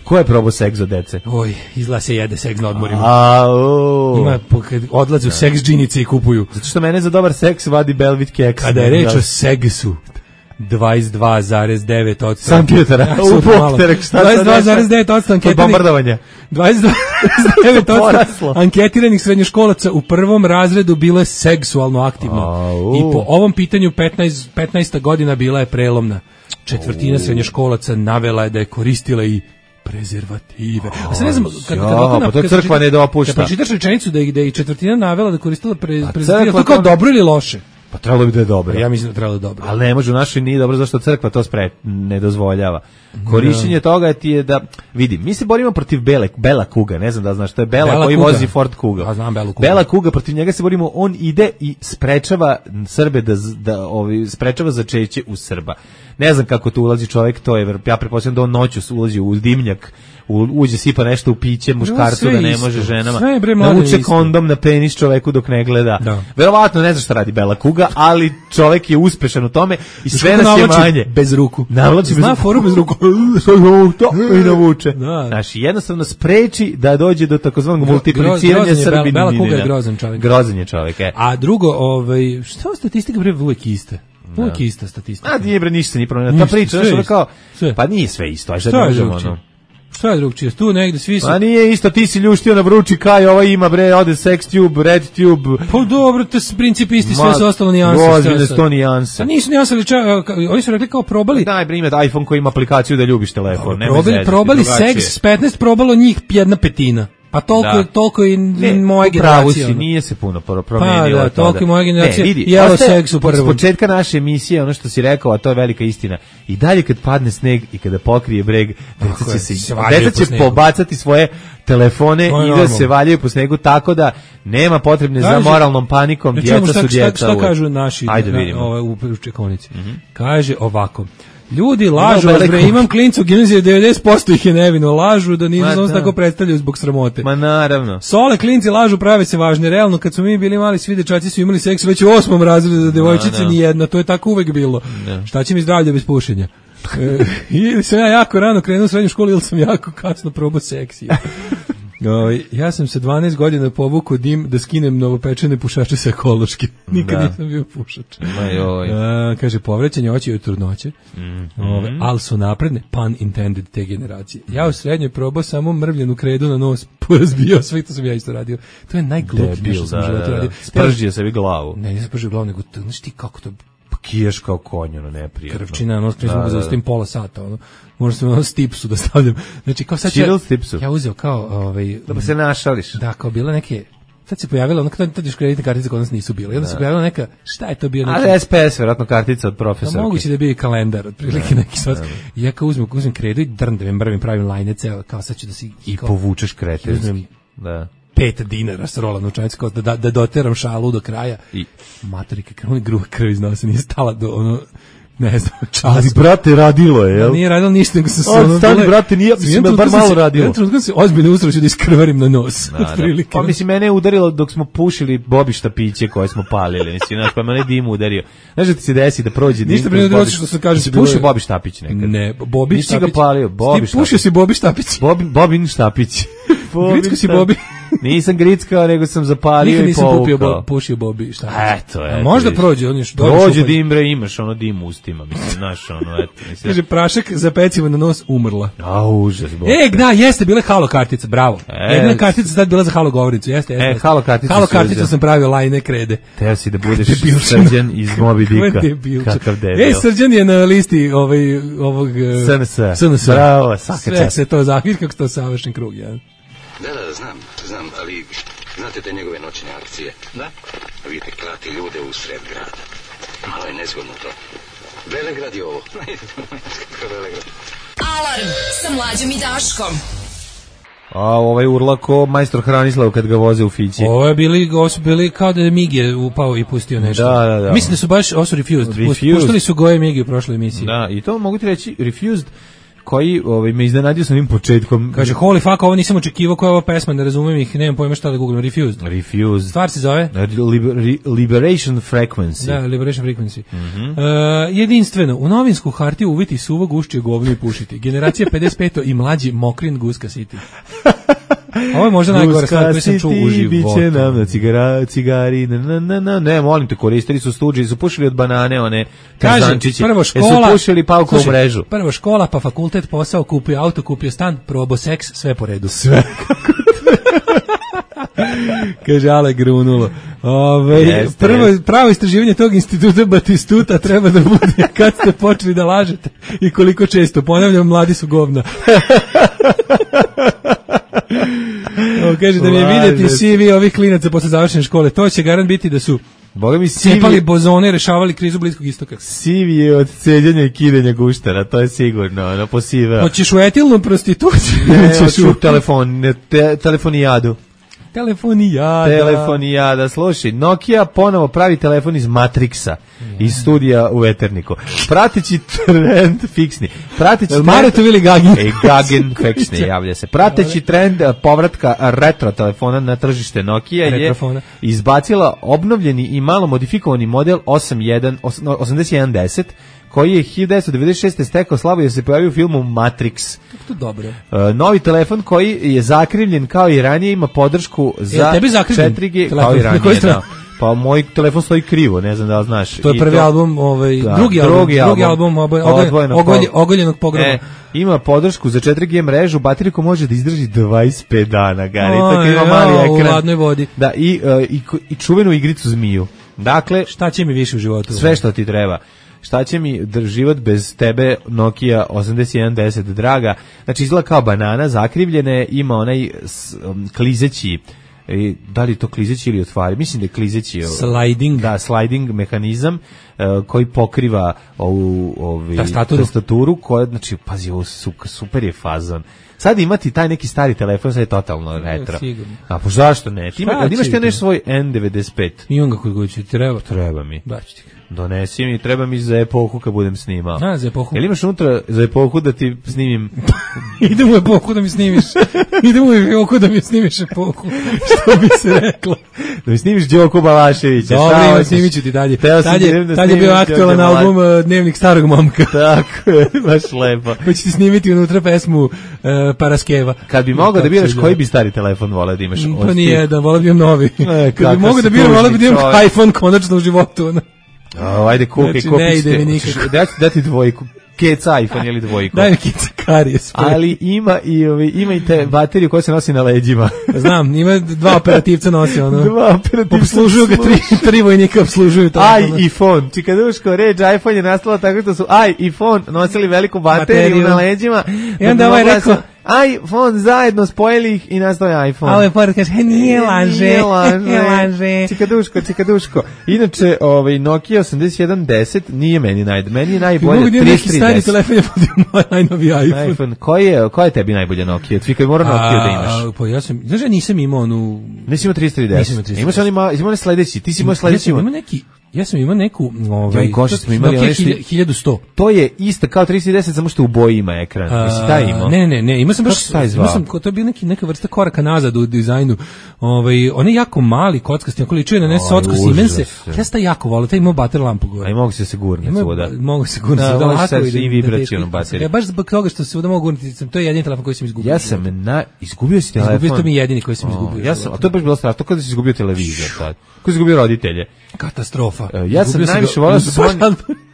Ko je probao seks od dece? Oj, izgleda se jede seks na odmorima. Ima, kad odlaze u seks džinice i kupuju. Zato što mene za dobar seks vadi Belvit keks. Kada je reč o segsu, 22,9% anketara. 22,9% anketiranih. Bombardovanje. 22,9% anketiranih srednjoškolaca u prvom razredu bilo je seksualno aktivno. I po ovom pitanju 15. godina bila je prelomna. Četvrtina srednjoškolaca navela je da je koristila i prezervative. A sad ne znam, pa to crkva ne dopušta. Kad pročitaš rečenicu da je i četvrtina navela da koristila prezervative, to kao dobro ili loše? Pa trebalo bi da je dobro. Ja mislim da trebalo dobro. Ali ne može, u našoj nije dobro zašto crkva to ne dozvoljava. Korišćenje toga ti je da, vidi, mi se borimo protiv Bela Kuga, ne znam da znaš, to je Bela koji vozi Ford Kuga. Ja znam Belu Kuga. Bela Kuga, protiv njega se borimo, on ide i sprečava Srbe sprečava začeće u Srba. Ne znam kako tu ulazi čovjek, to je, ja pretpostavljam da on noću ulazi u dimnjak, uđe sipa nešto u piće muškarcu da ne može ženama, navuče kondom na penis čoveku dok ne gleda. Verovatno ne znam šta radi Bela Kuga, ali čovjek je uspešan u tome i sve nas je manje. Bez ruku. Zna foru bez ruku. I navuče. Znači, jednostavno spreči da dođe do takozvanog multipliciranja srbinina. Bela Kuga je grozan čovjek. Grozan je čovjek, A drugo, šta statistika bre uvijek iste? Uvijek ista statistika. A nije bre ništa, nije promenila. Ta priča, znaš, kao, pa nije sve isto, aj sad ne možemo, ono. Šta je drugčije? Tu negde svi su... Pa nije isto, ti si ljuštio na vrući kaj, ova ima bre, ode SexTube, RedTube. Pa dobro, to je princip isti, sve su ostalo nijanse. Ozbiljne sto nijanse. A nisu nijanse, oni su rekli kao probali... Daj bre, ima iPhone koji ima aplikaciju da ljubiš telefon. Probali Sex 15, probalo njih 1/5. Pa toliko i moja generacija. Nije se puno promenilo. Pa da, toliko i moja generacija. Jelo seks u prvom. S početka naše emisije, ono što si rekao, a to je velika istina. I dalje kad padne sneg i kada pokrije breg, deca će pobacati svoje telefone i da se valjaju po snegu, tako da nema potrebne za moralnom panikom. Djeca su djeca. Šta kažu naši u čekonici? Kaže ovako. Ljudi lažu, imam klincu u gimnaziji, 90% ih je nevino, lažu da nisu samo tako predstavljaju zbog sramote. Ma naravno. Sole klinci lažu, prave se važne. Realno, kad smo mi bili mali, svi dečaci su imali seks već u 8. razredu, za devojčice ni jedna, to je tako uvek bilo. Šta će mi zdravlje bez pušenja? Ili sam ja jako rano krenuo u srednju školu, ili sam jako kasno probao seksi. Ja sam se 12 godina povukao dim da skinem novopečene pušače sa ekološki. Nikad nisam bio pušač. Kaže, povrećenje oči od trudnoće, ali su napredne, pun intended, te generacije. Ja u srednjoj probao samo mrvljenu kredu na nos, porazbio sve, to sam ja isto radio. To je najgluplje nešto sam u životu radio. Spržio sebi glavu. Ne, nisam spržio glavu, nego znaš ti kako to... Kiješ kao konj, neprijatno. Krvčina, nisam ga zaostavim pola sata, možda sam stipsu da stavljam. Znači, kao sad ja uzeo kao... Da se našališ. Da, kao bila neke... Tad se pojavila, tad još kreditne kartice kod nas nisu bile. I onda se pojavila neka, šta je to bio? Ali SPS, vjerojatno kartica od profesorke. Moguće da je bio i kalendar, otprilike neki sad. I ja kao uzmem kredu i drndavim, pravim lajne ceo, kao sad ću da si... I povučeš kretenski. Da. 5 dinara s rola novčanica, kao da doteram šalu do kraja. I matorike, krvni gruh krv iz nosa, nije stala do ne znam, čas. Ali, brate, radilo je, jel? Nije radilo ništa, nego sam se... Stani, brate, nije, mislim, bar malo radilo. Ja trenutno se ozbiljno ustroću da iskrvarim na nos. Pa, mislim, mene je udarilo dok smo pušili Bobi štapiće koje smo palili, mislim, znaš, pa mene dim udario. Znaš da ti se desi da prođe dim... Ništa prije što se kaže... Si pušio Bobi štapić nekad? Ne, Bobi štapić. Nisi ga palio, Bobi štapić. Ti pušio si Bobi štapić. Bobin štapić. Gricko si Bobi. Nisam grickao, nego sam zapalio i povukao. Nikad nisam pušio Bobi, šta? Eto. Možda prođe, on još... Prođe dim, bre, imaš dim u ustima, mislim, znaš, eto. Kaže, prašak za pecivo na nos umrla. A, užas, Bog. Da, jeste, bila je halo kartica, bravo. Jedna kartica sad bila za halo govornicu, jeste. Halo kartica. Halo kartica sam pravio lajne krede. Teo si da budeš Srđan iz Moby Dicka. Kakav debil. Srđan je na listi ovog... SNS. Bravo, svaka čast. Sve se to zahvir, kako se to savršen krug, ja. Da, znam, ali znate te njegove noćne akcije? Da. Vidite, klati ljude u sred grada. Malo je nezgodno to. Velegrad je ovo. Alarm sa Mlađom i Daškom. A ovaj urlako majstor Hranislav kad ga voze u fići. Ovo su bili kao da je Mige upao i pustio nešto. Da. Mislim da su baš, ovo su Refused. Pustili su Goje Migi u prošloj emisiji. Da, i to mogu ti reći Refused, koji me iznenadio sa ovim početkom. Kaže, holy fuck, ovo nisam očekivao, koja je ova pesma, ne razumem ih, nemam pojma šta da googlam. Refused. Stvar se zove? Liberation Frequency. Da, Liberation Frequency. Jedinstveno, u novinsku hartiju uviti suvog ušće govno i pušiti. Generacija 55 i mlađi Mokrin Guska City. Ovo je možda najgore stvar koju sam čuo u životu. Biće nam na cigari, ne, molim te, koristili su stuđe, su pušili od banane, one tarzančiće. Prvo škola, su pušili pauku u mrežu. Prvo škola, pa fakultet, posao, kupio auto, kupio stan, probo seks, sve po redu. Sve. Kaže Ale grunulo. Pravo istraživanje tog instituta Batistuta treba da bude kad ste počeli da lažete i koliko često. Ponavljam, mladi su govna. Kaže da mi je vidjeti CV ovih klinaca posle završene škole. To će garant biti da su cepali bozone, rešavali krizu Bliskog istoka. CV je od ceđenja i kidenja guštara, to je sigurno. Hoćeš u etilnu prostituciju? Ne, hoću telefonijadu. Telefonijada, slušaj, Nokia ponovo pravi telefon iz Matrixa, iz studija u Veterniku. Prateći trend fiksni. Gagin fiksni, javlja se. Prateći trend povratka retro telefona na tržište Nokia je izbacila obnovljeni i malo modifikovani model 8110, koji je 1996. stekao slavu jer se pojavio u filmu Matrix. To dobro. Novi telefon koji je zakrivljen kao i ranije, ima podršku za 4G kao i ranije. Pa moj telefon stoji krivo, ne znam da li znaš. To je prvi album, drugi album ogoljenog pogroma. Ima podršku za 4G mrežu, baterijku može da izdrži 25 dana, Gari. Tako ima mali ekran. U ladnoj vodi. Da, i čuvenu igricu zmiju. Dakle, šta će mi više u životu? Sve što ti treba. Šta će mi život bez tebe, Nokia 8110, draga. Znači, izgleda kao banana, zakrivljene, ima onaj klizeći, da li to klizeći ili otvari? Mislim da je klizeći. Sliding. Da, sliding mehanizam koji pokriva ovu tastaturu, koja, znači, pazi, ovo super je fazon. Sad imati taj neki stari telefon, sad je totalno retro. A po zašto ne? Imaš ti nešto svoj N95? Imam ga kod kuće, treba? Treba mi. Daći ti ga. Donesi mi, treba mi za epohu kad budem snimao. Za epohu. Jel imaš unutra za epohu da ti snimim? Idem u epohu da mi snimiš. Idem u epohu da mi snimiš epohu. Što bi se reklo? Da mi snimiš Đoku Balaševića. Dobro, snimit ću ti dalje. Tad je bio aktualan album Dnevnik starog momka. Tako je, baš lepo. Pa ću ti snimiti unutra pesmu Paraskeva. Kad bi mogao da biraš koji bi stari telefon voleo da imaš? Pa nije, da voleo bi imam novi. Kad bi mogao da biram, voleo bi da imam iPhone konačno u životu. Ajde, kukaj, znači, ne ide mi nikako. Dati dvojku. Keca iPhone ili dvojku. Daj mi keca karijes. Ali ima i te bateriju koja se nosi na leđima. Znam, ima dva operativca nosi ono. Dva operativca. Obslužuju ga tri vojnika, obslužuju to. iPhone. Čikaduško, reč iPhone je nastala tako što su iPhone nosili veliku bateriju na leđima. I onda ovaj rekao, iPhone zajedno spojili ih i nastao je iPhone. A ovaj pored kaže, nije laže. Čikaduško. Inače, Nokia 8110 nije meni meni je najbolje 3310. Neki stari telefon je podio najnoviji iPhone. Koja je tebi najbolja Nokia? Tvika mora Nokia da imaš. Pa ja sam, znaš, nisam imao onu... Nisi imao 3310. Imaš sledeći. Ti si imao sledeći. Ja sam imao neku, smo imali Nokia 1100. To je isto kao 310, samo što u boji ima ekran. Jesi taj imao? Ne, imao sam baš, to je bio neka vrsta koraka nazad u dizajnu. On je jako mali, kockasti, ako ličuje na socko Siemense. Ja sam taj jako volio, taj imao bater lampu gore. A i mogu se gurnuti svuda. Mogu se gurnuti svuda. Mogu se i vibracijonu bateriju. Ja baš zbog toga što se svuda mogu gurnuti, to je jedini telefon koji sam izgubio. Ja sam izgubio si telefon. Izgubio, to mi je jedini koji sam izgubio. A to je baš bilo strašno, to kada si izgubio televizor sad. Ko si izgubio roditelje? Katastrofa. Ja sam najviše volao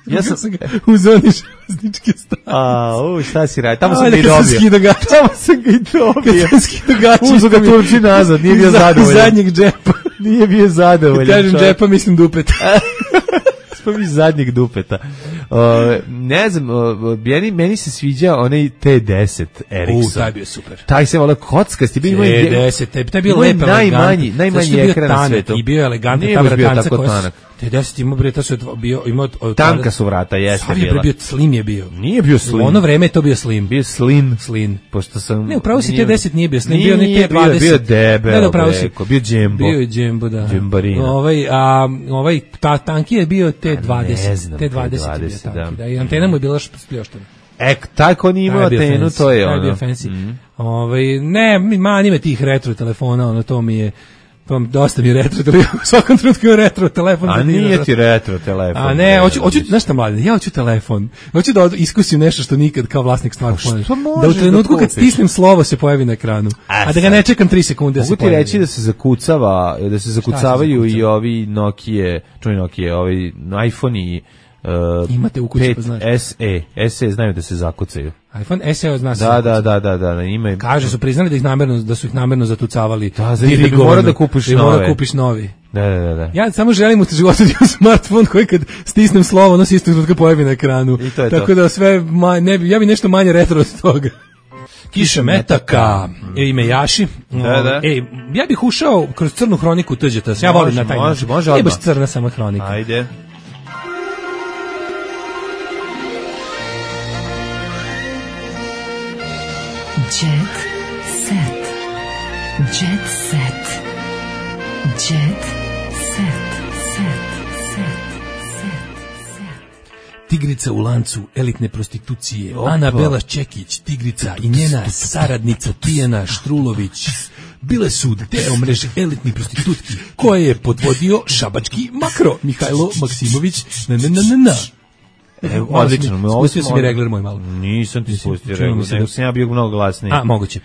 ja sam u zoni železničke stanice. Šta si radi? Tamo sam ga i dobio. Kad skido gaće. Uzo ga Turči nazad, nije bio zadovoljan. Iz zadnjeg džepa. Nije bio zadovoljan. Kad kažem džepa, mislim dupeta. Iz zadnjeg dupeta. Ne znam, meni se sviđa onaj T10 Ericsson. Taj bio super. Taj se volao kockasti. T10, taj bio lep, najmanji ekran na svetu. I bio je elegantan, ta vratanca koja T10 ima bre, imao tanka su vrata, jeste bila. Slim je bio. Nije bio slim. U ono vreme je to bio slim. Bio slin. Pošto sam... Ne, upravo si T10 nije bio slim, bio ni T20. Bio debel, bio džembo. Bio je džembo, da. Džembarina. Ta tanki je bio T20. Ne znam, T20 tanki, da. I antena mu je bila spljoštena. Taj ko nije imao antenu, to je ono. Taj bio fancy. Ne, mani me tih retro telefona, ono, to mi je... dosta mi je retro telefon, u svakom trenutku je retro telefon. A nije ti retro telefon. A ne, znaš šta mladen, ja hoću telefon. Hoću da iskusim nešto što nikad kao vlasnik smartfona. Da u trenutku kad stisnem slovo se pojavi na ekranu, a da ga ne čekam 3 sekunde da se pojavi. Mogu ti reći da se zakucavaju i ovi Nokia, ovi iPhone i imate u kući, 5 SE znaju da se zakucaju. iPhone SE zna se. Da, ima. Kaže su priznali da su ih namerno zatucavali. Da mora da kupiš nove. Mora kupiš novi. Da. Ja samo želim u životu da imam smartfon koji kad stisnem slovo, ono se isto trenutka pojavi na ekranu. Tako da sve ja bi nešto manje retro od toga. Kiša metaka, ime Jaši. Ja bih ušao kroz crnu hroniku Tuđeta. Ja volim na taj način. Može baš crna samo hronika. Ajde. Jet set. Jet set. Jet set. Tigrica u lancu elitne prostitucije. Ana Belaš Čekić, tigrica i njena saradnica Tijana Štrulović bile su deo mreže elitnih prostitutki koje je podvodio šabački makro Mihajlo Maksimović. Odlično. Spustio si mi regler moj malo. Nisam ti spustio regler, nego sam ja bio mnogo glasniji. Moguće.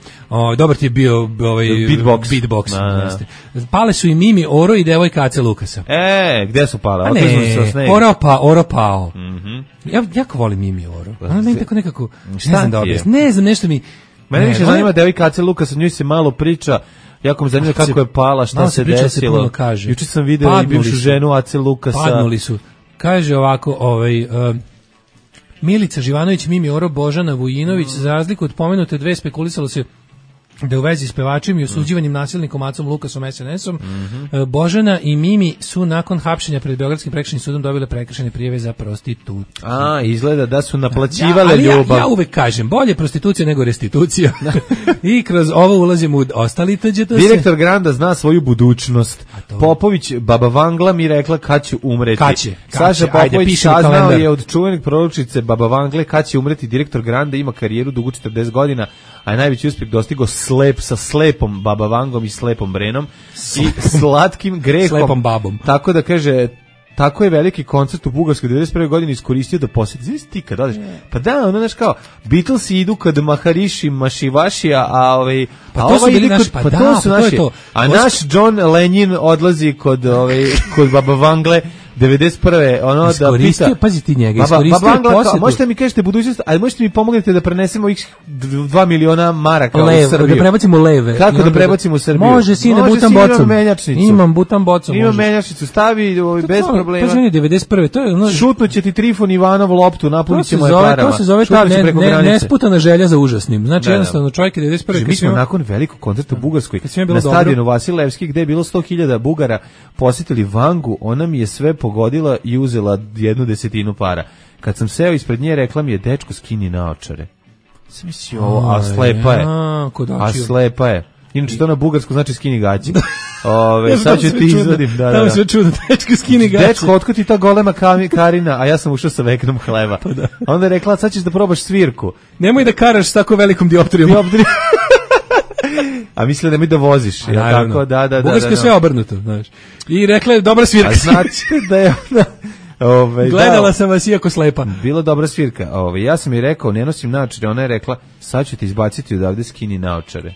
Dobar ti je bio beatbox. Pale su i Mimi Oro i devojka Ace Lukasa. Gde su pale? Oro pao. Ja jako volim Mimi Oro. Ona meni tako nekako, ne znam, nešto mi... Mene više zanima devojka Ace Lukasa, njoj se malo priča. Jako me zanima kako je pala, šta se desilo. Juče sam video i bivšu ženu Ace Lukasa. Padnuli su. Kaže ovako, Milica Živanović, Mimi Oro, Božana Vujinović, za razliku od pomenute dve spekulisalo se da u vezi s pevačem i osuđivanjem nasilnikom Acom Lukasom SNS-om, Božana i Mimi su nakon hapšenja pred Beogradskim prekršajnim sudom dobile prekršajne prijave za prostitut. Izgleda da su naplaćivale ljubav. Ja uvek kažem, bolje prostitucija nego restitucija. I kroz ovo ulazimo u ostali tuđe. Direktor Granda zna svoju budućnost. Popović, baba Vangla mi rekla kad će umreti. Saša Popović saznao je od čuvenih proročice baba Vangle kad će umreti. Direktor Granda ima karijeru dugu 40 godina, a najveći uspjeh dostigao sa slepom baba Vangom i slepom Brenom i slatkim grehom. Slepom babom. Tako da kaže, tako je veliki koncert u Bugarskoj 91. godini iskoristio da posjeti. Znaš ti kad odeš? Pa da, ono znaš kao, Beatlesi idu kod Maharishi Mašivašija, pa to su bili naši, a naš John Lennon odlazi kod baba Vangle 91. ono da pita. Pazi ti njega, iskoristio posjetu. Možete mi kažete budućnost, ali možete mi pomognete da prenesemo ih 2 miliona maraka u Srbiju. Da prebacimo leve. Kako da prebacimo u Srbiju? Može, sine, butan bocom. Imam butan bocom. Imam menjačnicu, stavi bez problema. Pa ženi, 91. To je ono... Šutnut će ti Trifon Ivanov loptu, napunit ćemo je parama. To se zove ta nesputana želja za užasnim. Znači, jednostavno, čovjek je 91. Mi smo nakon velikog koncerta u Bugarskoj na stadionu Vasilevski, gde je bilo 100.000 Bugara, posjetili Vangu, ona mi je sve pogodila i uzela 1/10 para. Kad sam seo ispred nje, rekla mi je, dečko, skini naočare. Sam mislio ovo, a slepa je. A slepa je. Inače to na bugarsku znači skini gaći. Sad ću ti izvadim. Tamo sve čudno, dečko skini gaći. Dečko, otkud ti ta golema Karina, a ja sam ušao sa veknom hleba. Onda je rekla, sad ćeš da probaš svirku. Nemoj da karaš s tako velikom dioptrijom. A mislila da mi da voziš. Tako, da. Bugarsko je sve obrnuto, znaš. I rekla je, dobra svirka. A znači da je ona... Gledala sam vas iako slepa. Bila dobra svirka. Ja sam joj rekao, ne nosim naočare. Ona je rekla, sad ću te izbaciti odavde, skini naočare.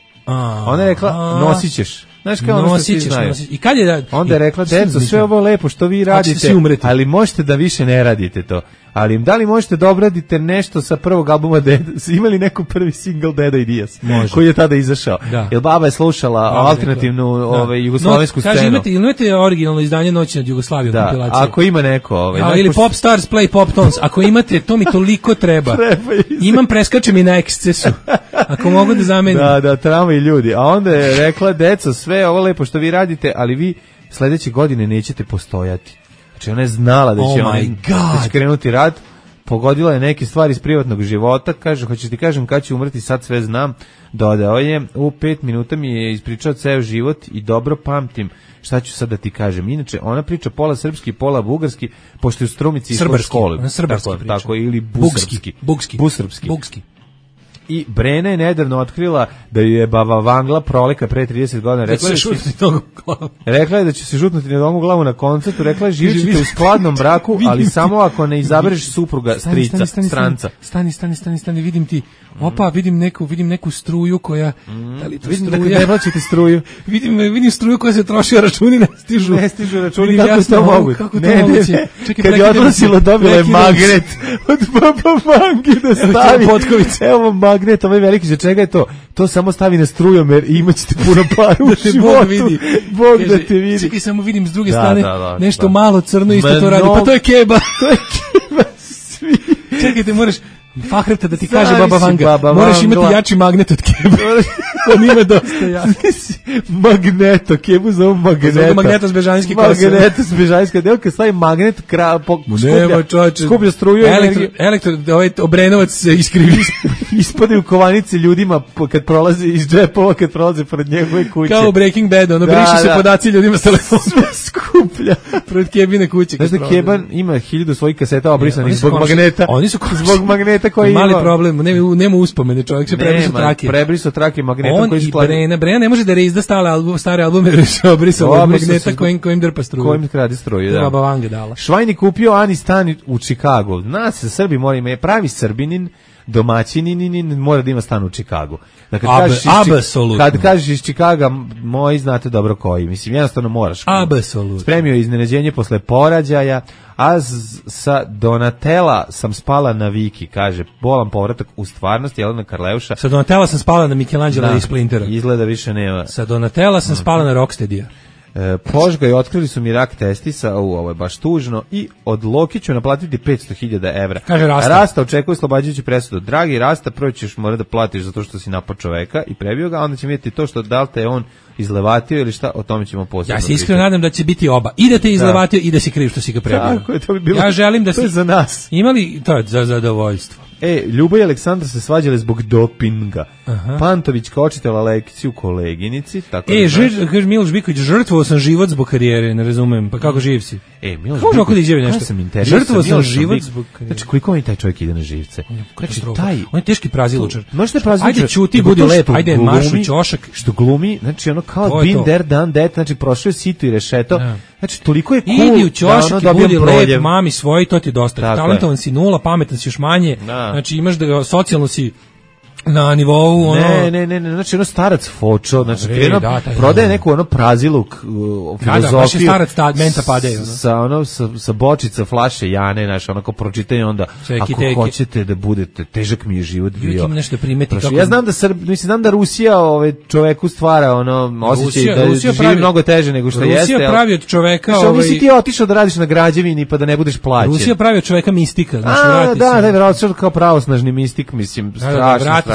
Ona je rekla, nosit ćeš. Znaš kao ono što svi znaju. I kad je onda je rekla, deco, sve ovo lepo što vi radite, ali možete da više ne radite to. Ali da li možete da obradite nešto sa prvog albuma Deda? Imali neku prvi single Deda i Dijas koji je tada izašao? Jer baba je slušala alternativnu jugoslovensku scenu. Kaže, imate originalno izdanje Noći nad Jugoslavijom kompilacije? Ako ima neko... ili Pop Stars Play Pop Tones. Ako imate, to mi toliko treba. Imam, preskačem i na ekscesu. Ako mogu da zamenim. Da, tramvaj ljudi. A onda je rekla, deco, sve ovo lepo što vi radite, ali vi sledeće godine nećete postojati. Znači ona je znala da će krenuti rat, pogodila je neke stvari iz privatnog života, kaže, hoćeš ti kažem kad će umreti, sad sve znam, dodao je, u 5 minuta mi je ispričao ceo život i dobro pamtim šta ću sad da ti kažem. Inače, ona priča pola srpski, pola bugarski, pošto je u Strumici išla u školu. Tako, ili busrpski. I Brena je nedavno otkrila da je baba Vangla prolika pre 30 godina. Rekla je da će se žutnuti na nogu glavu na koncertu. Rekla je živit ćete u skladnom braku, ali samo ako ne izabereš supruga, strica, stranca. Stani, vidim ti. Opa, vidim neku struju koja... Da li to vidim struja? Da ne plaćate struju. Vidim struju koja se troši, a računi ne stižu. Ne stižu računi, kako je to moguće? Ne. Kad je odnosila, dobila je magnet od baba Vange da stavi. Evo magnet, ovaj veliki, za čega je to? To samo stavi na strujomer i imat ćete puno para u životu. Bog da te vidi. Čekaj, samo vidim s druge strane nešto malo crno isto to radi. Pa to je keba. Svi. Čekajte, moraš... Fahreta da ti kaže baba Vanga, moraš imati jači magnet od keba. On ima dosta jak. Magneto, kebu zovu magneta. Magneto s Bežanjski kosa. Magneto s Bežanjski, delka stavi magnet, skuplja struju. Obrenovac se iskrivi. Ispade u kovanice ljudima kad prolaze iz džepova, kad prolaze pored njegove kuće. Kao u Breaking Bad, ono brišu se podaci ljudima s telefona. Sve skuplja. Pred kebine kuće. Znaš da Keban ima 1000 svojih kaseta obrisanih zbog magneta. Oni su zbog magneta koji ima. Mali problem, nema uspomene, čovjek se prebrisao trake magnetom koji skladi. On i Brena ne može da reizda stare albume, jer se obrisao od magneta kojim drpa struju. Kojim kradi struju, da. Baba Vanga dala. Švajni kupio Ani stan u Čikagu. Nas se Srbi mora ima, je pravi Srbinin, domaćinin, mora da ima stan u Čikagu. Kad kažeš iz Čikaga, moji znate dobro koji. Mislim, jednostavno moraš. Apsolutno. Spremio je iznenađenje posle porađaja, a sa Donatella sam spala na Viki, kaže, bolan povratak u stvarnost, Jelena Karleuša. Sa Donatella sam spala na Michelangela i Splintera. Izgleda više nema. Sa Donatella sam spala na Rocksteadija. Požga i otkrili su mi rak testisa, ovo je baš tužno, i od Loki ću naplatiti 500.000 evra. Kaže Rasta očekuje oslobađajuću presudu. Dragi Rasta, prvo ćeš morati da platiš zato što si napao čoveka i prebio ga, a onda će vidjeti to što da li te on izlevatio ili šta, o tome ćemo posebno. Ja se iskreno nadam da će biti oba. I da te izlevatio i da si kriv što si ga prebio. Tako je, to bi bilo. Ja želim da to je za nas. Imali to je za zadovoljstvo. Ljubav i Aleksandar se svađale zbog dopinga. Pantović kao očitela lekciju koleginici. Tako Miloš Biković, žrtvovao sam život zbog karijere, ne razumem. Pa kako živ si? Miloš Biković, žrtvovao sam život zbog karijere. Znači, koliko mi taj čovjek ide na živce? Znači, on je teški prazilučar. Ajde, čuti, budi lep, ajde, maršu ćošak. Što glumi, znači, ono kao been there, done that, znači, prošao je sito i rešeto. Znači, toliko je cool. Idi u ćošak i budi lep, mami svoj, to ti je dosta. Talentovan si nula, pametan si još manje. Znači, imaš da socijalno si na nivou ono... Ne, znači ono starac fočo, znači prodaje neku ono praziluk filozofiju. Da, baš starac menta padeju. Sa bočica flaše Jane, znači onako pročitanje onda, ako hoćete da budete, težak mi je život bio. Uvijek ima nešto primeti. Ja znam da Rusija čoveku stvara ono osjećaj da živi mnogo teže nego što jeste. Rusija pravi od čoveka... Nisi ti otišao da radiš na građevini pa da ne budeš plaćen. Rusija pravi od čoveka mistika. Da, vjerojatno kao pravosnažni mistik, mislim, strašno.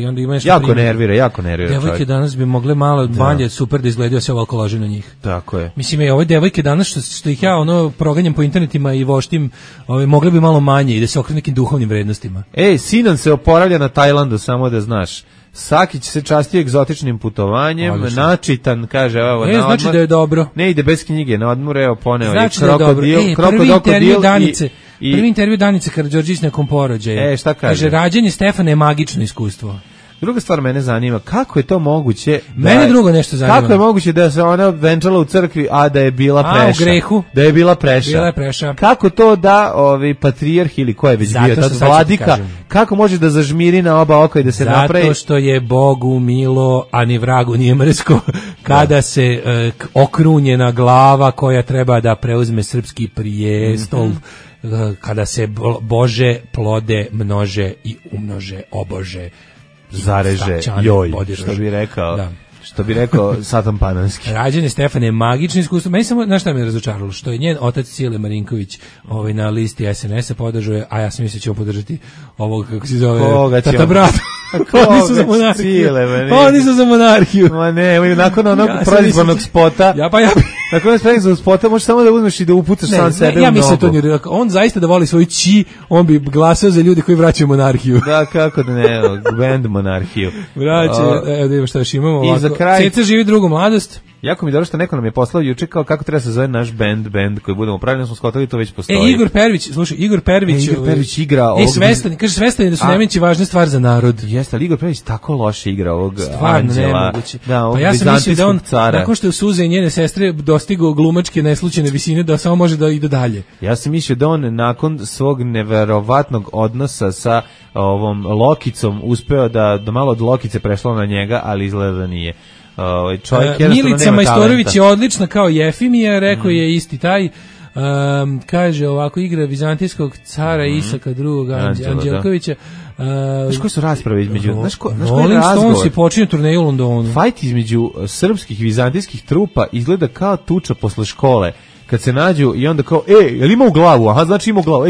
I onda ima nešto jako nervira. Devojke danas bi mogle malo manje super da izgledaju sve ovako loži na njih. Tako je. Mislim, ove devojke danas što ih ja proganjam po internetima i voštim, mogle bi malo manje i da se okrenu nekim duhovnim vrednostima. Sinan se oporavlja na Tajlandu, samo da znaš. Sakić se častio egzotičnim putovanjem, načitan, kaže, evo, na odmor. Znači da je dobro. Ne ide bez knjige, na odmor, evo, poneo znači je krokodil. Prvi intervju Danice Karađorđević nakon porođaja. Šta kaže? Kaže, rađanje Stefana je magično iskustvo. Druga stvar mene zanima, kako je to moguće? Mene drugo nešto zanima. Kako je moguće da se ona venčala u crkvi, a da je bila preša? U grehu. Da je bila preša. Bila je preša. Kako to da patrijarh ili ko je već bio tad vladika, kako može da zažmiri na oba oka i da se napravi? Zato što je Bogu milo, a ni vragu nije mrsko, kada se okrunjena glava koja treba da preuzme srpski prijestol, kada se Bože plode množe i umnože obože. Zareže, joj, što bi rekao Satan Pananski. Rađanje Stefane je magično iskustvo. Meni samo, znaš šta me razočaralo? Što je njen otac Cile Marinković na listi SNS-a podržuje, a ja sam mislio da ćemo podržati ovog, kako se zove, tata brata. Oni su za monarhiju. Oni su za monarhiju. Ma ne, nakon onog predizbornog spota. Nakon onog predizbornog spota možeš samo da uzmeš i da upucaš sam sebe u nogu. Ja mislim to nije. On zaista da voli svoj či, on bi glasao za ljude koji vraćaju monarhiju. Da, kako da ne, band monarhiju. Vraća, evo da imamo šta još imamo ovako. I za kraj... Ceca živi drugu mladost. Jako mi dobro što neko nam je poslao juče kao kako treba se zove naš band koji budemo pravilno smo skotali, to već postoji. Igor Pervić, slušaj, Igor Pervić igra ovog... Svestan je da su Nemanjići važna stvar za narod. Jeste, ali Igor Pervić tako loše igra ovog stvarno nemoguće. Pa ja sam mislio da on, nakon što je Suze i njene sestre dostigao glumačke neslučajne visine, da samo može da ide dalje. Ja sam mislio da on nakon svog neverovatnog odnosa sa ovom Lokicom uspeo da malo od Lokice prešlo na njega, ali izgleda da nije. Milica Majstorović je odlična kao Jefimija, rekao je isti taj. Kaže ovako, igra vizantijskog cara Isaka II. Anđelkovića. Znaš koje su rasprave između... Rolling Stones je počinio turneju u Londonu. Fajt između srpskih vizantijskih trupa izgleda kao tuča posle škole. Kad se nađu i onda kao, jel ima u glavu? Aha, znači ima u glavu.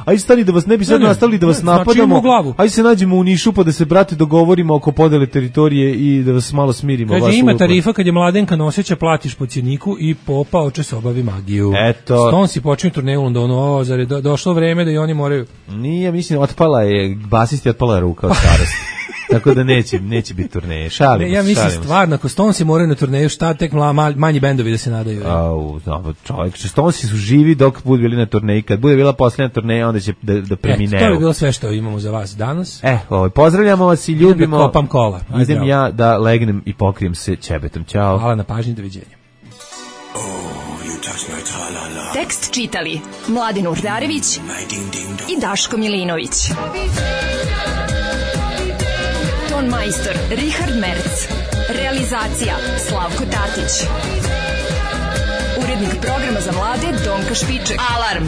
Ajde stani da vas ne bi sad nastavili da vas napadamo. Ajde se nađemo u Nišu pa da se, brate, dogovorimo oko podele teritorije i da vas malo smirimo. Kaže, ima tarifa kad je mladenka noseća, platiš po cjeniku i popa oče se obavi magiju. Eto. Stones je počinio turneju u Londonu. Zar je došlo vreme da i oni moraju... Nije, mislim, basist je otpala ruka od starosti. Tako da neće biti turneje. Šalimo se. Ja mislim stvarno, ako Stonesi moraju na turneju, šta tek manji bendovi da se nadaju. Čovjek, Stonesi su živi dok budu bili na turneji. Kad bude bila posljednja turneja, onda će da premineju. To je bilo sve što imamo za vas danas. Pozdravljamo vas i ljubimo. Da kopam kola. Idem ja da legnem i pokrijem se ćebetom. Ćao. Hvala na pažnji, doviđenja. Tekst čitali Mladin Urdarević i Daško Milinović. Ton majstor Richard Merc. Realizacija Slavko Tatić. Urednik programa za mlade Donka Špiček. Alarm!